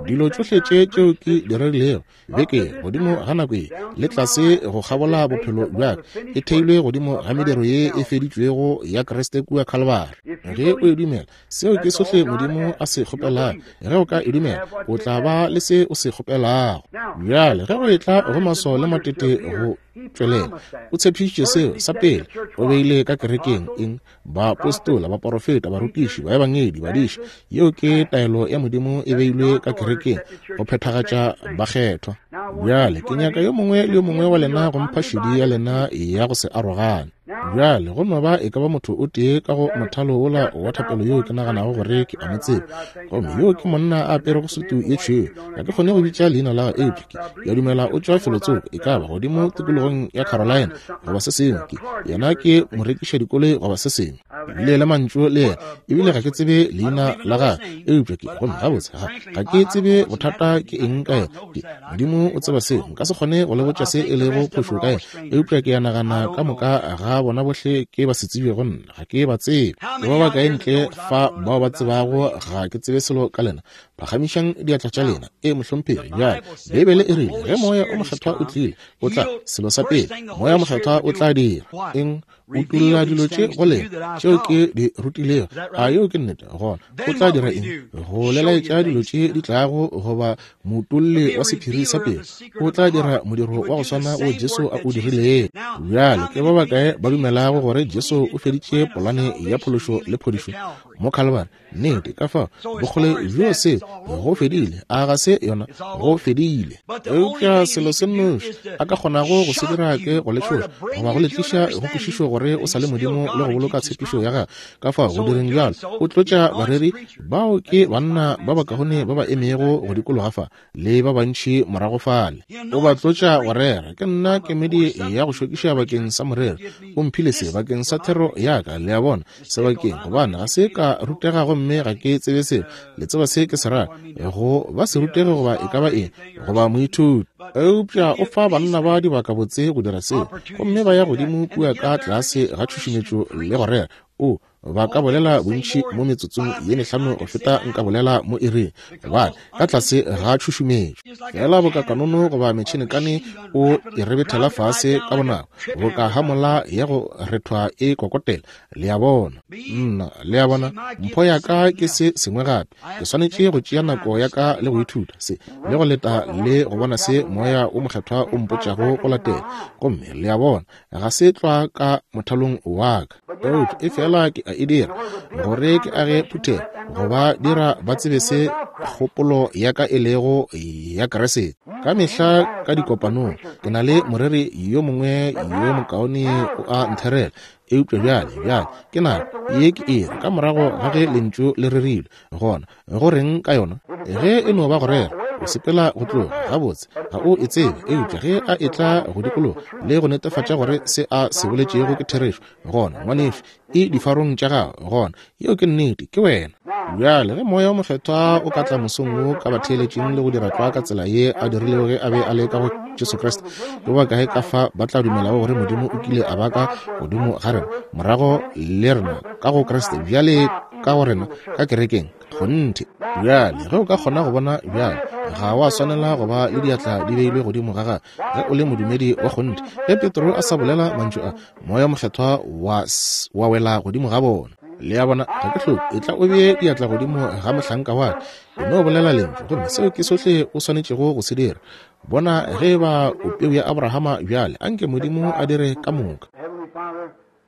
Speaker 1: Dilo tšohle tše tšeo ke di rerilego beke godimo ga nako ye le tlase go kgabola bophelo bja ka, e theilwe godimo ga mediro ye e feditšwego ya Kriste kua Kalvari. Ge o e dumela, seo ke sohle Modimo a se kgopelago. Ge o ka e dumela, o tla ba le se o se kgopelago. Bjale ge go etla go maswao le matete go tšwelela, o tshepišitše seo. Sa pele o beile ka kerekeng eng? Baapostola, baporofeta, barutiši, baebangedi, badiši. Yeo ke taelo ya Modimo e beilwe ka kerekeng go phethagatša bakgethwa. Bjale ke nyaka yo mongwe le yo mongwe wa lena go mpha šedi ya lena ya go se arogane. Bjale go no ba e ka ba motho o tee ka go mothalo wola wa thapelo yoo ke naganago gore ke a mo tseba. Gomme yoo ke monna a aperego sutu ye tšhweu. Ga ke kgone go bitša leina la gagwe, eupša ke, ke a dumela o tšwa felotsoko, e ka ba godimo tikologong ya Carolina goba se sengwe. Ke, yena ke morekišadikoloi goba se sengwe. Ke bile le mantšu le yena, ebile ga ke tsebe leina la gagwe, eupša ke, gomme gabotse, ga, ga ke tsebe bothata ke eng ka yena. Ke, Modimo o tseba seo. Nka se kgone go le botša se e lego phošo ka yena, eupša ke a nagana ka moka ga bona bohle ke ba se tsebe go nna, ga ke ba tsebe. Ke ba bakae ntle fa bao ba tsebago ga ke tsebe selo ka lena? Phagamišang diatla tša lena. E, mohlomphegi. Bjale, Beibele e rile, ge Moya o Mokgethwa o tlile, o tla, selo sa pele, Moya o Mokgethwa o tla dira eng? Utolla dilo tše go lena tšeo ke di rutilego. A yeo ke nnete? Gona o tla dira eng? Go le laetša dilo tše di tlago, goba moutolli wa sephiri sa pelo. O tla dira modiro wa go swana wo Jesu a o dirilego. Bjale ke ba bakae ba dumelago gore Jesu o feditše polane ya phološo le phodišo mo Calvary? Nnete, ka fao bokgole bjo se go fedile. A ga se yona? Go fedile. Eupša selo se nnoši a ka kgonago go se dira ke go le tšhoša goba go le tliša go kwešišo gore o sa le Modimo le go boloka tshepišo ya gagwe. Ka fao go direng bjalo, o tlotša bareri bao ke banna ba bakaone ba ba emego go dikologa fa le ba bantši morago fale. O ba tlotša go rera. Ke nna kemedi ya go šokiša bakeng sa morero. O mphile se bakeng sa thero ya ka, le a bona, sebakeng, gobane ga se ka rutega gomme ga ke tsebe selo. Le tseba se ke se ra, go ba se rutege goba e ka ba eng, goba moithuti. Eupša o fa banna ba dibaka botse go dira seo, gomme ba ya godimo kua ka tlase ga tšhušumetšo le go rera. O, ba ka bolela bontši mo metsotsong ye mehlano go feta nka bolela mo iring, gobane ka tlase ga tšhušumetšo. Fela boka kanono goba metšhinekane o e rebethela fase ka bonako, boka hamola ya go rethwa e kokotela. Le a bona? Nna, le a bona, mpho ya ka ke se sengwe gape. Ke swanetše go tšea nako ya ka le go ithuta se, le go leta le go bona se Moya o Mokgethwa o mpotšago go latela. Gomme le a bona, ga se tlwa ka mothalong wa ka, eupša e fela ke a e dira gore ke age phuthego, go ba dira ba tsebe se kgopolo ya ka e lego ya Kriste. Ka mehla ka dikopanong ke na le moreri yo mongwe yo mokaone o a ntherela, eupša bjale, bjale ke nako ye ke ere ka morago ga ge lentšu le rerilwe. Gona go reng ka yona? Ge e no ba go rera, o sepela go tloga, gabotse ga o e tsebe, eupša ge a etla go dikologa le go netefatša gore se a se boletšego ke therešo, gona ngwanešu, e difarong tša gago. Gona yeo ke nnete, ke wena. Bjale ge Moya o Mokgethwa o ka tla mosong wo ka batheeletšeng le go dira tlwa ka tsela ye a dirilego ge a be a le ka go Jesu Kriste, ke ba kae ka fa ba tla dumelago gore Modimo o kile a ba ka godimo ga rena, morago le rena ka go Kriste, bjale ka go rena ka kerekeng? Kgonthe. Bjale ge o ka kgona go bona bjale, ga wa swanela go ba le diatla di beilwe godimo ga gagwe ge o le modumedi wa kgonthe. Ge Petro a sa bolela mantšu a, Moya Mokgethwa wa, wa wela godimo ga bona. Le a bona, ga ke hloke, e tla o bee diatla godimo ga mohlanka wa ka, e no bolela lentšu, gomme seo ke sohle o swanetšego go se dira. Bona ge e ba o peu ya Abrahama bjale, anke Modimo a dire ka moka.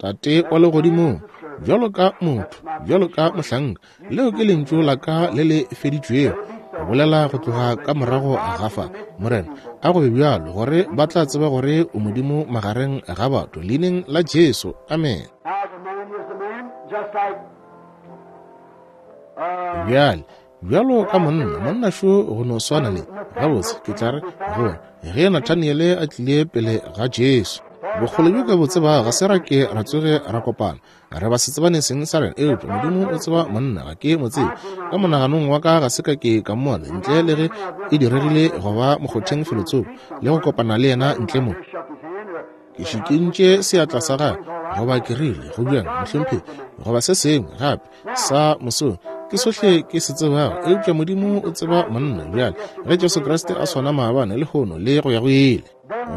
Speaker 1: Tate wa legodimong, bjalo ka motho, bjalo ka mohlanka, leo ke lentšu la ka le le feditšwego go bolela go tloga ka morago ga fa. Morena, a go be bjalo gore ba tla tseba gore o Modimo magareng ga batho, leineng la Jesu. Amen. Bjale, bjalo ka monna, monna šo go no swana le, gabotse ke tla re gore ge Nathaniele a tlile pele ga Jesu, bokgole bjo ke bo tseba ga se ra ke ra tsoge ra kopana, re ba se tsebane seng sa rena, eupša Modimo o tseba monna, ga ke mo tsebe. Ka monaganong wa ka ga se ka ke ka mmona ntle le ge e diregile go ba mokgotheng felotsoko le go kopana le yena ntle mo. Ke šikintše seatla sa gagwe, goba ke rile go bjang mohlomphegi, goba se sengwe gape sa mosong, ke sohle ke se tsebago, eupša Modimo o tseba monna. Bjale ge Jesu Kriste a swana maabane, lehono le go ya go ile,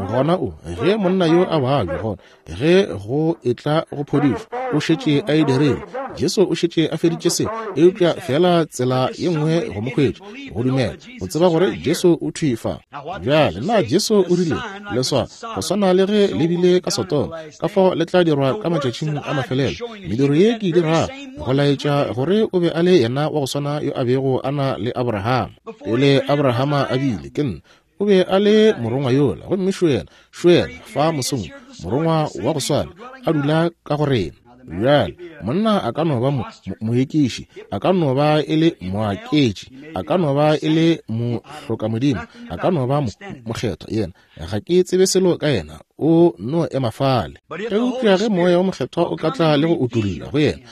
Speaker 1: gona o, ge monna yo a babja, gona ge go etla go phodišo, o šetše a e dirile. Jesu o šetše a feditše se, eupša fela tsela ye nngwe go mo hwetša, go dumela, go tseba gore Jesu o thwi fa. Bjale na Jesu o rile leswao go swana le ge le bile ka Sodoma, ka fao le tla dirwa ka matšatšing a mafelelo. Mediro ye ke e dirago go laetša gore o be a le yena wa go swana yo a bego a na le Abrahama. Pele Abrahama a bile, ke nna, o be a le morongwa yola, gomme šo yena, šo yena fa mosong, morongwa wa go swana a dula ka go rena. Bjale monna a ka no ba moekiši, a ka no ba e le moaketši, a ka no ba e le mohlokamodimo, a ka no ba mokgethwa, yena ga ke tsebe selo ka yena, o no ema fale. Eupša ge Moya wo Mokgethwa o ka tla le go utolla go yena,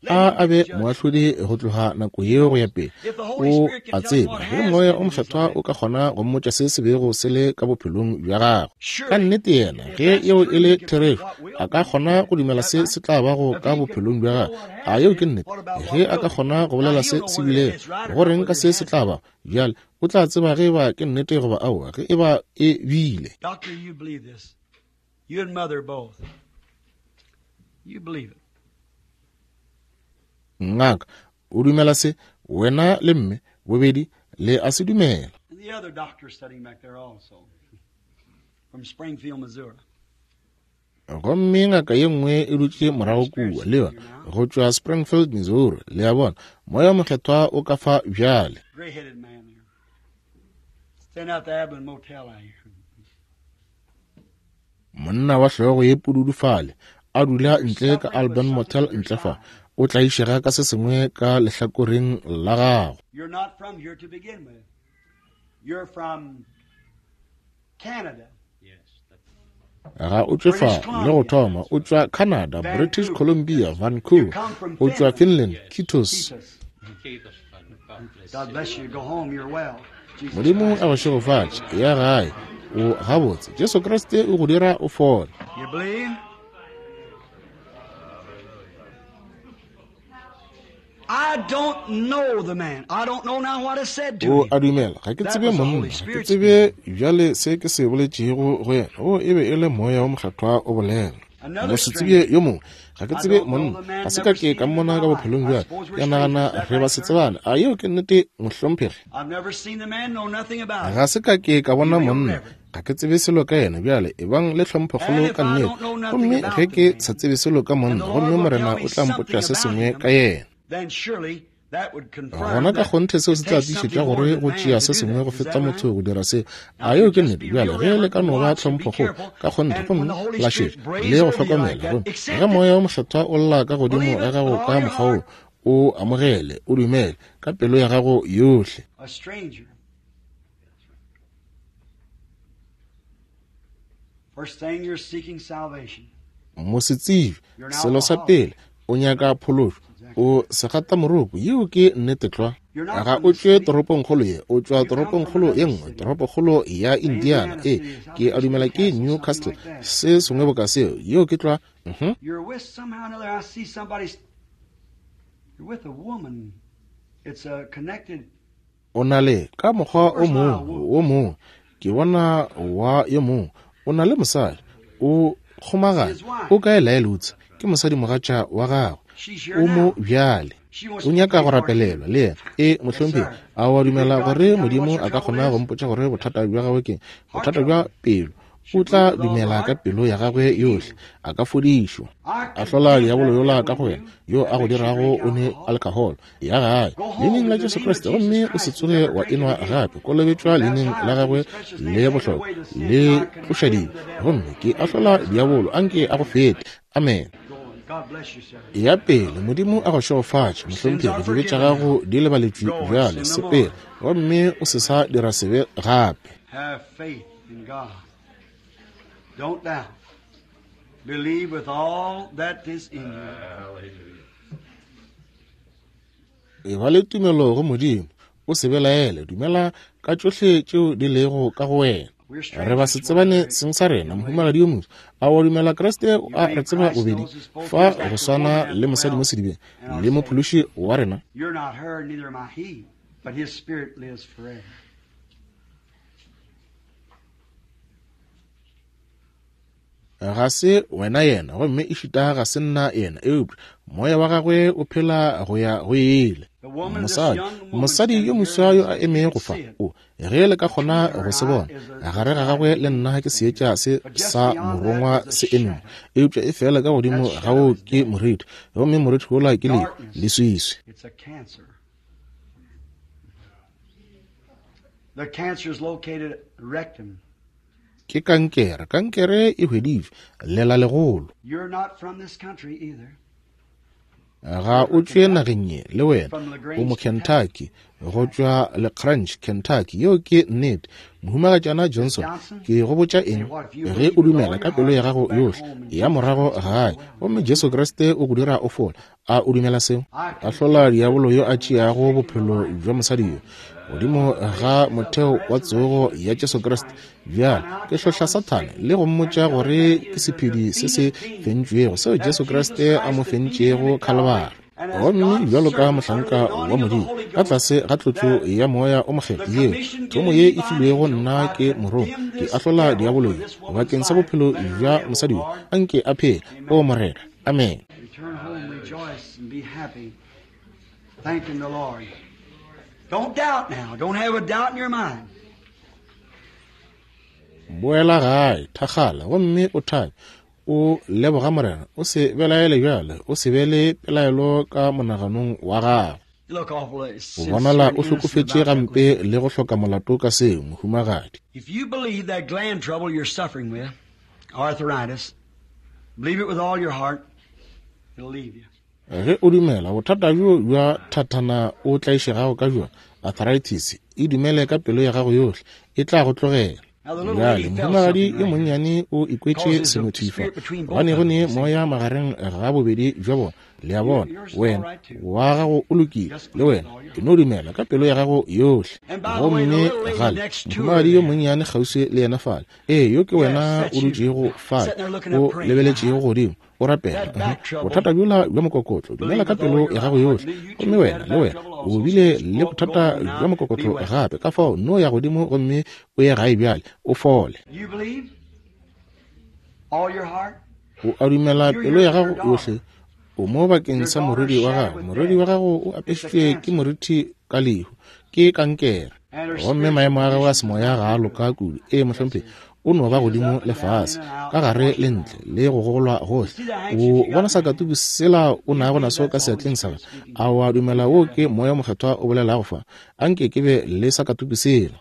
Speaker 1: a a be moahlodi go tloga nako yeo go ya pele, o a tseba. Ge Moya o Mokgethwa o ka kgona go mmotša se se bego se le ka bophelong bja gagwe, ka nnete yena, ge yeo e le therešo, a ka kgona go dumela se se tla bago ka bophelong bja gagwe. A yeo ke nnete? Ge a ka kgona go bolela se se bilego, go reng ka se se tla bago bjale, o tla tseba ge eba ke nnete goba aowa, ge eba e bile.
Speaker 2: Doctor, you believe this. You and mother both. You believe it.
Speaker 1: Ngaka, o dumela se, wena le mme bobedi le a se dumela.
Speaker 2: And the other doctor sitting back there also, from Springfield, Missouri.
Speaker 1: Gomme ngaka ye nngwe e dutše morago kua le yona, go tšwa Springfield, Missouri. Le a bona, Moya Mokgethwa o ka fa bjale.
Speaker 2: Gray-headed man there. Standing out the Abilene Motel out here.
Speaker 1: Monna wa hlogo ye pududu fale, a dula ntle ka Alban Motel ntle fa, o tlaišega ka se sengwe ka lehlakoreng la gago.
Speaker 2: You're not from here to begin with. You're from Canada.
Speaker 1: Ga o tšwe fa le go thoma, o tšwa Canada, British Columbia, Vancouver, o tšwa Finland, Kitos.
Speaker 2: God bless you. Go home, you're well.
Speaker 1: Modimo a go šegofatše, ya gae, o gabotse. Jesu Kriste o go dira o fole.
Speaker 2: You believe? I don't know the man. I don't know now what I said to
Speaker 1: O
Speaker 2: him.
Speaker 1: a dumela, ga ke tsebe monna, ga ke tsebe bjale se ke se boletšego go yena. O e be e le Moya wo Mokgethwa o bolela. Mosetsebje yo mongwe, ga ke tsebe monna, ga se ka ke ka mmona ka bophelong bja ka. Ke nagana re ba se tsebane. A yeo ke nnete, mohlomphegi?
Speaker 2: I've never seen the man, know nothing about him.
Speaker 1: Ga se ka ke ka bona monna, ga ke tsebe selo ka yena. Bjale ebang le tlhomphokgolo ka nnete. Gomme ge ke sa tsebe selo ka monna, gomme Morena o tla mpotša se sengwe ka yena,
Speaker 2: Then surely that would confirm
Speaker 1: gona ka
Speaker 2: that
Speaker 1: kgonthe seo
Speaker 2: it
Speaker 1: se tla
Speaker 2: takes
Speaker 1: tiišetša
Speaker 2: something more
Speaker 1: gore
Speaker 2: than
Speaker 1: go
Speaker 2: man
Speaker 1: tšea
Speaker 2: to
Speaker 1: se
Speaker 2: do
Speaker 1: sengwe
Speaker 2: that.
Speaker 1: go
Speaker 2: Is
Speaker 1: feta
Speaker 2: that right?
Speaker 1: motho go dira se.
Speaker 2: Now,
Speaker 1: A yeo
Speaker 2: you
Speaker 1: ke
Speaker 2: just
Speaker 1: nnete?
Speaker 2: be
Speaker 1: Bjale
Speaker 2: real
Speaker 1: ge le
Speaker 2: reverent
Speaker 1: ka
Speaker 2: and
Speaker 1: no ba
Speaker 2: watch and be
Speaker 1: tlhomphokgolo
Speaker 2: careful.
Speaker 1: ka kgonthe,
Speaker 2: And when
Speaker 1: gomme
Speaker 2: the Holy
Speaker 1: la
Speaker 2: Spirit
Speaker 1: šetša
Speaker 2: brays
Speaker 1: le go
Speaker 2: over you like
Speaker 1: hlokomela,
Speaker 2: that,
Speaker 1: gomme
Speaker 2: accept
Speaker 1: ge
Speaker 2: it.
Speaker 1: Moya wo Mokgethwa o lla ka godimo
Speaker 2: Believe
Speaker 1: ga
Speaker 2: it
Speaker 1: gago
Speaker 2: with
Speaker 1: ka
Speaker 2: all your
Speaker 1: mokgwa wo,
Speaker 2: heart.
Speaker 1: o amogele, o dumele ka pelo ya gago yohle.
Speaker 2: A stranger. First thing, you're seeking salvation.
Speaker 1: Mosetsebje,
Speaker 2: You're an
Speaker 1: selo sa
Speaker 2: alcoholic.
Speaker 1: pele, o nyaka phološo, o segatamoroko. Yeo ke nnete tlwa.
Speaker 2: You're not
Speaker 1: Ga
Speaker 2: from
Speaker 1: o
Speaker 2: the
Speaker 1: tšwe
Speaker 2: city.
Speaker 1: toropongkgolo ye, o tšwa
Speaker 2: You come from
Speaker 1: toropongkgolo
Speaker 2: another
Speaker 1: ye nngwe,
Speaker 2: city.
Speaker 1: toropokgolo ya Indiana.
Speaker 2: Indiana
Speaker 1: E,
Speaker 2: City is out
Speaker 1: ke a dumela ke
Speaker 2: Newcastle, something
Speaker 1: Newcastle,
Speaker 2: like that.
Speaker 1: se sengwe boka seo. Yeo ke tlwa. Mhm.
Speaker 2: You're with somehow or another. I see somebody's. You're with a woman. It's a connected.
Speaker 1: O na le ka mokgwa o
Speaker 2: Where's my
Speaker 1: mongwe,
Speaker 2: woman?
Speaker 1: wo mongwe, ke bona wa yo mongwe, o na le mosadi, o kgomagane,
Speaker 2: His wife.
Speaker 1: o kae Laelutse, ke mosadimogatša wa gagwe,
Speaker 2: She's here
Speaker 1: o mo
Speaker 2: now.
Speaker 1: bjale,
Speaker 2: She wants
Speaker 1: o
Speaker 2: to be
Speaker 1: nyaka
Speaker 2: prayed
Speaker 1: go
Speaker 2: for too.
Speaker 1: rapelelwa le yena. E,
Speaker 2: Yes,
Speaker 1: mohlomphegi,
Speaker 2: sir.
Speaker 1: a wa
Speaker 2: You believe
Speaker 1: dumela
Speaker 2: God
Speaker 1: gore
Speaker 2: can tell me what
Speaker 1: Modimo
Speaker 2: your
Speaker 1: a ka
Speaker 2: trouble
Speaker 1: kgona go
Speaker 2: is?
Speaker 1: mpotša gore bothata bja gagwe ke
Speaker 2: Heart
Speaker 1: bothata bja
Speaker 2: trouble.
Speaker 1: pelo?
Speaker 2: She
Speaker 1: O tla
Speaker 2: believed with all her
Speaker 1: dumela ka
Speaker 2: heart.
Speaker 1: pelo ya gagwe
Speaker 2: She'll be
Speaker 1: yohle,
Speaker 2: healed.
Speaker 1: a ka fodišwa.
Speaker 2: I
Speaker 1: A hlola
Speaker 2: condemn
Speaker 1: diabolo
Speaker 2: that
Speaker 1: yola ka
Speaker 2: devil
Speaker 1: go
Speaker 2: in
Speaker 1: wena,
Speaker 2: you
Speaker 1: yo
Speaker 2: that
Speaker 1: a go
Speaker 2: makes you
Speaker 1: dirago
Speaker 2: drink
Speaker 1: o ne
Speaker 2: alcohol.
Speaker 1: alcohol ya gae.
Speaker 2: Go
Speaker 1: Leineng
Speaker 2: home
Speaker 1: la
Speaker 2: in the
Speaker 1: Jesu
Speaker 2: name of
Speaker 1: Kriste,
Speaker 2: Jesus
Speaker 1: gomme o se
Speaker 2: Christ and
Speaker 1: tsoge
Speaker 2: never
Speaker 1: wa
Speaker 2: drink it
Speaker 1: enwa
Speaker 2: again.
Speaker 1: gape. Kolobetšwa
Speaker 2: Be
Speaker 1: leineng la
Speaker 2: baptized in
Speaker 1: gagwe
Speaker 2: His precious name,
Speaker 1: le
Speaker 2: take
Speaker 1: bohlokwa
Speaker 2: away the sins.
Speaker 1: le
Speaker 2: I
Speaker 1: tloša
Speaker 2: condemn
Speaker 1: dibe,
Speaker 2: the devil.
Speaker 1: gomme ke ahlola diabolo, anke a go fete. Amen.
Speaker 2: Go on. God bless you, sir.
Speaker 1: Ya pele, Modimo a go šegofatše,
Speaker 2: Your sins
Speaker 1: mohlomphegi,
Speaker 2: are
Speaker 1: dibe tša
Speaker 2: forgiven
Speaker 1: gago
Speaker 2: now.
Speaker 1: di lebaletšwe
Speaker 2: Go and
Speaker 1: bjale,
Speaker 2: sin no
Speaker 1: sepela,
Speaker 2: more.
Speaker 1: gomme o se sa dira sebe gape.
Speaker 2: Have faith in God. Don't doubt. Believe with all that is in you.
Speaker 1: E ba le tumelo go Modimo, o se belaele, dumela ka tšohle tšeo di lego ka go wena.
Speaker 2: We're
Speaker 1: Re ba
Speaker 2: strangers
Speaker 1: se
Speaker 2: to one
Speaker 1: tsebane
Speaker 2: another
Speaker 1: seng sa rena,
Speaker 2: in a way.
Speaker 1: mohumagadi yo moswa. A wa dumela Kriste
Speaker 2: You
Speaker 1: a re
Speaker 2: believe
Speaker 1: tseba
Speaker 2: Christ
Speaker 1: bobedi
Speaker 2: knows us both
Speaker 1: fa
Speaker 2: just
Speaker 1: go
Speaker 2: like the
Speaker 1: swana
Speaker 2: woman at
Speaker 1: le
Speaker 2: the
Speaker 1: mosadi mo
Speaker 2: well
Speaker 1: sedibeng
Speaker 2: and our
Speaker 1: le
Speaker 2: Savior.
Speaker 1: mophološi wa rena?
Speaker 2: You're not her, neither am I he, but his spirit lives forever.
Speaker 1: Ga se wena yena, gomme ešita ga se nna yena, eupša moya wa gagwe o phela go ya go ile.
Speaker 2: The woman, this
Speaker 1: Mosadi,
Speaker 2: young woman
Speaker 1: mosadi yo
Speaker 2: standing here,
Speaker 1: moswa yo
Speaker 2: as
Speaker 1: a
Speaker 2: if you
Speaker 1: emego
Speaker 2: could
Speaker 1: fa,
Speaker 2: see it,
Speaker 1: o ge le ka
Speaker 2: between
Speaker 1: kgona
Speaker 2: her
Speaker 1: go
Speaker 2: and
Speaker 1: se
Speaker 2: I
Speaker 1: bona,
Speaker 2: is a
Speaker 1: gare ga gagwe le nna ke seetša se
Speaker 2: But just
Speaker 1: sa
Speaker 2: beyond that
Speaker 1: morongwa
Speaker 2: is a
Speaker 1: se eme mo,
Speaker 2: shadow.
Speaker 1: eupša e fela ka godimo
Speaker 2: That
Speaker 1: ga
Speaker 2: shadow
Speaker 1: o
Speaker 2: is
Speaker 1: ke
Speaker 2: death.
Speaker 1: moriti, gomme moriti wola ke lehu,
Speaker 2: Darkness.
Speaker 1: leswiswi.
Speaker 2: It's a cancer. The cancer is located at rectum.
Speaker 1: Ke kankere, kankere e hweditšwe, lela legolo. Ga o tšwe nageng ye, le wena, o mo Kentucky, go tšwa LaGrange, Kentucky. Yeo ke nnete. Mohumagatšana Johnson, ke go botša eng, ge o dumela ka pelo ya gago yohle, ya morago gae, gomme Jesu Kriste o go dira o fola. A o dumela seo? Ahlola diabolo yo a tšeago bophelo bja mosadi yo godimo ga motheo wa tsogo ya Jesu Kriste. Bjale ke hlohla Sathane le go mmotša gore ke sephedi se se fentšwego seo Jesu Kriste a mo fentšego Khalibari. Gomme bjalo ka mohlanka wa Modimo ka tlase ga tlotšo ya moya o mokgethwa yeo thomo ye e filwego nna ke morongwa, ke ahlola diabolo yo bakeng sa bophelo bja mosadi yo, anke a phele, o Morena. Amen.
Speaker 2: Thanking the Lord. Don't doubt now. Don't have a doubt in your mind.
Speaker 1: Boela gae, thakgala, gomme o thabe, o leboga Morena, o se belaele bjale, o se be le pelaelo ka monaganong wa gago. O bonala o hlokofetše gampe le go hloka molato ka seo, mohumagadi.
Speaker 2: If you believe that gland trouble you're suffering with, arthritis, believe it with all your heart, it'll leave you.
Speaker 1: Ge o dumela bothata bjo bja thathana o tlaišegago ka bjona, arthritis, e dumele ka pelo ya gago yohle, e tla go tlogela. Bjale mohumagadi yo monnyane o ikwetše senothifa, gobane go ne moya magareng ga bobedi bja bona. Le a bona, wena wa gago o lokile, le wena ke no dumela ka pelo ya gago yohle. Gomme gale mohumagadi yo monnyane kgauswi le yena fale, ee, yo ke wena o dutšego fale, o lebeletšego godimo, o rapela. Bothata bjola bja mokokotlo, dumela ka pelo ya gago yohle. Gomme wena le wena o bile le bothata bja mokokotlo gape, ka fao no ya godimo gomme o ye gae bjale, o fole. O a dumela pelo ya gago yohle. O mo bakeng sa morwedi wa gago. Morwedi wa gago o apešitšwe ke moriti ka lehu, ke kankere, gomme maemo a gagwe a semoya ga a loka kudu. Ee, mohlomphegi, o no ba godimo le fase, ka gare le ntle, le go gogolwa gohle. O bona sakatuku sela o nago naso ka seatleng sa gagwe? A wa dumela wo ke moya mokgethwa o bolelago fa? Anke ke be le sakatuku sela.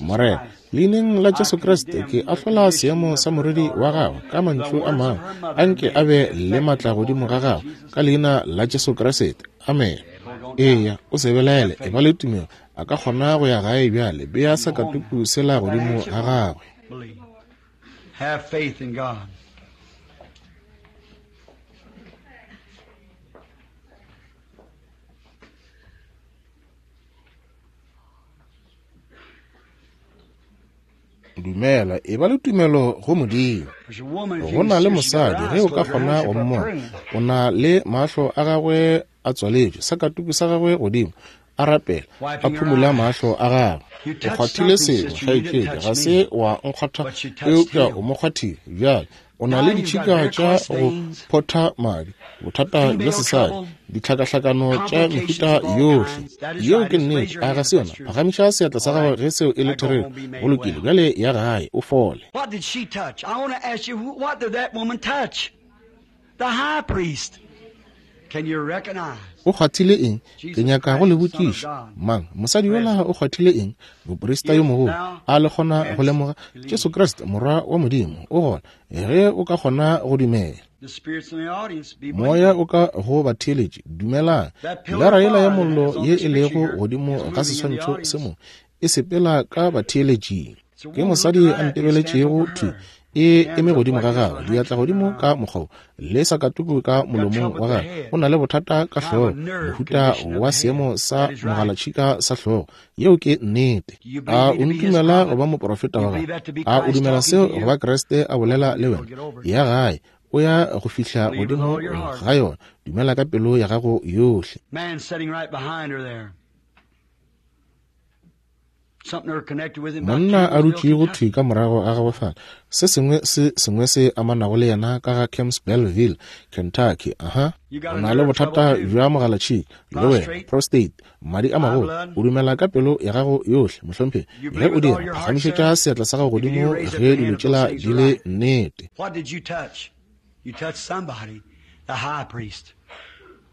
Speaker 1: Morena, leineng la Jesu Kriste, ke ahlola seemo sa morwedi wa gagwe ka mantšu a mangwe. Anke a be le matla godimo ga gagwe ka leina la Jesu Kriste. Amen. Eya, o se belaele, e ba le tumelo. A ka kgona go ya gae bjale. Bea sakatuku sela godimo ga gagwe.
Speaker 2: Have faith in God.
Speaker 1: Dumela, e ba le tumelo go Modimo. Go na le mosadi, ge o ka kgona go mmona, o na le mahlo a gagwe a tswaletšwe, sakatuku sa gagwe godimo, a rapela, a phumula mahlo a gagwe. O kgwathile sengwe, kgaetšedi, ga se wa nkgwatha, eupša o mo kgwathile. Bjale o na le ditšhika tša go photha madi, bothata bja sesadi, ditlhakahlakano tša mehuta yohle. Yeo ke nnete, a ga se yona? Phagamiša seatla sa gago ge seo e le therešo. Go lokile, bjale ya gae, o fole.
Speaker 2: What did she touch? I want to ask you, what did that woman touch? The high priest. Can you recognize?
Speaker 1: O kgwathile eng? Ke nyaka go le botšiša. Mang? Mosadi yola o kgwathile eng? Moprista yo mogolo. A le kgona go lemoga Jesu Kriste, morwa wa Modimo, o gona, ge o ka kgona go dumela. Moya o ka go batheeletši, dumelang. Pilara yela ya mollo ye e lego godimo ga seswantšho se mo e sepela ka batheeletšing. Ke mosadi a ntebeletšego thwi, e eme godimo ga gagwe, diatla godimo ka mokgwa le sakatuku ka molomong wa gagwe. O na le bothata ka hlogo, mohuta wa seemo sa mogalatšhika sa hlogo. Yeo ke nnete. A o ntumela go ba moprofeta wa gagwe? A o dumela seo go ba Kriste a bolela le wena? Ya gae, o ya go fihla godimo ga yona. Dumela ka pelo ya gago yohle. Monna a dutšego thwi ka morago ga gagwe fale, se sengwe se sengwe se amanago le yena ka ga Campbellville, Kentucky. Aha, o na le bothata bja mogalatšhika, le wena, prostate, madi a magolo. O dumela ka pelo ya gago yohle, mohlomphegi. Ge o dira, phagamišetša seatla sa gago godimo ge dilo tšela di le nnete.
Speaker 2: What did you touch? You touched somebody, the high priest.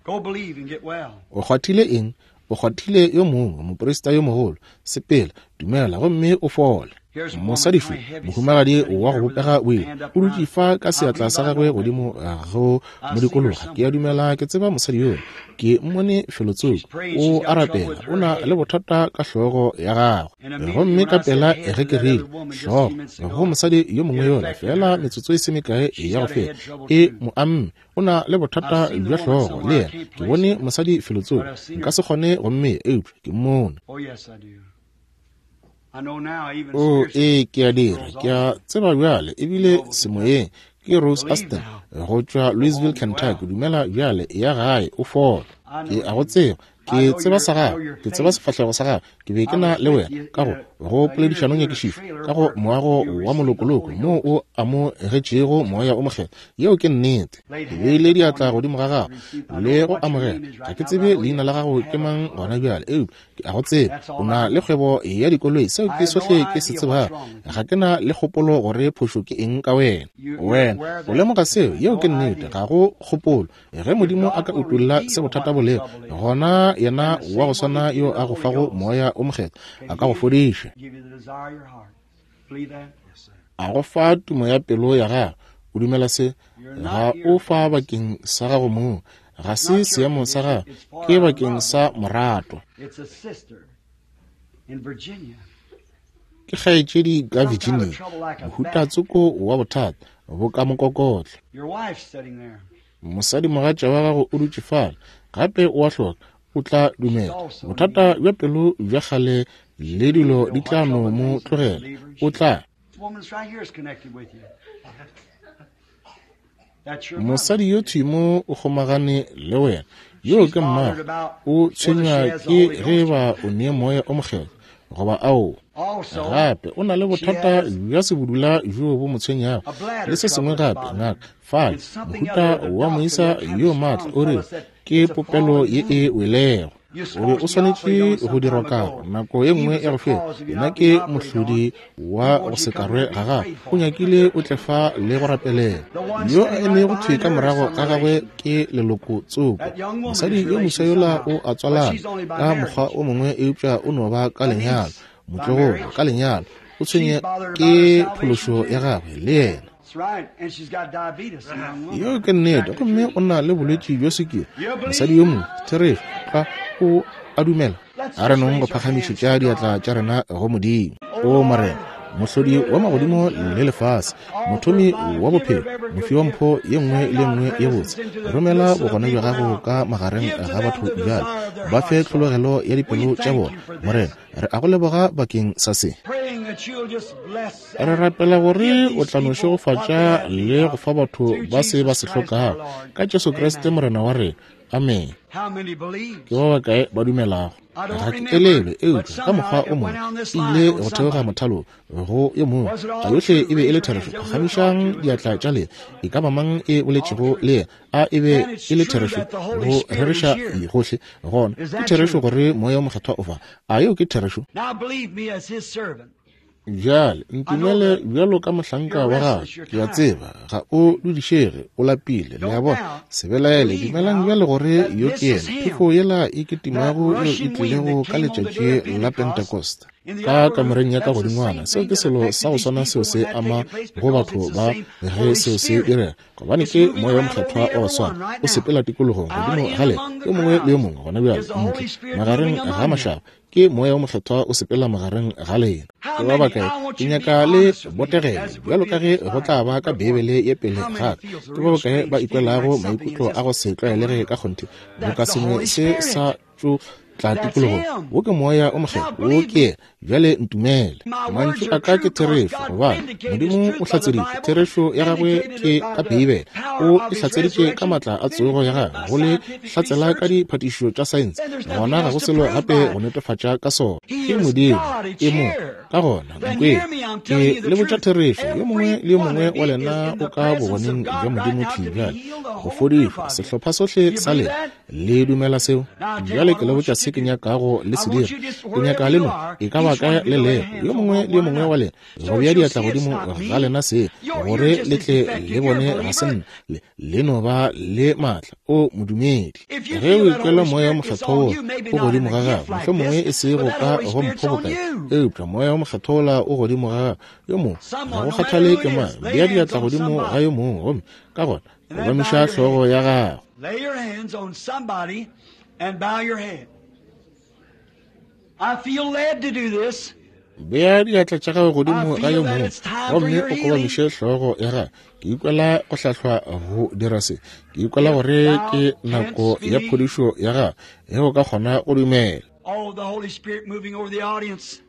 Speaker 2: Go believe and get well.
Speaker 1: O kgwathile eng? O kgwathile yo mongwe, moprista yo mogolo. Sepela, dumela gomme o fole. Mosadi šo, mohumagadi wa go bopega boima, o dutše fa ka seatla sa gagwe godimo go modikologa. Ke a dumela ke tseba mosadi yola, ke mmone felotsoko. O a rapela, o na le bothata ka hlogo ya gagwe. Gomme ka pela ge ke rile hlogo go mosadi yo mongwe yola, fela metsotso e se mekae ya go feta, e mo amme, o na le bothata bja hlogo le yena. Ke bone mosadi felotsoko, nka se kgone go mmea, eupša ke mmone. O ee, ke a dira, ke a tseba bjale, ebile semoyeng. Ke Rose Aston go tšwa Louisville, Kentucky. Dumela bjale, ya gae, o fola. Ke a go tseba, ke tseba sa gago, ke tseba sefahlego sa gago. Ke be ke na le wena ka go go poledišanong nyakišišo ka go moago wa molokoloko moo o amogetšego moya o mokgethwa. Yeo ke nnete. Ke beile diatla godimo ga gago le go amogela. Ga ke tsebe leina la gago ke mang gona bjale, eupša ke a go tseba. O na le kgwebo ya dikoloi, seo ke sohle ke se tsebago. Ga ke na le kgopolo gore phošo ke eng ka wena. Wena o lemoga seo, yeo ke nnete, ga go kgopolo. Ge Modimo a ka utolla se bothata bo lego, gona yena wa go swana yo a go fago moya o mokgethwa a ka go fodiša, a go fa tumo ya pelo ya gago. O dumela se? Ga o fa bakeng sa gago mong, ga se seemo sa gago, ke bakeng sa morato. Ke kgaetšedi ka Virginia, mohuta tsoko wa bothata bo ka mokokotlo. Mosadi mogatša wa gago o dutše fale, gape o a hloka, o tla dumela. Bothata bja pelo bja kgale le dilo di tla no mo tlogela, o tla. Mosadi yo thimo o kgomagane le wena, yo ke mmago, o tshwenywa ke ge ba o nee moya o mokgethwa goba ao. Gape o na le bothata bja sebudula bjo bo mo tshwenyago le se sengwe gape. Ngaka fale, mohuta wa moisa yo maatla, o re ke popelo ye e welego. O be o swanetše go dirwa karo nako ye nngwe ya go feta. Yena ke mohlodi wa go se karwe ga gago. O nyakile o tle fa le go rapelela. Yo a emego thwi ka morago ga gagwe ke leloko tsoko. Mosadi yo moswa yola o a tswalana ka mokgwa o mongwe, eupša o no ba ka lenyalo, motlogolo ka lenyalo. O tshwenye ke phološo ya gagwe le yena. Yeo ke nnete, gomme o na le bolwetši bja sukiri. Mosadi yo mongwe, therešo, tla o a dumela. A re nong go phagamišetša diatla tša rena go Modimo. O Morena, mohlodi wa magodimo le lefase, mothomi wa bophelo, mofi wa mpho ye nngwe le nngwe ye botse, romela bogona bja gago ka magareng ga batho bjale, ba fe tlhologelo ya dipelo tša bona. Morena, re a go leboga bakeng sa se. Re rapela gore o tla no šegofatša le go fa batho ba se ba se hlokago, ka Jesu Kriste Morena wa rena. Amen. Ke ba bakae ba dumelago? Ga ke elelwe, eupša ka mokgwa o mongwe e ile go theoga mothalo go yo mongwe. A yohle e be e le therešo? Phagamišang diatla tša lena. E ka ba mang e boletšego le yena? A e be e le therešo? Go rereša gohle gona ke therešo gore moya o mokgethwa o fa. A yeo ke therešo? Bjale ntumele bjalo ka mohlanka wa gago. Ke a tseba ga o dudišege, o lapile, le a bona. Se belaele, dumelang bjale gore yo ke yena, phefo yela e kitimago yeo e tlilego ka letšatši la Pentecost ka kamoreng ya ka godingwana. Seo ke selo sa go swana seo se ama go batho ba ge seo se direga, gobane ke moya wa mokgethwa wa go swana o sepela tikologong godimo ga lena, yo mongwe le yo mongwe gona bjale ntle magareng ga mašaba. Ke moya wa mokgethwa o sepela magareng ga lena. Ke ba bakae ke nyaka le botegele bjalo ka ge go tla ba ka Beibele ye pele gape? Ke ba bakae ba ikwelago maikutlo a go se tlwaelege ka kgonthe, boka sengwe se sa tšo tla tikologong? Wo ke moya o mokgethwa, wo ke yena. Bjale ntumele, mantšu a ka ke therešo, gobane Modimo o hlatseditše therešo ya gagwe ke ka Beibele. O e hlatseditše ka maatla a tsogo ya gagwe, go le hlatsela ka diphatišišo tša saense. Gona ga go selo gape go netefatša ka sona. Ke Modimo e mo. Ka gona nkweng, ke le botša therešo, yo mongwe le yo mongwe wa lena o ka bogoneng bja Modimo thwi bjale go fodišwa, sehlopha sohle sa lena. Le dumela seo? Bjale ke le botša se ke nyakago le se dira. Ke nyaka le no e ka ba kae le lego, yo mongwe le yo mongwe wa lena, go bea diatla godimo ga lena se, gore le tle le bone ga se nna, le, le no ba le maatla. O modumedi, ge o ikwela moya wa mokgethwa wo o godimo ga gago, mohlomongwe e se go ka go mpho bokae, eupša moya wa Mokgethwa o godimo ga yo mongwe, ga go kgathale ke mang, bea diatla godimo ga yo mongwe, gomme ka gona kobamiša hlogo ya gago.
Speaker 2: Lay your hands on somebody and bow your head. I feel led to do this.
Speaker 1: Bea diatla tša gago godimo ga yo mongwe gomme o kobamiše hlogo ya gago. Ke ikwela go hlahlwa go dira se. Ke ikwela gore ke nako ya phodišo ya gago, ge o ka kgona go dumela.
Speaker 2: Oh, the Holy Spirit moving over the audience.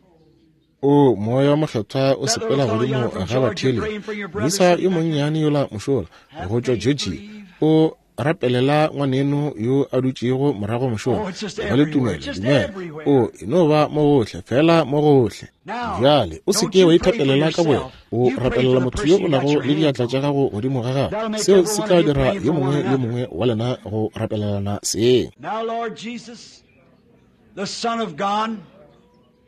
Speaker 1: O Moya Mokgethwa o sepela godimo ga batheeletši. Moisa yo monnyane yola mošola go tšwa Georgia o rapelela ngwaneno yo a dutšego morago mošola. Ba le tumelo, dumela. O e no ba mo gohle, fela mo gohle. Bjale o se ke wa ithapelela ka bowena, o rapelela motho yo o nago le diatla tša gago godimo ga gago. Seo se tla dira yo mongwe le yo mongwe wa lena go rapelelana seng.
Speaker 2: Now, Lord Jesus, the Son of God,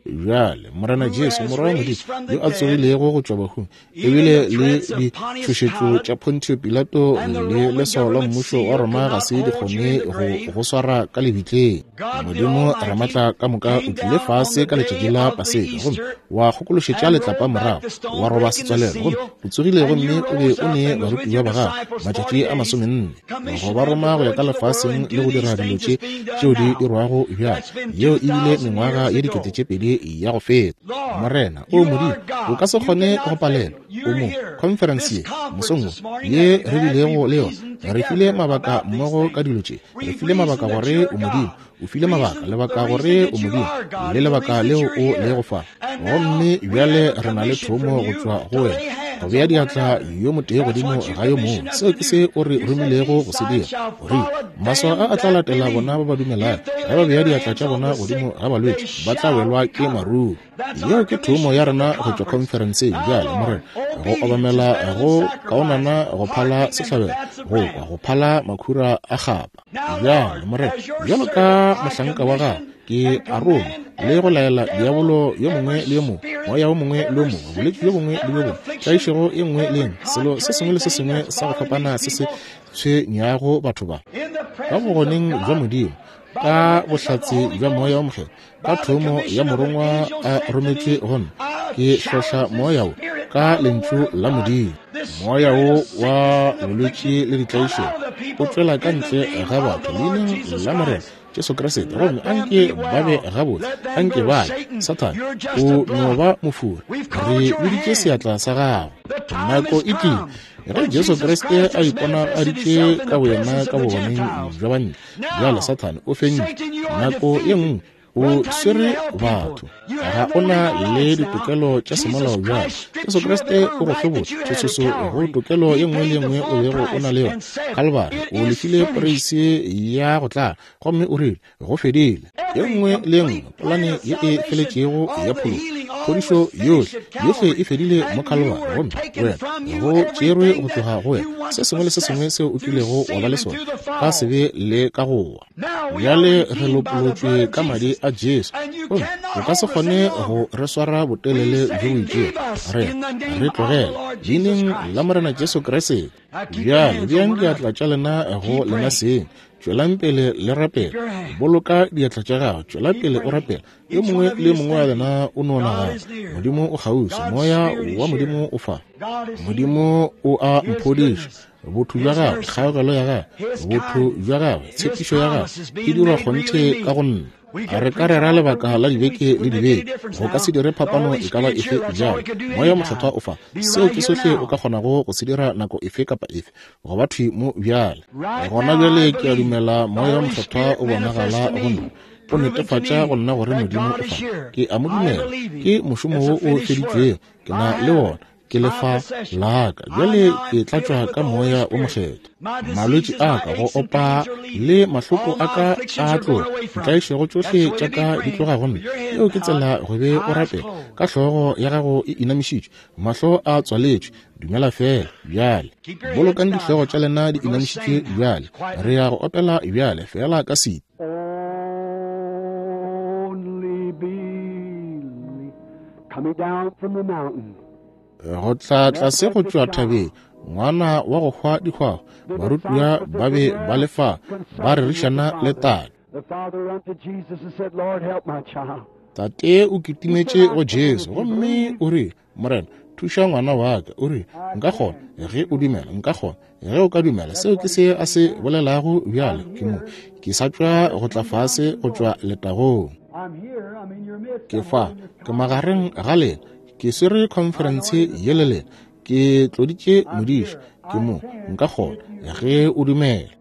Speaker 1: Bjale Morena Jesu, Morwa wa Modimo, yo a tsogilego go tšwa bahung, ebile le ditšhošetšo tša Pontio Pilato le leswao la mmušo wa Roma ga se di kgone go go swara ka lebitleng. Modimo Ramatla ka moka o tlile fase ka letšatši la Paseka gomme wa kgokološetša letlapa morago, wa roba setswalelo, gomme o tsogile gomme o be o ne barutiwa ba gagwe matšatši a masomenne go ba roma go ya ka lefaseng le go dira dilo tše tšeo di dirwago bjale. Yeo e bile mengwaga ye dikete tše pedi ya go feta. Morena, o Modimo, o ka se kgone go palelwa. O mo conference ye mosong wo ye re bilego le yona, re file mabaka mmogo ka dilo tše. Re file mabaka gore o Modimo, o file mabaka, lebaka gore o Modimo, le lebaka leo o lego fa. Gomme bjale re na le thomo go tšwa go wena, go bea diatla yo motee godimo ga yo mongwe. Seo ke se o re romilego go se dira. O rile maswao a a tla latela bona ba ba dumelago, ge ba bea diatla tša bona godimo ga balwetši ba tla welwa ke maruru. Yeo ke thomo ya rena go tšwa conferenceng bjale, Morena, go obamela go kaonana go phala sehlabelo, go kwa go phala makhura a kgapa. Bjale Morena, bjalo ka mohlanka wa gago, ke a roma le go laela diabolo yo mongwe le yo mongwe, moya wo mongwe le yo mongwe, bolwetši bjo bongwe le bjo bongwe, tlaišego e nngwe le engwe, selo se sengwe le se sengwe sa go fapana se se tshwenyago batho ba, ka bogoneng bja Modimo, ka bohlatse bja Moya wo Mokgethwa, ka thomo ya morongwa a rometšwe go nna, ke hlohla moya wo ka lentšu la Modimo. Moya wo wa bolwetši le ditlaišego o tšwela ka ntle ga batho leineng la Morena Jesu Kriste, gomme anke ba be gabotse, anke ba ye. Sathane, o no ba mofori, re biditše seatla sa gago. Nako e tlile ge Jesu Kriste a iponagaditše ka boyena ka bogoneng bja banna. Bjale Sathane o fentše. Nako ye nngwe o swere batho, ga o na le ditokelo tša semolao bjale. Jesu Kriste o go hlobotše tšhošoso go tokelo ye nngwe le ye nngwe o bego o na le yona. Kalvari o lefile poreisi ya go tlala, gomme o rile go fedile. Ye nngwe le ye nngwe polane ye e feletšego ya phološo, phodišo yohle, yohle e fedile mo Kalvari, gomme wena go tšerwe go tloga go wena se sengwe le se sengwe seo o kilego wa ba le sona ka sebe le ka go wa. Bjale re lopolotšwe ka madi a Jesu, gomme o ka se kgone go re swara botelele bjo bo itšego. Re re tlogele leineng la Morena Jesu Kriste. Bjale beang diatla tša lena go lena seng, tšwelang pele le rapela. Boloka diatla tša gago, tšwela pele o rapela. Yo mongwe le yo mongwe wa lena o no nagana, Modimo o kgauswi, Moya wa Modimo o fa. Modimo o a mphodiša. Botho bja gagwe, kgaogelo ya gagwe, botho bja gagwe, tshepišo ya gagwe e dirwa kgonthe ka go nna. A re ka rera lebaka la dibeke le dibeke, go ka se dire phapano e ka ba efe bjale. Moya Mokgethwa o fa. Seo ke sohle o ka kgonago go se dira nako efe kapa efe, go ba thwi mo bjale. Gona bjale ke a dumela Moya Mokgethwa o bonagala go nna, o netefatša go nna gore Modimo o fa. Ke a mo dumela, ke mošomo wo o feditšwego, ke na le wona, ke lefa la ka. Bjale ke tlatšwa ka Moya wo Mokgethwa. Malwetši a ka, go opa le mahloko a ka a tloga, ditlaišego tšohle tša ka di tloga go nna. Yeo ke tsela go be o rapela ka hlogo ya gago e inamišitšwe, mahlo a tswaletšwe. Dumela fela bjale. Bolokang dihlogo tša lena di inamišitšwe bjale. Re ya go opela bjale fela ka sete.
Speaker 2: Only believe, coming down from the mountain.
Speaker 1: Go tla tlase go tšwa thabeng, ngwana wa go hwa dihwahwa, barutiwa ba be ba le fa ba rerišana le tate.
Speaker 2: The father unto Jesus and said, Lord, help my child.
Speaker 1: Tate o kitimetše go Jesu gomme o re, Morena, thuša ngwana wa ka. O re, nka kgona ge o dumela, nka kgona ge o ka dumela. Seo ke se a se bolelago bjale. Ke mo ke sa tšwa go tla fase go tšwa letagong. Ke fa, ke magareng ga lena, ke swere khonferense ye le lena, ke tloditše modiša. Ke mo, nka kgona ge o dumela.